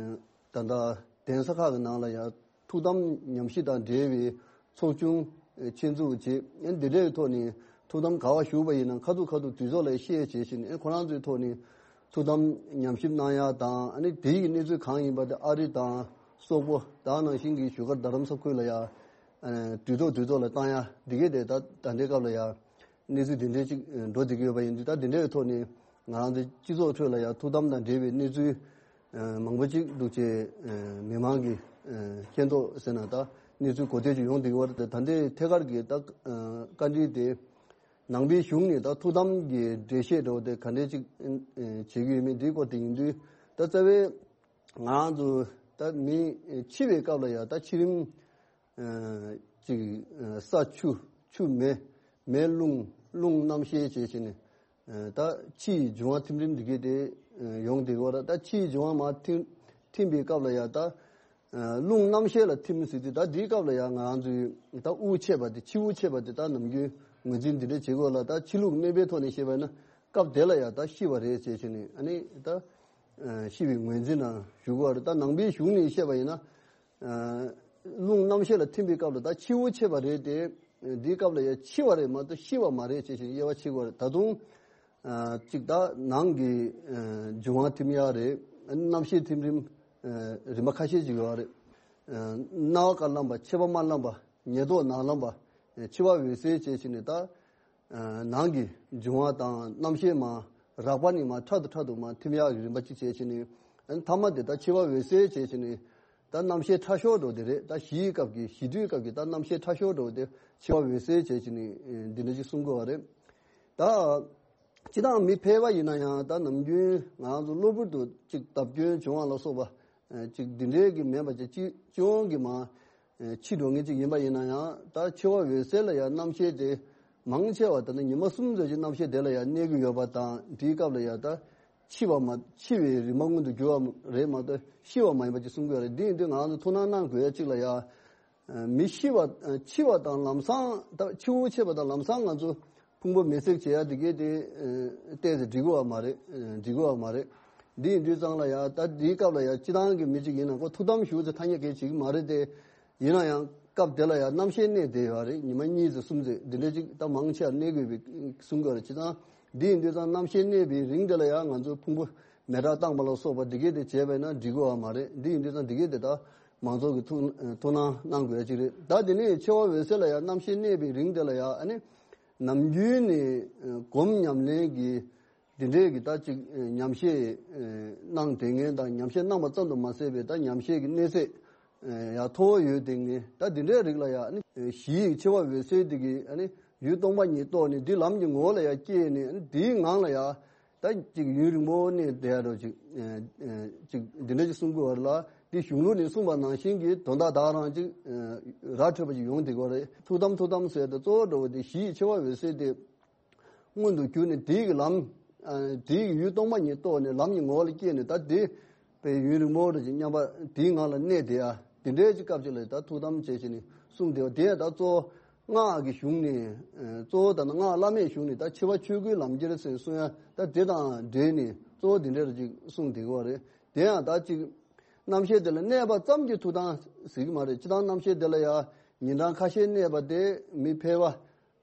ད་ལྟ་གདན་ས་ཁག་གི་ནང་ལ་ཡ་ཐུགས་དམ་ཉམས་ཞིབ་དང་འབྲེལ་བའི་ཚོགས་ཆུང་ཨ་ཆེད་འཛུགས་བྱས། ཨ་འདི་འདྲའི་ཐོག་ནས་ ཐུགས་དམ་ག་བ་བཞུགས་པ་ཡིན་ན་ཁ་ཐུག་ཁ་ཐུག་དུས་ཚོད་ལ་བཤད་བྱས་ཤིང་ཨེ་ཁོ་རང་ཚོའི་ཐོག་ནས་ཐུགས་དམ་ཉམས་ཞིབ་གནང་ཡ་དང་ཨ་ནི་དེ་ཡི་གནས་ཚུལ་གང་ཡིན་པ་དེ་ཨ་རི་དང་སོག་པོ་དེ་ནང་བཞིན་གྱི་བཞུགས་སྒར་རྡ་རམ་ས་ཁུལ་ལ་ཡ་དུས་ཐོག་དུས་ཐོག་ལ་བཏང་ཡ་འདི་གས་དེ་ད་ད་ལྟའི་སྐབས་ལ་ཡ་གནས་ཚུལ་འདི་འདྲའི་ཅིག་འགྲོ་བསྡད་ཀྱི་ཡོད་པ་ཡིན་དུས་ད་འདི་འདྲའི་ཐོག་ནས་ང་རང་ཚོའི་སྤྱི་ཚོགས་ཁྲོད་ལ་ཡ་ཐུགས་དམ་དང་འབྲེལ་བའི་གནས་ཚུལ་མང་པོ་ཅིག་འདུག་ཅེས་མི་མང་གིས་མཁྱེན་རྟོགས་ཟེར་ན་ད་གནས་ཚུལ་གོ་ཐོས་ཅིག་ཡོང་བསྡད་ཀྱི་ཡོད་རེད། ད་ལྟའི་ཐད་ཀར་གྱི་ད་བཀའ་འདྲི་དེ་ནང་པའི་གཞུང་ནས་ད་ཐུགས་དམ་གྱི་འགྲེལ་བཤད་འདྲ་བོ་དེ་ག་འདྲས་ཅིག་བྱེད་ཀྱི་ཡོད་མེད་འདིའི་སྐོར་དེ་ཡིན་དུས་ད་རྩ་བའི་ང་རང་ཚོ་ད་མི་འཆི་བའི་སྐབས་ལ་ཡང་ད་འཆི་རིམ་ཅིག་ས་ཆུ་ཆུ་མེ་མེ་རླུང་རླུང་རྣམ་ཤེས་བྱས་བྱས་ནས་ད་འཆི་ཡི་འབྱུང་བ་ཐིམ་རིམ་འདི་གས་དེ་ཡོང་བསྡད་ཀྱི་ཡོད་རེད། ད་འཆི་ཡི་འབྱུང་བ་མར་ཐིམ་ཐིམ་པའི་སྐབས་ལ་ཡང་ད། རླུང་རྣམ་ཤེས་ལ་ཐིམ་ཟེར་དུས་ད་འདིའི་སྐབས་ལ་ཡང་ང་རང་ཚོའི་ད་དབུགས་ཆད་པ་དེ་འཆི་དབུགས་ཆད་པ་དེ་ད་ནམ་རྒྱུན་ངོས་འཛིན་འདི་འདྲ་བྱེད་དགོས་ལ་ད་འཆི་ལུགས་གནས་པའི་ཐོག་ནས་བཤད་པ་ཡིན་ན་སྐབས་དེ་ལ་ཡང་ད་ཤི་བ་རེད་ཟེར་བྱས་ནས་ཨ་ནི་ད་ཤི་བའི་ངོས་འཛིན་ནང་ཞུགས་པ་རེད། ད་ནང་པའི་གཞུང་ནས་བཤད་པ་ཡིན་ན་རླུང་རྣམ་ཤེས་ལ་ཐིམ་པའི་སྐབས་ལ་ད་འཆི་དབུགས་ཆད་པ་རེད་དེ་འདིའི་སྐབས་ལ་ཡང་འཆི་བ་རེད་མ་གཏོགས་ཤི་བ་མ་རེད་ཟེར་བྱས་དབྱེ་བ་ཕྱེ་དགོས་རེད། ད་དུང་། གཅིག་ད་ནང་གི་འབྱུང་བ་ཐིམ་ཡག་རེད། རྣམ་ཤེས་ཐིམ་རིམ་རིམ་པ་ཁ་ཤས་ཅིག་ཡོད་རེད། རྣ་བ་དཀར་ལམ་པ་མཆེ་བ་དམར་ལམ་པ་ཉེ་ཐོག་ནག་ལམ་པ་འཆི་བ་འོད་གསལ་བྱས་ཕྱིན་ནས་ད་ནང་གི་འབྱུང་བ་དང་རྣམ་ཤེས་མ་རགས་པ་ནས་མ་ཕྲག་ཏུ་ཕྲག་ཏུ་མ་ཐིམ་ཡག་གི་རིམ་པ་གཅིག་བྱས་ཕྱིན་ནས་མཐའ་མ་དེ་ད་འཆི་བ་འོད་གསལ་བྱས་ཕྱིན་ནས། ད་རྣམ་ཤེས་ཕྲ་ཤོས་འགྲོ་དེ་རེད། ད་ཞི་ཡི་སྐབས་ཀྱི་ཞི་དུས་སྐབས་ཀྱི་ད་རྣམ་ཤེས་ཕྲ་ཤོས་འགྲོ་དེ་འཆི་བ་འོད་གསལ་བྱས་ཕྱིན་ནས་འདི་འདྲ་ཅིག་གསུང་དགོས་པ་རེད། ད་སྤྱི་བཏང་མི་ཕལ་པ་ཡིན་ན་ཡང་ད་ནམ་རྒྱུན་ང་རང་ཚོ་གློ་བུར་དུ་ཅིག་བརྡབ་སྐྱོན་བྱུང་བ་ལ་སོགས་པ་ཅིག་འདི་འདྲའི་གི་མེད་པ་ཅིག་སྤྱི་སྤྱི་ཡོངས་ཀྱི་མ་འཆི་འགྲོ་མཁན་ཅིག་ཡིན་པ་ཡིན་ན་ཡང་ད་འཆི་བ་འོད་གསལ་ལ་ཡང་རྣམ་ཤེས་དེ་མང་ཆེ་བ་ད་ནི་ཉི་མ་གསུམ་ཙམ་ཅིག་རྣམ་ཤེས་དེ་ལ་ཡང་གནས་ཀྱི་ཡོད་པ་དང་དེའི་སྐབས་ལ་ཡང་ད། འཆི་བ་མ་འཆི་བའི་རིམ་པ་མངོན་དུ་གྱུར་བ་རེད་མ་གཏོགས་ཤི་བ་མ་ཡིན་པ་ཅིག་གསུང་གི་ཡོད་རེད། འདི་ཡིན་དུས་ང་རང་ཚོ་ཐུགས་སྣང་གནང་དགོས་ཡ་གཅིག་ལ་ཡ། མི་ཤི་བ་འཆི་བ་དང་ལམ་སང་ད་འཆི་དབུགས་ཆད་པ་དང་ལམ་སང་ང་ཚོ་ཕུང་པོ་མེ་བསྲེགས་བྱེད་ཡ་འདི་གས་དེ་བལྟས་ཏེ་འགྲིག་གི་ཡོད་མ་རེད། འགྲིག་གི་ཡོད་མ་རེད། འདི་ཡིན་དུས་ཙང་ལ་ཡ་ད་འདིའི་སྐབས་ལ་ཡ་སྤྱི་བཏང་གི་མི་གཅིག་ཡིན་ན་ཁོ་ཐུགས་དམ་བཞུགས་ཚེ་ཐ་སྙད་གས་བྱེད་ཀྱི་མ་རེད་དེ། ཡིན་ན་ཡང་སྐབས་དེ་ལ་ཡང་རྣམ་ཤེས་གནས་བསྡད་ཡོད་རེད། ཉི་མ་གཉིས་ཙམ་གསུམ་ཙམ་འདི་འདྲ་ཅིག་ད་མང་ཆེ་བ་གནས་དགོས་པའི་གསུང་གི་ཡོད་རེད། བྱས་ཙང་འདི་ཡིན་དུས་ཙང་རྣམ་ཤེས་གནས་པའི་རིང་དེ་ལ་ཡང་ང་ཚོས་ཕུང་པོ་མེ་སྲེག་བཏང་པ་ལ་སོགས་པ་འདི་གས་དེ་བྱས་པས་ན་འགྲིག་གི་ཡོད་མ་རེད། འདི་ཡིན་དུས་ཙང་འདི་གས་དེ་ད་མང་ཚོགས་ཀྱི་ཐུགས་ཐུགས་སྣང་གནང་དགོས་ཡ་ཅིག་རེད། ད་དེ་ནས་འཆི་བ་འོད་གསལ་ལ་ཡང་རྣམ་ཤེས་གནས་པའི་རིང་དེ་ལ་ཡང་ཨ་ནི་ནམ་རྒྱུན་ནས་སྒོམ་ཉམས་ལེན་གྱི་འདི་འདྲའི་གི་ད་ཅིག་ཉམས་བཞེས་གནང་བསྡད་མཁན་དང་ཉམས་བཞེས་གནང་བ་ཙམ་དུ་མ་ཟད་པའི་ད་ཉམས་བཞེས་ཀྱི་གནས་ཚད་ཡང་མཐོ་བོ་ཡོད་བསྡད་མཁན་ད་འདི་འདྲའི་རིགས་ལ་ཡང་ཨ་ནི་ཞི་ཡི་འཆི་བ་འོད་གསལ་འདི་གི་ཨ་ནི་ཡུལ་སྟོང་པ་ཉིད་རྟོགས་ནས་འདི་ལམ་གྱི་ངོ་བོ་ལ་ཡང་སྐྱེས་ནས་ཨ་ནི་འདིའི་ངང་ལ་ཡང་ད་ཅིག་ཡུན་རིང་པོ་གནས་བསྡད་ཡ་འདྲ་ཅིག་ཅིག་འདི་འདྲ་ཅིག་གསུང་དགོས་པ་ལ་འདི་གཞུང་ལུགས་ནས་གསུངས་པ་ནང་བཞིན་གྱི་དོན་དག་ད་རང་ཅིག་ར་འཕྲོད་པ་ཅིག་ཡོང་བསྡད་ཀྱི་ཡོད་རེད། ཐུགས་དམ་ཐུགས་དམ་ཟེར་ཏེ་གཙོ་བོ་འདྲ་བོ་དེ་ཞི་ཡི་འཆི་བ་འོད་གསལ་དེ། མངོན་དུ་གྱུར་ནས་དེའི་གི་ལམ། དེའི་གི་ཡུལ་སྟོང་པ་ཉིད་རྟོགས་ནས་ལམ་གྱི་ངོ་བོ་ལ་སྐྱེས་ནས་ད་དེ་པའི་ཡུན་རིང་པོ་རེ་ཅིག་མཉམ་པ་དེའི་ངང་ལ་གནས་དེ་ཡ་དེ་འདྲའི་ཅིག་སྐབས་ཅིག་ལ་ད་ཐུགས་དམ་བྱས་བྱས་ནས་གསུངས་དེ་བ་དེ་ད་གཙོ་བོ་སྔགས་ཀྱི་གཞུང་ནས་གཙོ་བོ་ད་ནི་སྔགས་བླ་མེད་གཞུང་ནས་ད་འཆི་བ་ཆོས་སྐུའི་ལམ་ཁྱེར་ཟེར་གསུང་ཡ་ད་དེ་དང་འབྲེལ་ནས་གཙོ་བོ་དེ་འདྲ་རེ་ཅིག་གསུངས་དེ་གི་བ་རེད། དེ་ཡང་ད་ཅིག་རྣམ་ཤེས་དེ་ལ་གནས་པ་ཙམ་གྱིས་ཐུགས་དམ་ཟེར་གི་མ་རེད། སྤྱི་བཏང་རྣམ་ཤེས་དེ་ལ་ཡ་ཉིན་གྲངས་ཁ་ཤས་གནས་པ་དེ་མི་ཕལ་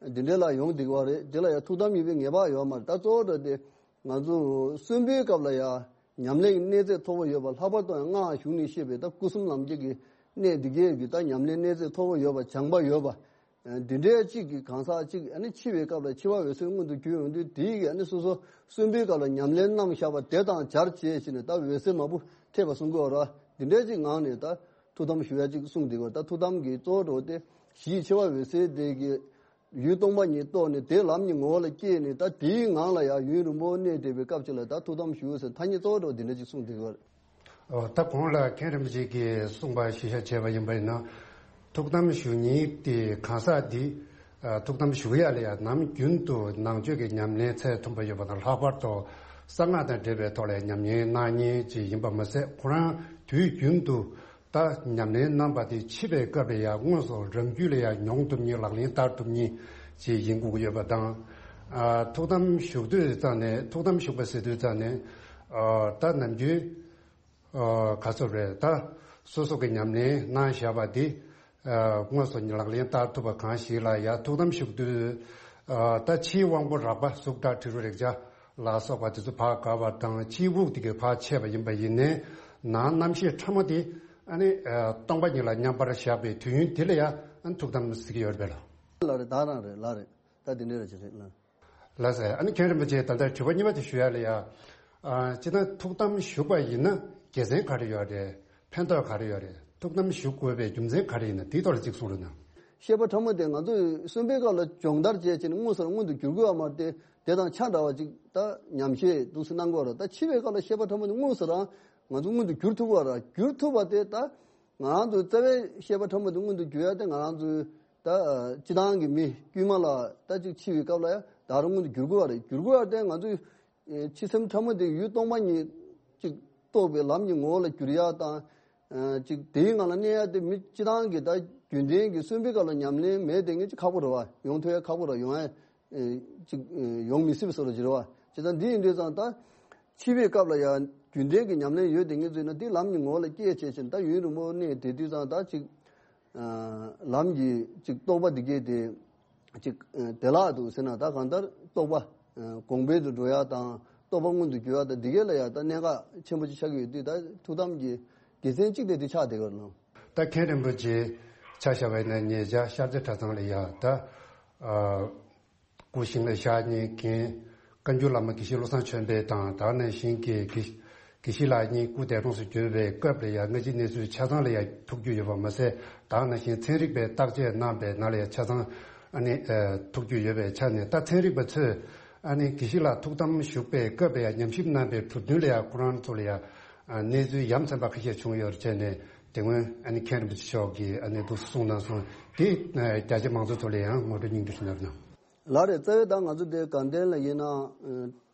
པ། འདི་འདྲ་ལ་ཡོང་བསྡད་ཀྱི་ཡོད་རེད། དེ་ལ་ཡང་ཐུགས་དམ་ཡིན་པའི་ངེས་པ་ཡོད་མ་རེད། ད་གཙོ་བོ་འདྲ་དེ་ང་ཚོ་གསོན་པོའི་སྐབས་ལ་ཡང་ཉམས་ལེན་གྱི་གནས་ཚད་མཐོ་པོ་ཡོད་པ། ལྷག་པར་དུ་ཡང་སྔགས་གཞུང་ནས་བཤད་པའི་ད་སྐུ་གསུམ་ལམ་འཁྱེར་གྱི་གནས་འདི་གས་ཀྱི་ད་ཉམས་ལེན་གནས་ཚད་མཐོ་པོ་ཡོད་པ། སྦྱངས་པ་ཡོད་པ། འདི་འདྲའི་གཅིག་གི་གང་ཟག་གཅིག་ཨ་ནི་འཆི་བའི་སྐབས་ལ་འཆི་བ་འོད་གསལ་མངོན་དུ་གྱུར་ཡོང་དུས་དེའི་གི་ཨ་ནི་སོ་སོ་གསོན་པོའི་སྐབས་ལ་ཉམས་ལེན་གནང་བཞག་པ་དེ་དང་སྦྱར་བྱས་བྱས་ནས་ད་འོད་གསལ་མང་པོ་ཐེབས་པ་གསུང་གི་ཡོད་རེད། འདི་འདྲའི་གཅིག་ངང་ནས་ད་ཐུགས་དམ་ཞུ་ཡ་གཅིག་གསུངས་འདུག་ག་ད་ཐུགས་དམ་གྱི་གཙོ་བོ་འདྲ་དེ་ཞི་འཆི་བ་འོད་གསལ་དེ་གི་ཡུལ་སྟོང་པ་ཉིད་རྟོགས་ནས་དེ་ལམ་གྱི་ངོ་བོ་ལ་སྐྱེས་ནས་ད་དེའི་ངང་ལ་ཡང་ཡུན་རིང་པོ་གནས་བསྡད་པའི་སྐབས་ཅིག་ལ་ད་ཐུགས་དམ་ཞུ་ཟེར་ཐ་སྙད་གཙོ་བོ་འདྲ་འདི་འདྲ་ཅིག་གསུངས་འདུག་ག་ཨོ། ད་གོང་ལ་མཁན་རིན་པོ་ཆེ་གིས་གསུངས་པ་ཞིབ་ཆ་བྱས་པ་ཡིན་པ་ཡིན་ན། ཐུགས་དམ་བཞུགས་མཁན་དེ་གང་ཟག་འདི་ཨ་ཐུགས་དམ་བཞུགས་ཡ་ལ་ཡང་ནམ་རྒྱུན་དུ་ནང་ཆོས་ཀྱི་ཉམས་ལེན་ཚད་མཐོན་པོ་ཡོད་པ་དང་ལྷག་པར་དུ་གསང་སྔགས་དང་འབྲེལ་བའི་ཐོག་ལ་ཉམས་ལེན་གནང་མཁན་ཅིག་ཡིན་པ་མ་ཟད། ཁོ་རང་དུས་རྒྱུན་དུ་ད་ཉམས་ལེན་གནང་པ་དེ་འཆི་བའི་སྐབས་ལ་ཡང་དངོས་སུ་རང་རྒྱུད་ལ་ཡང་མྱོང་ཐུབ་མཁན་ལག་ལེན་བསྟར་ཐུབ་མཁན་ཅིག་ཡིན་དགོས་ཀྱི་ཡོད་པ་དང་། ཨ་ཐུགས་དམ་བཞུགས་དུས་ཙང་ནས་ཐུགས་དམ་བཞུགས་པ་ཟེར་དུས་ཙང་ནས་ཨ་ད་ནམ་རྒྱུན། ཨ་ག་ཚོད་རེད། ད་སོ་སོ་གི་ཉམས་ལེན་གནང་བཞག་པ་འདི་ཨ་དངོས་སུ་ལག་ལེན་བསྟར་ཐུབ་པ་གང་ཞིག་ལ་ཡང་ཐུགས་དམ་བཞུགས་དུས་ ཨ། ད་ཕྱིའི་དབང་པོ་རགས་པ་གཟུགས་སྒྲ་དྲི་རོ་རེག་བྱ་ལ་སོགས་པ་དེ་ཚོ་ཕར་བཀག་པ་དང་། ཕྱིའི་དབུགས་དེ་གས་ཕར་ཆད་པ་ཡིན་པ་ཡིན་ནའི། ནང་རྣམ་ཤེས་ཕྲ་མོ་དེ་ཨ་ནི་ཨ་སྟོང་པ་ཉིད་ལ་མཉམ་པར་བཞག་པའི་དུས་ཡུན་དེ་ལ་ཡང་ཨ་ནི་ཐུགས་དམ་ཟེར་གྱི་ཡོད་རེད་པས་ལགས། ལགས་རེད། ད་རང་རེད། ལགས་རེད། ད་དེ་འདྲ་རེད་ཅེས་རེད་ལགས། ལགས་སོ། ཨ་ནི་མཁན་རིན་པོ་ཆེ། ད་ལྟ་དྲི་བ་གཉིས་པ་དེ་ཞུ་ཡ་ལ་ཡ། ཨ། སྤྱིར་བཏང་ཐུགས་དམ་བཞུགས་པ་ཡིན་ན་དགེ་མཚན་ག་རེ་ཡོད་རེད། ཕན་ཐོགས་ག་རེ་ཡོད་རེད། ཐུགས་དམ་བཞུགས་དགོས་པའི་རྒྱུ་མཚན་ག་རེ་ཡིན་ན། དེའི་ཐོག་ལ་གཅིག་གསུང་རོགས་གནང་། ཤེས་པ་ཕྲ་མོ་དེ་ང་ཚོས་གསོན་པོའི་སྐབས་ལ་སྦྱོང་བརྡར་བྱས་བྱས་ནས་དངོས་སུ་རང་མངོན་དུ་འགྱུར་དགོས་པ་མ་རེད་དེ། དེ་དང་ཆ་འདྲ་བ་ཅིག་ད་ཉམས་བཞེས་འདུག་སེ་གནང་དགོས་པ་རེད། ད་འཆི་བའི་སྐབས་ལ་ཤེས་པ་ཕྲ་མོ་དེ་དངོས་སུ་རང་ང་ཚོ་མངོན་དུ་འགྱུར་ཐུབ་པ་རེད། འགྱུར་ཐུབ་པ་དེ་ད་ང་རང་ཚོ་རྩ་བའི་ཤེས་པ་ཕྲ་མོ་དེ་མངོན་དུ་འགྱུར་ཡ་དེ་ང་རང་ཚོའི་ད་སྤྱི་བཏང་གི་མི་དཀྱུས་མ་ལ་ད་ཅིག་འཆི་བའི་སྐབས་ལ་ཡང་ད་རུང་མངོན་དུ་འགྱུར་དགོས་པ་རེད། འགྱུར་དགོས་པ་དེ་ང་ཚོས་ཨེ་འཆི་སེམས་ཕྲ་མོ་དེ་ཡུལ་སྟོང་པ་ཉིད་ཅིག་རྟོགས་པའི་ལམ་གྱི་ངོ་བོ་ལ་འགྱུར་ཡ་དང་། ཨེ་ཅིག་དེའི་ངང་ལ་གནས་ཡ་དེ་མི་སྤྱི་བཏང་གི་ད་རྒྱུན་ལྡན་གྱི་གསོན་པོའི་སྐབས་ལ་ཉམས་ལེན་མེད་དེ་ངས་ཅིག་ཁག་པོ་རེད་བ། ཡོང་ཐུབ་ཡ་ཁག་པོ་རེད། ཡོང་ཡ་ཨེ་ཅིག་ཨེ་ཡོང་མི་སྲིད་པ་བཟོ་འདྲ་ཅིག་རེད་བ། བྱས་ཙང་འདི་ཡིན་དུས་ཙང་ད་འཆི་བའི་སྐབས་ལ་ཡང་རྒྱུན་ལྡན་གྱི་ཉམས་ལེན་ཡོད་དེ་ངས་བཟོས་ན་འདི་ལམ་གྱི་ངོ་བོ་ལ་སྐྱེས་བྱས་ཕྱིན། ད་ཡུན་རིང་པོ་གནས་བསྡད་དུས་ཙང་ད་ཅིག་ཨ་ལམ་གྱི་ཅིག་རྟོགས་པ་འདི་གས་དེ་ཅིག་ཨ་བདེ་བླག་འདུག་ཟེར་ན། ད་གང་ལྟར་རྟོགས་པ་ཨ་གོང་འཕེལ་དུ་འགྲོ་ཡ་དང་རྟོགས་པ་མངོན་དུ་གྱུར་ཡ་དང་འདི་གས་ལ་ཡང་ད་གནད་འགག་ཆེན་པོ་ཅིག་ཆགས་ཀྱི་ཡོད་དུས། ད་ཐུགས་དམ་གྱི་དགེ་མཚན་གཅིག་དེ་དེ་ཆགས་བསྡད་ཡོད་རེད་ལགས། ད་མཁན་རིན་པོ་ཆེ་ཆ་བཞག་པ་ཡིན་ན་ཉེ་ཆར་ཤར་རྩེ་གྲྭ་ཚང་ལ་ཡ་ད་ཨ། སྐུ་ཞིང་ལ་གཤེགས་ཉིན་རྒན་བཀའ་འགྱུར་བླ་མ་དགེ་བཤེས་བློ་བཟང་ཆོས་འཕེལ་དང་། དེ་ནང་བཞིན་གྱི་དགེ་དགེ་བཤེས་ལགས་གཉིས་སྐུ་འདས་གྲོངས་སུ་གྱུར་པའི་སྐབས་ལ་ཡང་སྔ་ཕྱི་གནས་ཚུལ་ཆ་ཚང་ལ་ཡང་ཐུགས་རྒྱུས་ཡོད་པ་མ་ཟད། དེ་ནང་བཞིན་ཚན་རིག་པས་བརྟག་དཔྱད་གནང་པའི་ནང་ལ་ཡང་ཆ་ཚང་ཨ་ནི་ཨ་ཐུགས་རྒྱུས་ཡོད་པའི་ཆ་ནས། ད་ཚན་རིག་པ་ཚོས་ཨ་ནི་དགེ་བཤེས་ལགས་ཐུགས་དམ་བཞུགས་པའི་སྐབས་ལ་ཡང་ཉམས་ཞིབ་གནང་པའི་གྲུབ་དོན་ལ་ཡང་ཁོ་རང་ཚོ་ལ་ཡང་ཨ་གནས་ཚུལ་ཡ་མཚན་པ་ཁ་ཤས་བྱུང་ཡོད་རེད་བྱས་ནས། དེ་སྔོན་ཨ་ནི་མཁན་རིན་པོ་ཆེ་མཆོག་གིས་ཨ་ནི་འདུག་གསུངས་གནང་སོང་། དེ་ཨ་རྒྱ་ཆེ་མང་ཚོགས་ཚོ་ལ་ཡང་ངོ་སྤྲོད་སྙིང་བསྡུས་ཤིག་གནང་རོགས་གནང་། ལགས་རེད། རྩ་བའི་ད་ང་ཚོ་དེ་དགའ་ལྡན་ལ་ཡིན་ན། ཨ་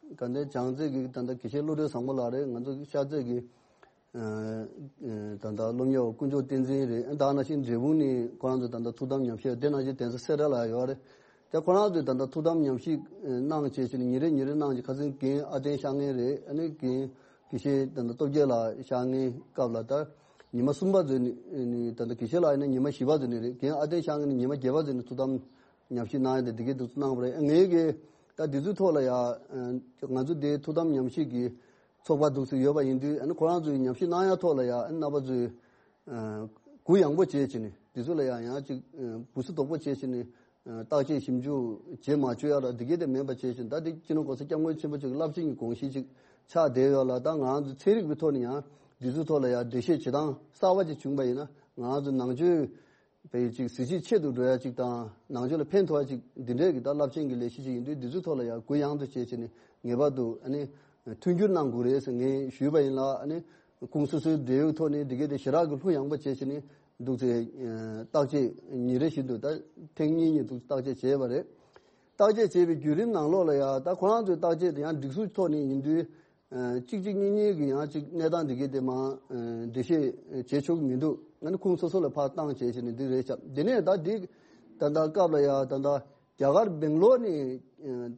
དགའ་ལྡན་བྱང་རྩེ་གི་ད་ལྟ་དགེ་བཤེས་བློ་གྲོས་བཟང་པོ་ལགས་རེད། ང་ཚོ་ཤར་རྩེ་གི་ཨ་ཨ་ད་ལྟ་སློབ་གཉེར་བ་དཀོན་མཆོག་བསྟན་འཛིན་རེད། ཨ་དེ་ནང་བཞིན་འབྲས་སྤུངས་ནས་ཁོ་རང་ཚོ་ད་ལྟ་ཐུགས་དམ་ཉམས་ཞིབ། དེ་ནང་བཞིན་གདན་ས་སེ་ར་ལ་ཡོད་རེད། དེ་ཁོ་རང་ཚོས་ད་ལྟ་ཐུགས་དམ་ཉམས་ཞིབ་གནང་བྱས་བྱས་ནས་ཉིན་རེ་ཉིན་རེ་གནང་བྱས། ཁ་སང་རྒན་ཨ་བསྟན་ཤར་ངེས་རེད། ཨ་ནི་རྒན་དགེ་བཤེས་ད་ལྟ་སྟོབས་རྒྱལ་ལགས་ཤར་ངེས་སྐབས་ལ་ད་ཉི་མ་གསུམ་པ་ཚོ་ནས་ནས་ད་ལྟ་དགེ་བཤེས་ལགས་ཡིན་ན་ཉི་མ་བཞི་པ་ཚོ་ནས་རེད། རྒན་ཨ་བསྟན་ཤར་ངེས་ནས་ཉི་མ་བརྒྱད་པ་ཚོ་ནས་ཐུགས་དམ་ཉམས་ཞིབ་གནང་ཡ་དེ་འདི་གའི་འདུག་གནང་བ་རེད། ངས་གི་ད་འདི་ཚོའི་ཐོག་ལ་ཡ་ང་ཚོ་དེ་ཐུགས་དམ་ཉམས་ཞིབ་ཀྱི་ཚོགས་པ་འདུག་སེ་ཡོད་པ་ཡིན་དུས། ཨ་ནི་ཁོ་རང་ཚོའི་ཉམས་ཞིབ་གནང་ཡ་ཐོག་ལ་ཡ་ཨ་ནི་རྣམ་པ་ཚོས་ཨ་གུ་ཡངས་པོ་བྱས་བྱས་ནས་འདི་ཚོ་ལ་ཡང་ཡང་ཅིག་ཨ་འབུ་སྲིན་རྡོག་པོ་བྱས་བྱས་ནས་ཨ་བརྟག་དཔྱད་ཞིབ་འཇུག་བྱེད་མ་བཅུག་ཡ་ལ་འདི་གའི་དེ་མེད་པ་བྱས་བྱས་ནས། ད་འདི་སྤྱི་ནོར་༸གོང་ས་༸སྐྱབས་མགོན་ཆེན་པོ་མཆོག་གི་རླབས་ཆེན་གྱི་དགོངས་གཞི་ཅིག་ཆགས་བསྡད་ཡོད་ལ། ད་ང་རང་ཚོ་ཚན་རིག་པའི་ཐོག་ནས་ཡང་འདི་ཚོའི་ཐོག་ལ་ཡང་འགྲེལ་བཤད་བྱེད་སྟངས་གསར་པ་ཅིག་བྱུང་པ་ཡིན་ན། ང་རང་ཚོ་ནང་ཆོས་པའི་ཅིག་གཟི་བརྗིད་ཆེ་རུ་འགྲོ་ཡ་ཅིག་དང་། ནང་ཆོས་ལ་ཕན་ཐོགས་ཡ་ཅིག་འདི་འདྲའི་གི་ད་རླབས་ཆེན་གྱི་ལས་གཞི་ཅིག་ཡིན་དུས། འདི་ཚོའི་ཐོག་ལ་ཡང་གུ་ཡངས་དུ་བྱས་བྱས་ནས་ངེས་པར་དུ་ཨ་ནི་མཐུན་འགྱུར་གནང་དགོས་རེད་ཟེར་ངས་ཞུས་པ་ཡིན་ལ། ཨ་ནི་ཁོང་སོ་སོའི་འབྲེལ་ཡོད་ཐོག་ནས་འདི་གའི་དེ་ཞེ་དྲག་གི་ལྷུ་ཡངས་པོ་བྱས་བྱས་ནས་འདུག་སེ་བརྟག་དཔྱད་ཉིན་རེ་བཞིན་དུ་ད་ཐེངས་གཉིས་གཉིས་འདུག་བརྟག་དཔྱད་བྱས་པ་རེད། བརྟག་དཔྱད་བྱས་པའི་བརྒྱུད་རིམ་ནང་ལོགས་ལ་ཡང་ད་ཁོ་རང་ཚོའི་བརྟག་དཔྱད་དེ་ཡང་སྒྲིག་སྲོལ་ཐོག་ནས་ཡིན་དུས། ཨ་གཅིག་གཅིག་གཉིས་གཉིས་ཀྱི་ཡང་ཅིག་གནས་སྟངས་འདི་གའི་དེ་མ་ཨ་འགྲེལ་བཤད་བྱེད་ཆོག་གི་མི་འདུག་ཨ་ནི་ཁོང་སོ་སོ་ལ་ཕར་བཏང་བྱས་བྱས་ནས་འདི་རེད་ཤག་དེ་ནས་ད་འདི་ད་ལྟ་སྐབས་ལ་ཡང་ད་ལྟ་རྒྱ་གར་སྦེང་ལོར་ནས་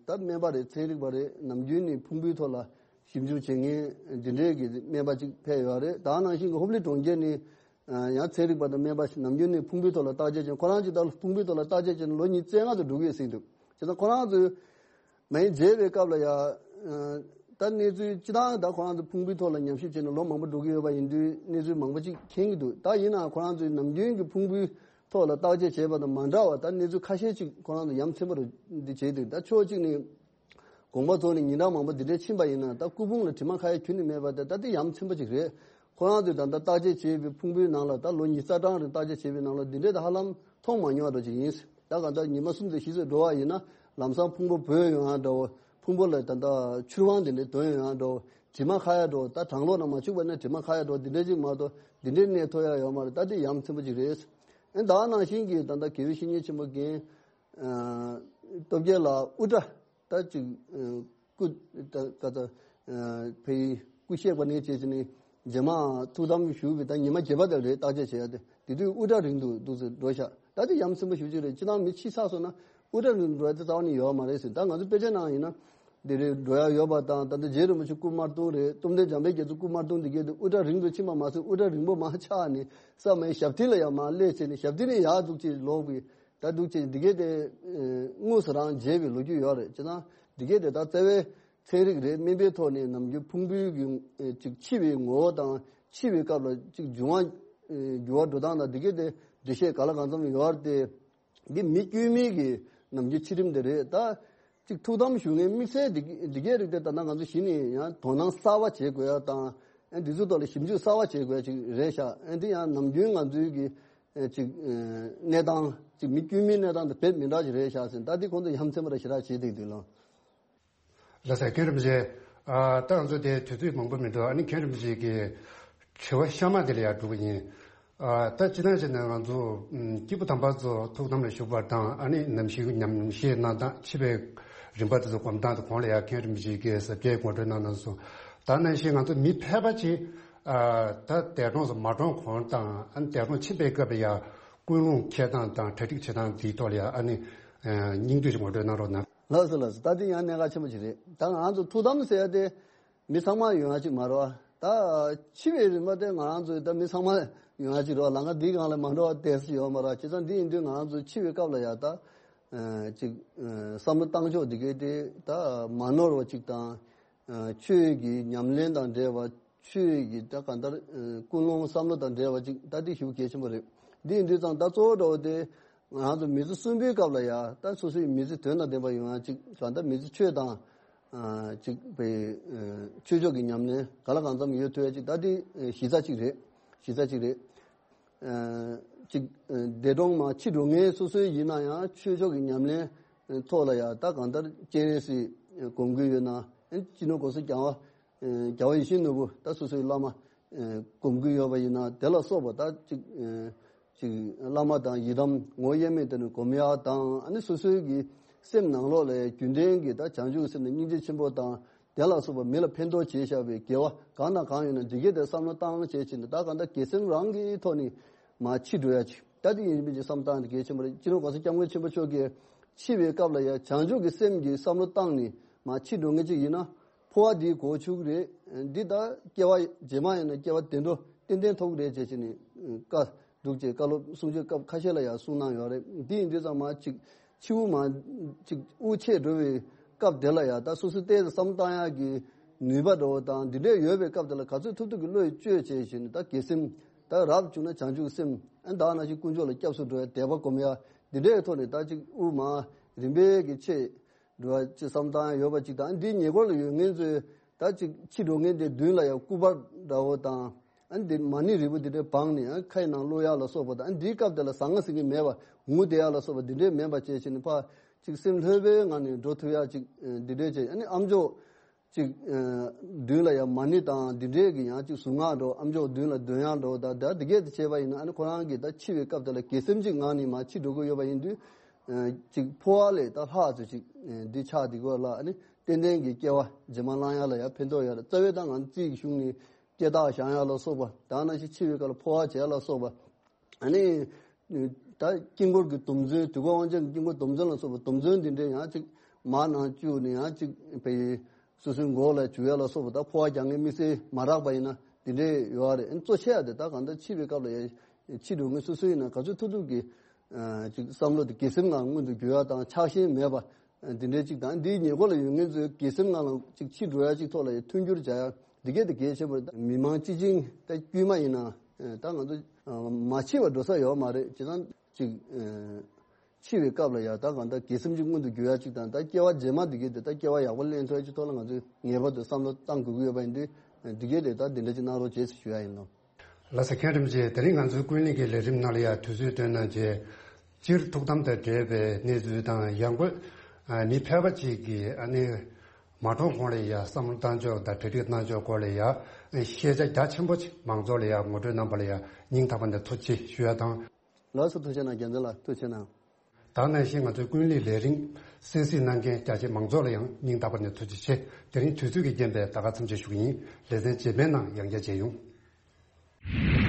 ཨ་ད་སྨན་པ་རེད། ཚན་རིག་པ་རེད། ནམ་རྒྱུན་ནས་ཕུང་པོའི་ཐོག་ལ་ཞིབ་འཇུག་བྱེད་མཁན་འདི་འདྲའི་གི་སྨན་པ་ཅིག་ཕེབས་ཡོད་རེད། ད་ནང་བཞིན་གྱི་ཧོབ་ལི་གྲོང་ཁྱེར་ནས་ཨ་ཡང་ཚན་རིག་པ་དང་སྨན་པ་ཞིག་ནམ་རྒྱུན་ནས་ཕུང་པོའི་ཐོག་ལ་བརྟག་དཔྱད་བྱས། ཁོ་རང་ཅིག་ད་ཕུང་པོའི་ཐོག་ལ་བརྟག་དཔྱད་བྱས་ནས་ལོ་ཉི་ཤུ་རྩ་ལྔ་ཙམ་འགྲོ་གི་ཡོད་ཟེར་འདུག་བྱས་ཙང་ཁོ་རང་ཚོས་མ་ཡིན་མཇལ་བའི་སྐབས་ལ་ཡང་ད་གནས་ཚུལ་སྤྱི་བཏང་ད་ཁོ་རང་ཚོ་ཕུང་པོའི་ཐོག་ལ་ཉམས་ཞིབ་བྱས་ནས་ལོ་མང་པོ་འགྲོ་གི་ཡོད་པ་ཡིན་དུས་གནས་ཚུལ་མང་པོ་ཅིག་མཁྱེན་གྱི་འདུག་ད་ཡིན་ནའང་ཁོ་རང་ཚོས་ནམ་རྒྱུན་གྱི་ཕུང་པོའི་ཐོག་ལ་བརྟག་དཔྱད་བྱས་པ་དང་མ་འདྲ་བ། ད་གནས་ཚུལ་ཁ་ཤས་ཅིག་ཁོ་རང་ཚོ་ཡ་མཚན་པ་རུ་འདི་བྱས་འདུག་ད་ཕྱོགས་གཅིག་ནས་དགོངས་པ་རྫོགས་ནས་ཉིན་གྲངས་མང་པོ་འདི་འདྲའི་ཕྱིན་པ་ཡིན་ན། ད་སྐུ་ཕུང་ལ་དྲི་མ་ཁ་ཡ་ཁྱོན་ནས་མེད་པ་དེ་ད་དེ་ཡ་མཚན་པ་ཅིག་རེད། ཁོ་རང་ཚོས་ད་ལྟ་བརྟག་དཔྱད་བྱས་པའི་ཕུང་པོའི་ནང་ལ་ད་ལོ་ཉི་ཤུ་རྩ་གྲངས་རིང་བརྟག་དཔྱད་བྱས་པའི་ནང་ལ་འདི་འདྲའི་ད་ཧ་ལམ་མཐོང་མ་མྱོང་བ་འདྲ་ཅིག་ཡིན། ད་གང་ལྟར་ཉི་མ་གསུམ་ཙམ་བཞི་ཙམ་འགྲོ་བ་ཡིན་ན་ལམ་སང་ཕུང་པོ་བོས་ཡོང་ཡ་འདྲ་བོ། ཕུང་པོ་ལ་ད་ལྟ་ཆུ་རང་དེ་འདྲ་དོན་ཡོང་ཡ་འདྲ་བོ། དྲི་མ་ཁ་ཡ་འདྲ་བོ། ད་གྲང་གློག་ནང་མ་བཅུག་པ་ན་དྲི་མ་ཁ་ཡ་འདྲ་བོ་འདི་འདྲ་ཅིག་མ་གཏོགས་འདི་འདྲའི་གནས་ཐོབ་ཡ་ཡོད་མ་རེད། ད་དེ་ཡ་མཚན་པ་ཅིག་རེད། ཨེ་ད་ནང་བཞིན་གྱི་ད་ལྟ་དགེ་བའི་བཤེས་གཉེན་ཆེན་པོ་རྒན་ཨ་སྟོབས་རྒྱལ་ལགས་དབུ་སྐྲ་ད་ཅིག་ཨ་སྐུ་ད་ད་ད་ཨ་ཕའི་སྐུ་གཤེགས་པ་ནས་བྱས་བྱས་ནས་རྗེས་མ་ཐུགས་དམ་བཞུགས་པའི་ད་ཉི་མ་བརྒྱད་པ་དེ་རེད། བརྟག་དཔྱད་བྱེད་ཡ་དེ་དེ་དུས་དབུ་སྐྲ་རིང་དུ་འདུག་ཟེར་འགྲོ་ཤག་ད་དེ་ཡ་མཚན་པ་ཞེ་པོ་ཅིག་རེད། སྤྱིར་བཏང་མི་ཕྱི་ས་སོང་ན་དབུ་སྐྲ་རིང་དུ་འགྲོ་ཡ་དེ་རྩ་བ་ནས་ཡོད་མ་རེད་ཟེར། ད་ང་ཚོ་དཔེ་ཆའི་ནང་ཡིན་ན་དེ་རེད། འགྲོ་ཡ་ཡོད་པ་དང་། ད་ལྟ་རྗེ་རིན་པོ་ཆེ་སྐུ་དམར་གདུང་རེད། གཏུམ་སྟེ་འཇམ་དཔལ་རྒྱ་མཚོ་སྐུ་དམར་གདུང་འདི་གས་དེ་དབུ་སྐྲ་རིང་དུ་ཕྱིན་པ་མ་ཟད་དབུ་སྐྲ་རིང་པོ་མར་ཆག་ནས་ས་མའི་ཞབས་མཐིལ་ལ་ཡང་མར་སླེབས་བྱས་ནས་ཞབས་མཐིལ་ནས་ཡར་འཛུགས་ཀྱིས་ལོག་པའི་ ད་འདུག་ཅེས་འདི་གས་དེ་དངོས་སུ་རང་མཇལ་བའི་ལོ་རྒྱུས་ཡོད་རེད། ཅེ་ན་འདི་གས་དེ་ད་རྩ་བའི་ཚན་རིག་རེད། སྨན་པའི་ཐོག་ནས་ནམ་རྒྱུན་ཕུང་པོའི་གི་ཅིག་འཆི་བའི་ངོ་བོ་དང་འཆི་བའི་སྐབས་ལ་ཅིག་འབྱུང་བ་འགྱུར་བ་འགྲོ་སྟངས་དང་འདི་གས་དེ་འགྲེལ་བཤད་ག་ལ་གང་འཚམ་ཡོད་རེད་དེ། འདི་མི་དཀྱུས་མའི་གི་ནམ་རྒྱུན་འཆི་རིམ་དེ་རེད། ད་ཅིག་ཐུགས་དམ་ཞུ་མཁན་དམིགས་བསལ་འདི་འདི་གས་རིགས་དེ་ད་ལྟ་ང་ཚོ་གཞི་ནས་ཡང་དོ་སྣང་གསར་བ་བྱེད་དགོས་ཡ་དང་། ཨ་འདི་ཚོ་ཐོག་ལ་ཞིབ་འཇུག་གསར་བ་བྱེད་དགོས་ཡ་ཅིག་རེད་ཤག་ཨ་འདི་ཡང་ནམ་རྒྱུན་ང་ཚོའི་གི་ཅིག་གནས་སྟངས་ཅིག་མི་དཀྱུས་མའི་གནས་སྟངས་དེ་དཔེ་མི་འདྲ་ཞིག་རེད་ཤག་ཟེར། ད་འདི་ཁོང་ཚོ་ཡ་མཚན་པ་ར་ཞེ་དྲག་བྱེད་བསྡད་འདུག་ལོ། ལགས་སོ། མཁན་རིན་པོ་ཆེ། ཨ་ད་ང་ཚོ་དེ་དུས་ཚོད་མང་པོ་མི་འདུག་ཨ་ནི་མཁན་རིན་པོ་ཆེ་གི་དྲི་བ་གཤམ་མ་དེ་ལ་ཡར་འགྲོ་གི་ཡིན། ཨ་ད་སྤྱིར་བཏང་བྱས་ན་ང་ཚོ་ཨམ་སྐྱེས་བུ་དམ་པ་ཚོ་ཐུགས་དམ་ལ་བཞུགས་པ་དང་ཨ་ནི་ནམ་ཞིག་ཉམས་བཞེས་གནང་སྟངས་འཆི་བའི་རིམ་པ་དེ་ཚོ་སྒོམ་སྟངས་དེ་གོང་ལ་ཡར་མཁན་རིན་པོ་ཆེ་གིས་ཟབ་རྒྱས་ངོ་སྤྲོད་གནང་གནང་སོང་། ད་ནང་བཞིན་ང་ཚོ་མི་ཕལ་པ་ཅིག་ཨ་ད་འདས་གྲོངས་སུ་མ་གྲོངས་གོང་དང་ཨ་ནི་འདས་གྲོངས་ཕྱིན་པའི་སྐབས་ལ་ཡར་ཀུན་སློང་འཁྱེར་སྟངས་དང་གྲ་སྒྲིག་བྱེད་སྟངས་དེའི་ཐོག་ལ་ཡར་ཨ་ནི་ཨ་སྙིང་བསྡུས་ཤིག་ངོ་སྤྲོད་གནང་རོགས་གནང་། ལགས་སོ་ལགས་སོ། ད་དེ་ཡང་གནད་འགག་ཆེན་པོ་ཅིག་རེད། ད་ང་རང་ཚོ་ཐུགས་དམ་ཟེར་ཡ་དེ་མི་ཚང་མ་ཡོང་ཡ་ཅིག་མ་རེད་བ། ད་འཆི་བའི་རིམ་པ་དེ་ང་རང་ཚོའི་ད་མི་ཚང་མ་ཡོང་ཡ་ཅིག་རེད་བ། ལམ་ཁ་འདིའི་སྒང་ལ་མ་འགྲོ་བ་དེ་སུ་ཡོད་མ་རེད་བ། བྱས་ཙང་འདི་ཡིན་དུས་ང་རང་ཚོ་འཆི་བའི་སྐབས་ལ་ཡ་ད་ཅིག་བསམ་བློ་བཏང་ཕྱོགས་འདི་གའི་དེ་ད་མ་ནོར་བ་ཅིག་དང་། ཆོས་ཀྱི་ཉམས་ལེན་དང་འབྲེལ་བ། ཆོས་ཀྱི་ད་གང་ལྟར་ཀུན་སློང་བསམ་བློ་དང་འབྲེལ་བ་ཅིག་ད་འདི་ཞེ་པོ་གལ་ཆེན་པོ་རེད། འདི་ཡིན་དུས་ཙང་ད་གཙོ་བོ་འདྲ་བོ་དེ་ང་རང་ཚོ་མི་ཚེ་གསོན་པོའི་སྐབས་ལ་ཡ་ད་སོ་སོའི་མི་ཚེ་དོན་དང་ལྡན་པ་ཡོང་ཡ་ཅིག་གང་ལྟར་མི་ཚེ་ཆོས་དང་ཅིག་པའི་ཆོས་ཕྱོགས་ཀྱི་ཉམས་ལེན་ག་ལ་གང་འཚམ་ཡོད་ཐུབ་ཡ་ཅིག་ད་འདི་གཞི་རྩ་ཅིག་རེད། གཞི་རྩ་ཅིག་རེད། ཅིག་འདས་གྲོངས་མ་འཆི་འགྲོ་མཁན་སོ་སོའི་ཡིན་ན་ཡང་ཆོས་ཕྱོགས་ཀྱི་ཉམས་ལེན་ཐོག་ལ་ཡ་ད་གང་ལྟར་སྤྱན་རས་གཟིགས་སྒོམ་གྱི་ཡོད་ན། སྤྱི་ནོར་༸གོང་ས་༸རྒྱལ་བ་རྒྱལ་བ་ཡིད་བཞིན་ནོར་བུ་ད་སོ་སོའི་བླ་མ་སྒོམ་གྱི་ཡོད་པ་ཡིན་ན་དེ་ལ་སོགས་པ་ད་ཅིག་ཅིག་བླ་མ་དང་ཡི་དམ་ངོ་དབྱེར་མེད་དེ་ནི་སྒོམ་ཡ་དང་ཨ་ནི་སོ་སོའི་གི་སེམས་ནང་ལོགས་ལ་རྒྱུན་ལྡན་གྱི་ད་བྱང་ཆུབ་སེམས་ནི་སྙིང་རྗེ་ཆེན་པོ་དང་། དེ་ལ་སོགས་པ་མི་ལ་ཕན་ཐོགས་བྱེད་བཞག་པའི་དགེ་བ་གང་དང་གང་ཡོད་ན་འདི་གས་དེ་བསམ་བློ་བཏང་བྱས་བྱས་ནས་ད་གང་ལྟར་དགེ་སེམས་རང་གི་ཐོག་ནས་མར་འཆི་འགྲོ་ཡ་ཅིག་ད་དེ་ཡིན་མིན་གྱི་བསམ་བཏང་དེ་གལ་ཆེན་པོ་རེད། སྤྱི་ནོར་༸གོང་ས་༸སྐྱབས་མགོན་ཆེན་པོ་མཆོག་གིས་འཆི་བའི་སྐབས་ལ་ཡ་བྱང་ཆུབ་ཀྱི་སེམས་ཀྱི་བསམ་བློ་བཏང་ནས་མར་འཆི་འགྲོ་མཁན་ཅིག་ཡིན་ན་འཕོ་བ་འདིའི་གོ་ཆོད་ཀྱི་རེད། འདི་ད་སྐྱེ་བ་རྗེས་མ་ཡིན་ན་སྐྱེ་བ་བདེ་འགྲོ་ཏན་ཏན་ཐོབ་ཀྱི་རེད་ཅེས་བྱས་ནས་བཀའ་འདུག་ཅེས་བཀའ་སློབ་གསུང་ཆོས་སྐབས་ཁ་ཤས་ལ་ཡང་གསུང་གནང་ཡོད་རེད། འདི་ཡིན་དུས་ཙམ་མ་ཅིག་འཆི་བོ་མ་ཅིག་དབུགས་ཆད་འགྲོ་བའི་སྐབས་དེ་ལ་ཡང་ད་སོ་སོའི་ལྟས་བསམ་བཏང་ཡག་གི་ནུས་པ་འདྲ་བོ་དང་འདི་འདྲས་ཡོད་པའི་སྐབས་དེ་ལ་ག་ཚོད་ཐུབ་ཐུབ་ཀྱི་བློ་ཡིས་བཅོས་བྱས་བཞིན་ད་དགེ་སེམས་ད་རབ་བྱུང་ན་བྱང་ཆུབ་སེམས་ཨ་ད་ནང་བཞིན་དཀོན་མཆོག་ལ་སྐྱབས་སུ་འགྲོ་ཡ་དད་པ་སྒོམ་ཡ་འདི་འདྲའི་ཐོག་ནས་ད་ཅིག་དབུགས་མ་རིམ་པས་ཀྱི་ཆད་འགྲོ་བ་ཅིག་བསམ་བཏང་ཡ་ཡོད་པ་ཅིག་དང་འདིའི་ཉེ་འཁོར་ལ་ཡོད་མཁན་ཚོས་ད་ཅིག་འཆི་འགྲོ་མཁན་དེ་མདུན་ལ་ཡང་སྐུ་པར་འདྲ་བོ་དང་ཨ་འདི་མ་ཎི་རིལ་བུ་འདི་འདྲའི་སྦངས་ནས་ཨ་ཁའི་ནང་བླུག་ཡག་ལ་སོགས་པ་དང་ཨ་འདིའི་སྐབས་དེ་ལ་ཟང་ངེ་ཟིང་ངེ་མེད་པ་ངུ་བསྡད་ཡག་ལ་སོགས་པ་འདི་འདྲའི་མེད་པ་བྱས་བྱས་ནས་ཕར་ཅིག་སེམས་ལྷོད་པའི་ངང་ནས་འགྲོ་ཐུབ་ཡག་ཅིག་འདི་འདྲའི་བྱས་ཨ་ནི་ཨ་མཆོག་ཅིག་མདུན་ལ་ཡང་མ་ཎི་དང་འདི་འདྲའི་གི་ཡང་ཅིག་གཟུངས་སྔགས་འགྲོ་ཨ་མཆོག་མདུན་ལ་འདོན་ཡག་འགྲོ་ད་ད་འདི་སྐད་དུ་བྱས་པ་ཡིན་ན་ཨ་ནི་ཁོ་རང་གི་ད་འཆི་བའི་སྐབས་དེ་ལ་དགེ་སེམས་ཅིག་ངང་ནས་མར་འཆི་འགྲོ་གི་ཡོད་པ་ཡིན་དུས། ཅིག་འཕོ་བ་ལས་ད་ལྷག་ཚུལ་ཅིག་འདི་ཆགས་འདི་གོ་ལ་ཨ་ནི་ཏན་ཏན་གྱི་སྐྱེ་བ་རྗེས་མ་བླང་ཡ་ལ་ཡང་ཕན་ཐོགས་ཡོད་རེད། རྩ་བའི་ད་ང་ཚོ་རྩིས་ཀྱི་གཞུང་ནས་སྐྱེ་རྟགས་བཞེངས་ཡ་ལ་སོགས་པ་ད་ནང་བཞིན་འཆི་བའི་སྐབས་ལ་འཕོ་བ་བྱེད་ཡ་ལ་སོགས་པ་ཨ་ནི་ད་དཀྱིལ་འཁོར་གྱི་སྡོམ་བརྩོན་དུས་འཁོར་དབང་ཆེན་གྱི་དཀྱིལ་འཁོར་སྡོམ་བརྩོན་ལ་སོགས་པ་སྡོམ་བརྩོན་འདི་འདྲའི་ཡང་ཅིག་མར་ནང་བཅུག་ནས་ཡང་ཅིག་བའི་སོ་སོའི་མགོ་ལ་བྱུག་ཡ་ལ་སོགས་པ་ད་འཕོ་བ་རྒྱག་མཁན་དམིགས་བསལ་མ་རག་པ་ཡིན་ན་འདི་འདྲའི་ཡོད་རེད། གཙོ་ཆེ་ཡ་དེ་ད་གང་ལྟར་འཆི་བའི་སྐབས་ལ་ཡང་འཆི་འགྲོ་མཁན་སོ་སོ་ཡིན་ན་ག་ཚོད་ཐུབ་ཐུབ་ཀྱི་ཅིག་བསམ་བློ་དེ་དགེ་སེམས་ངང་མངོན་དུ་འགྱུར་ཡ་དང་ཆགས་ཞེན་མེད་པ་འདི་འདྲའི་ཅིག་དང་འདིའི་ཉེ་འཁོར་ལ་ཡོད་མཁན་ཚོའི་དགེ་སེམས་ངང་ལ་ཅིག་འཆི་འགྲོ་ཡ་ཅིག་ཐོག་ལ་ཡང་མཐུན་འགྱུར་བྱ་ཡ་འདི་གས་དེ་གལ་ཆེན་པོ་རེད། མི་མང་སྤྱི་བྱིངས་ད་དཀྱུས་མ་ཡིན་ན་ད་ང་ཚོ་མ་འཆི་བར་འགྲོ་ས་ཡོད་མ་རེད། བྱས་ཙང་ཅིག་འཆི་བའི་སྐབས་ལ་ཡང་ད་གང་ལྟར་དགེ་སེམས་ཅིག་མངོན་དུ་འགྱུར་ཡ་ཅིག་དང་ད་སྐྱེ་བ་རྗེས་མ་འདི་གས་དེ་ད་སྐྱེ་བ་ཡག་པོ་ལེན་ཐུབ་ཡ་ཅིག་ཐོག་ལ་ང་ཚོས་ངེས་པར་དུ་བསམ་བློ་བཏང་དགོས་ཀྱི་ཡོད་པ་ཡིན་དུས་འདི་གས་དེ་ད་འདི་འདྲ་ཅིག་གནང་རོགས་བྱེད་ཞུ་ཡ་ཡིན་ནོ། ལགས་སོ། མཁན་རིན་པོ་ཆེ། དེ་རིང་ང་ཚོའི་ཀུན་གླེང་གི་ལས་རིམ་ནང་ལ་ཡང་དུས་ཚོད་བཏོན་གནང་བྱས། སྤྱིར་ཐུགས་དམ་དང་འབྲེལ་བའི་གནས་ཚུལ་དང་ཡང་སྒོས་ཨ་མི་ཕལ་པ་ཅིག་གིས་ཨ་ནི་མ་གྲོངས་གོང་ལ་ཡང་བསམ་བློ་བཏང་ཕྱོགས་དང་གྲ་སྒྲིག་གནང་ཕྱོགས་སྐོར་ལ་ཡང་ཤེས་བྱ་རྒྱ་ཆེན་པོ་ཅིག་མང་ཚོགས་ལ་ཡང་ངོ་སྤྲོད་གནང་པ་ལ་ཡང་སྙིང་ཐག་པ་ནས་ཐུགས་རྗེ་ཆེ་ཞུ་ཡ་དང་། ལགས་སོ། ཐུགས་རྗེ་གནང་། རྒྱལ་མཚན་ལགས་ཐུགས་རྗེ་གནང་། ད་ནང་བཞིན་ང་ཚོའི་ཀུན་གླེང་ལས་རིམ་གསན་གཟིགས་གནང་མཁན་རྒྱ་ཆེ་མང་ཚོགས་ལ་ཡང་སྙིང་ཐག་པ་ནས་ཐུགས་རྗེ་ཆེ། དེ་རིང་དུས་ཚོད་ཀྱི་རྐྱེན་པས་ད་ག་མཚམས་ཆད་ཞུ་གི་ཡིན། ལེ་ཚན་རྗེས་མའི་ནང་ཡང་བསྐྱར་མཇལ་ཡོང་།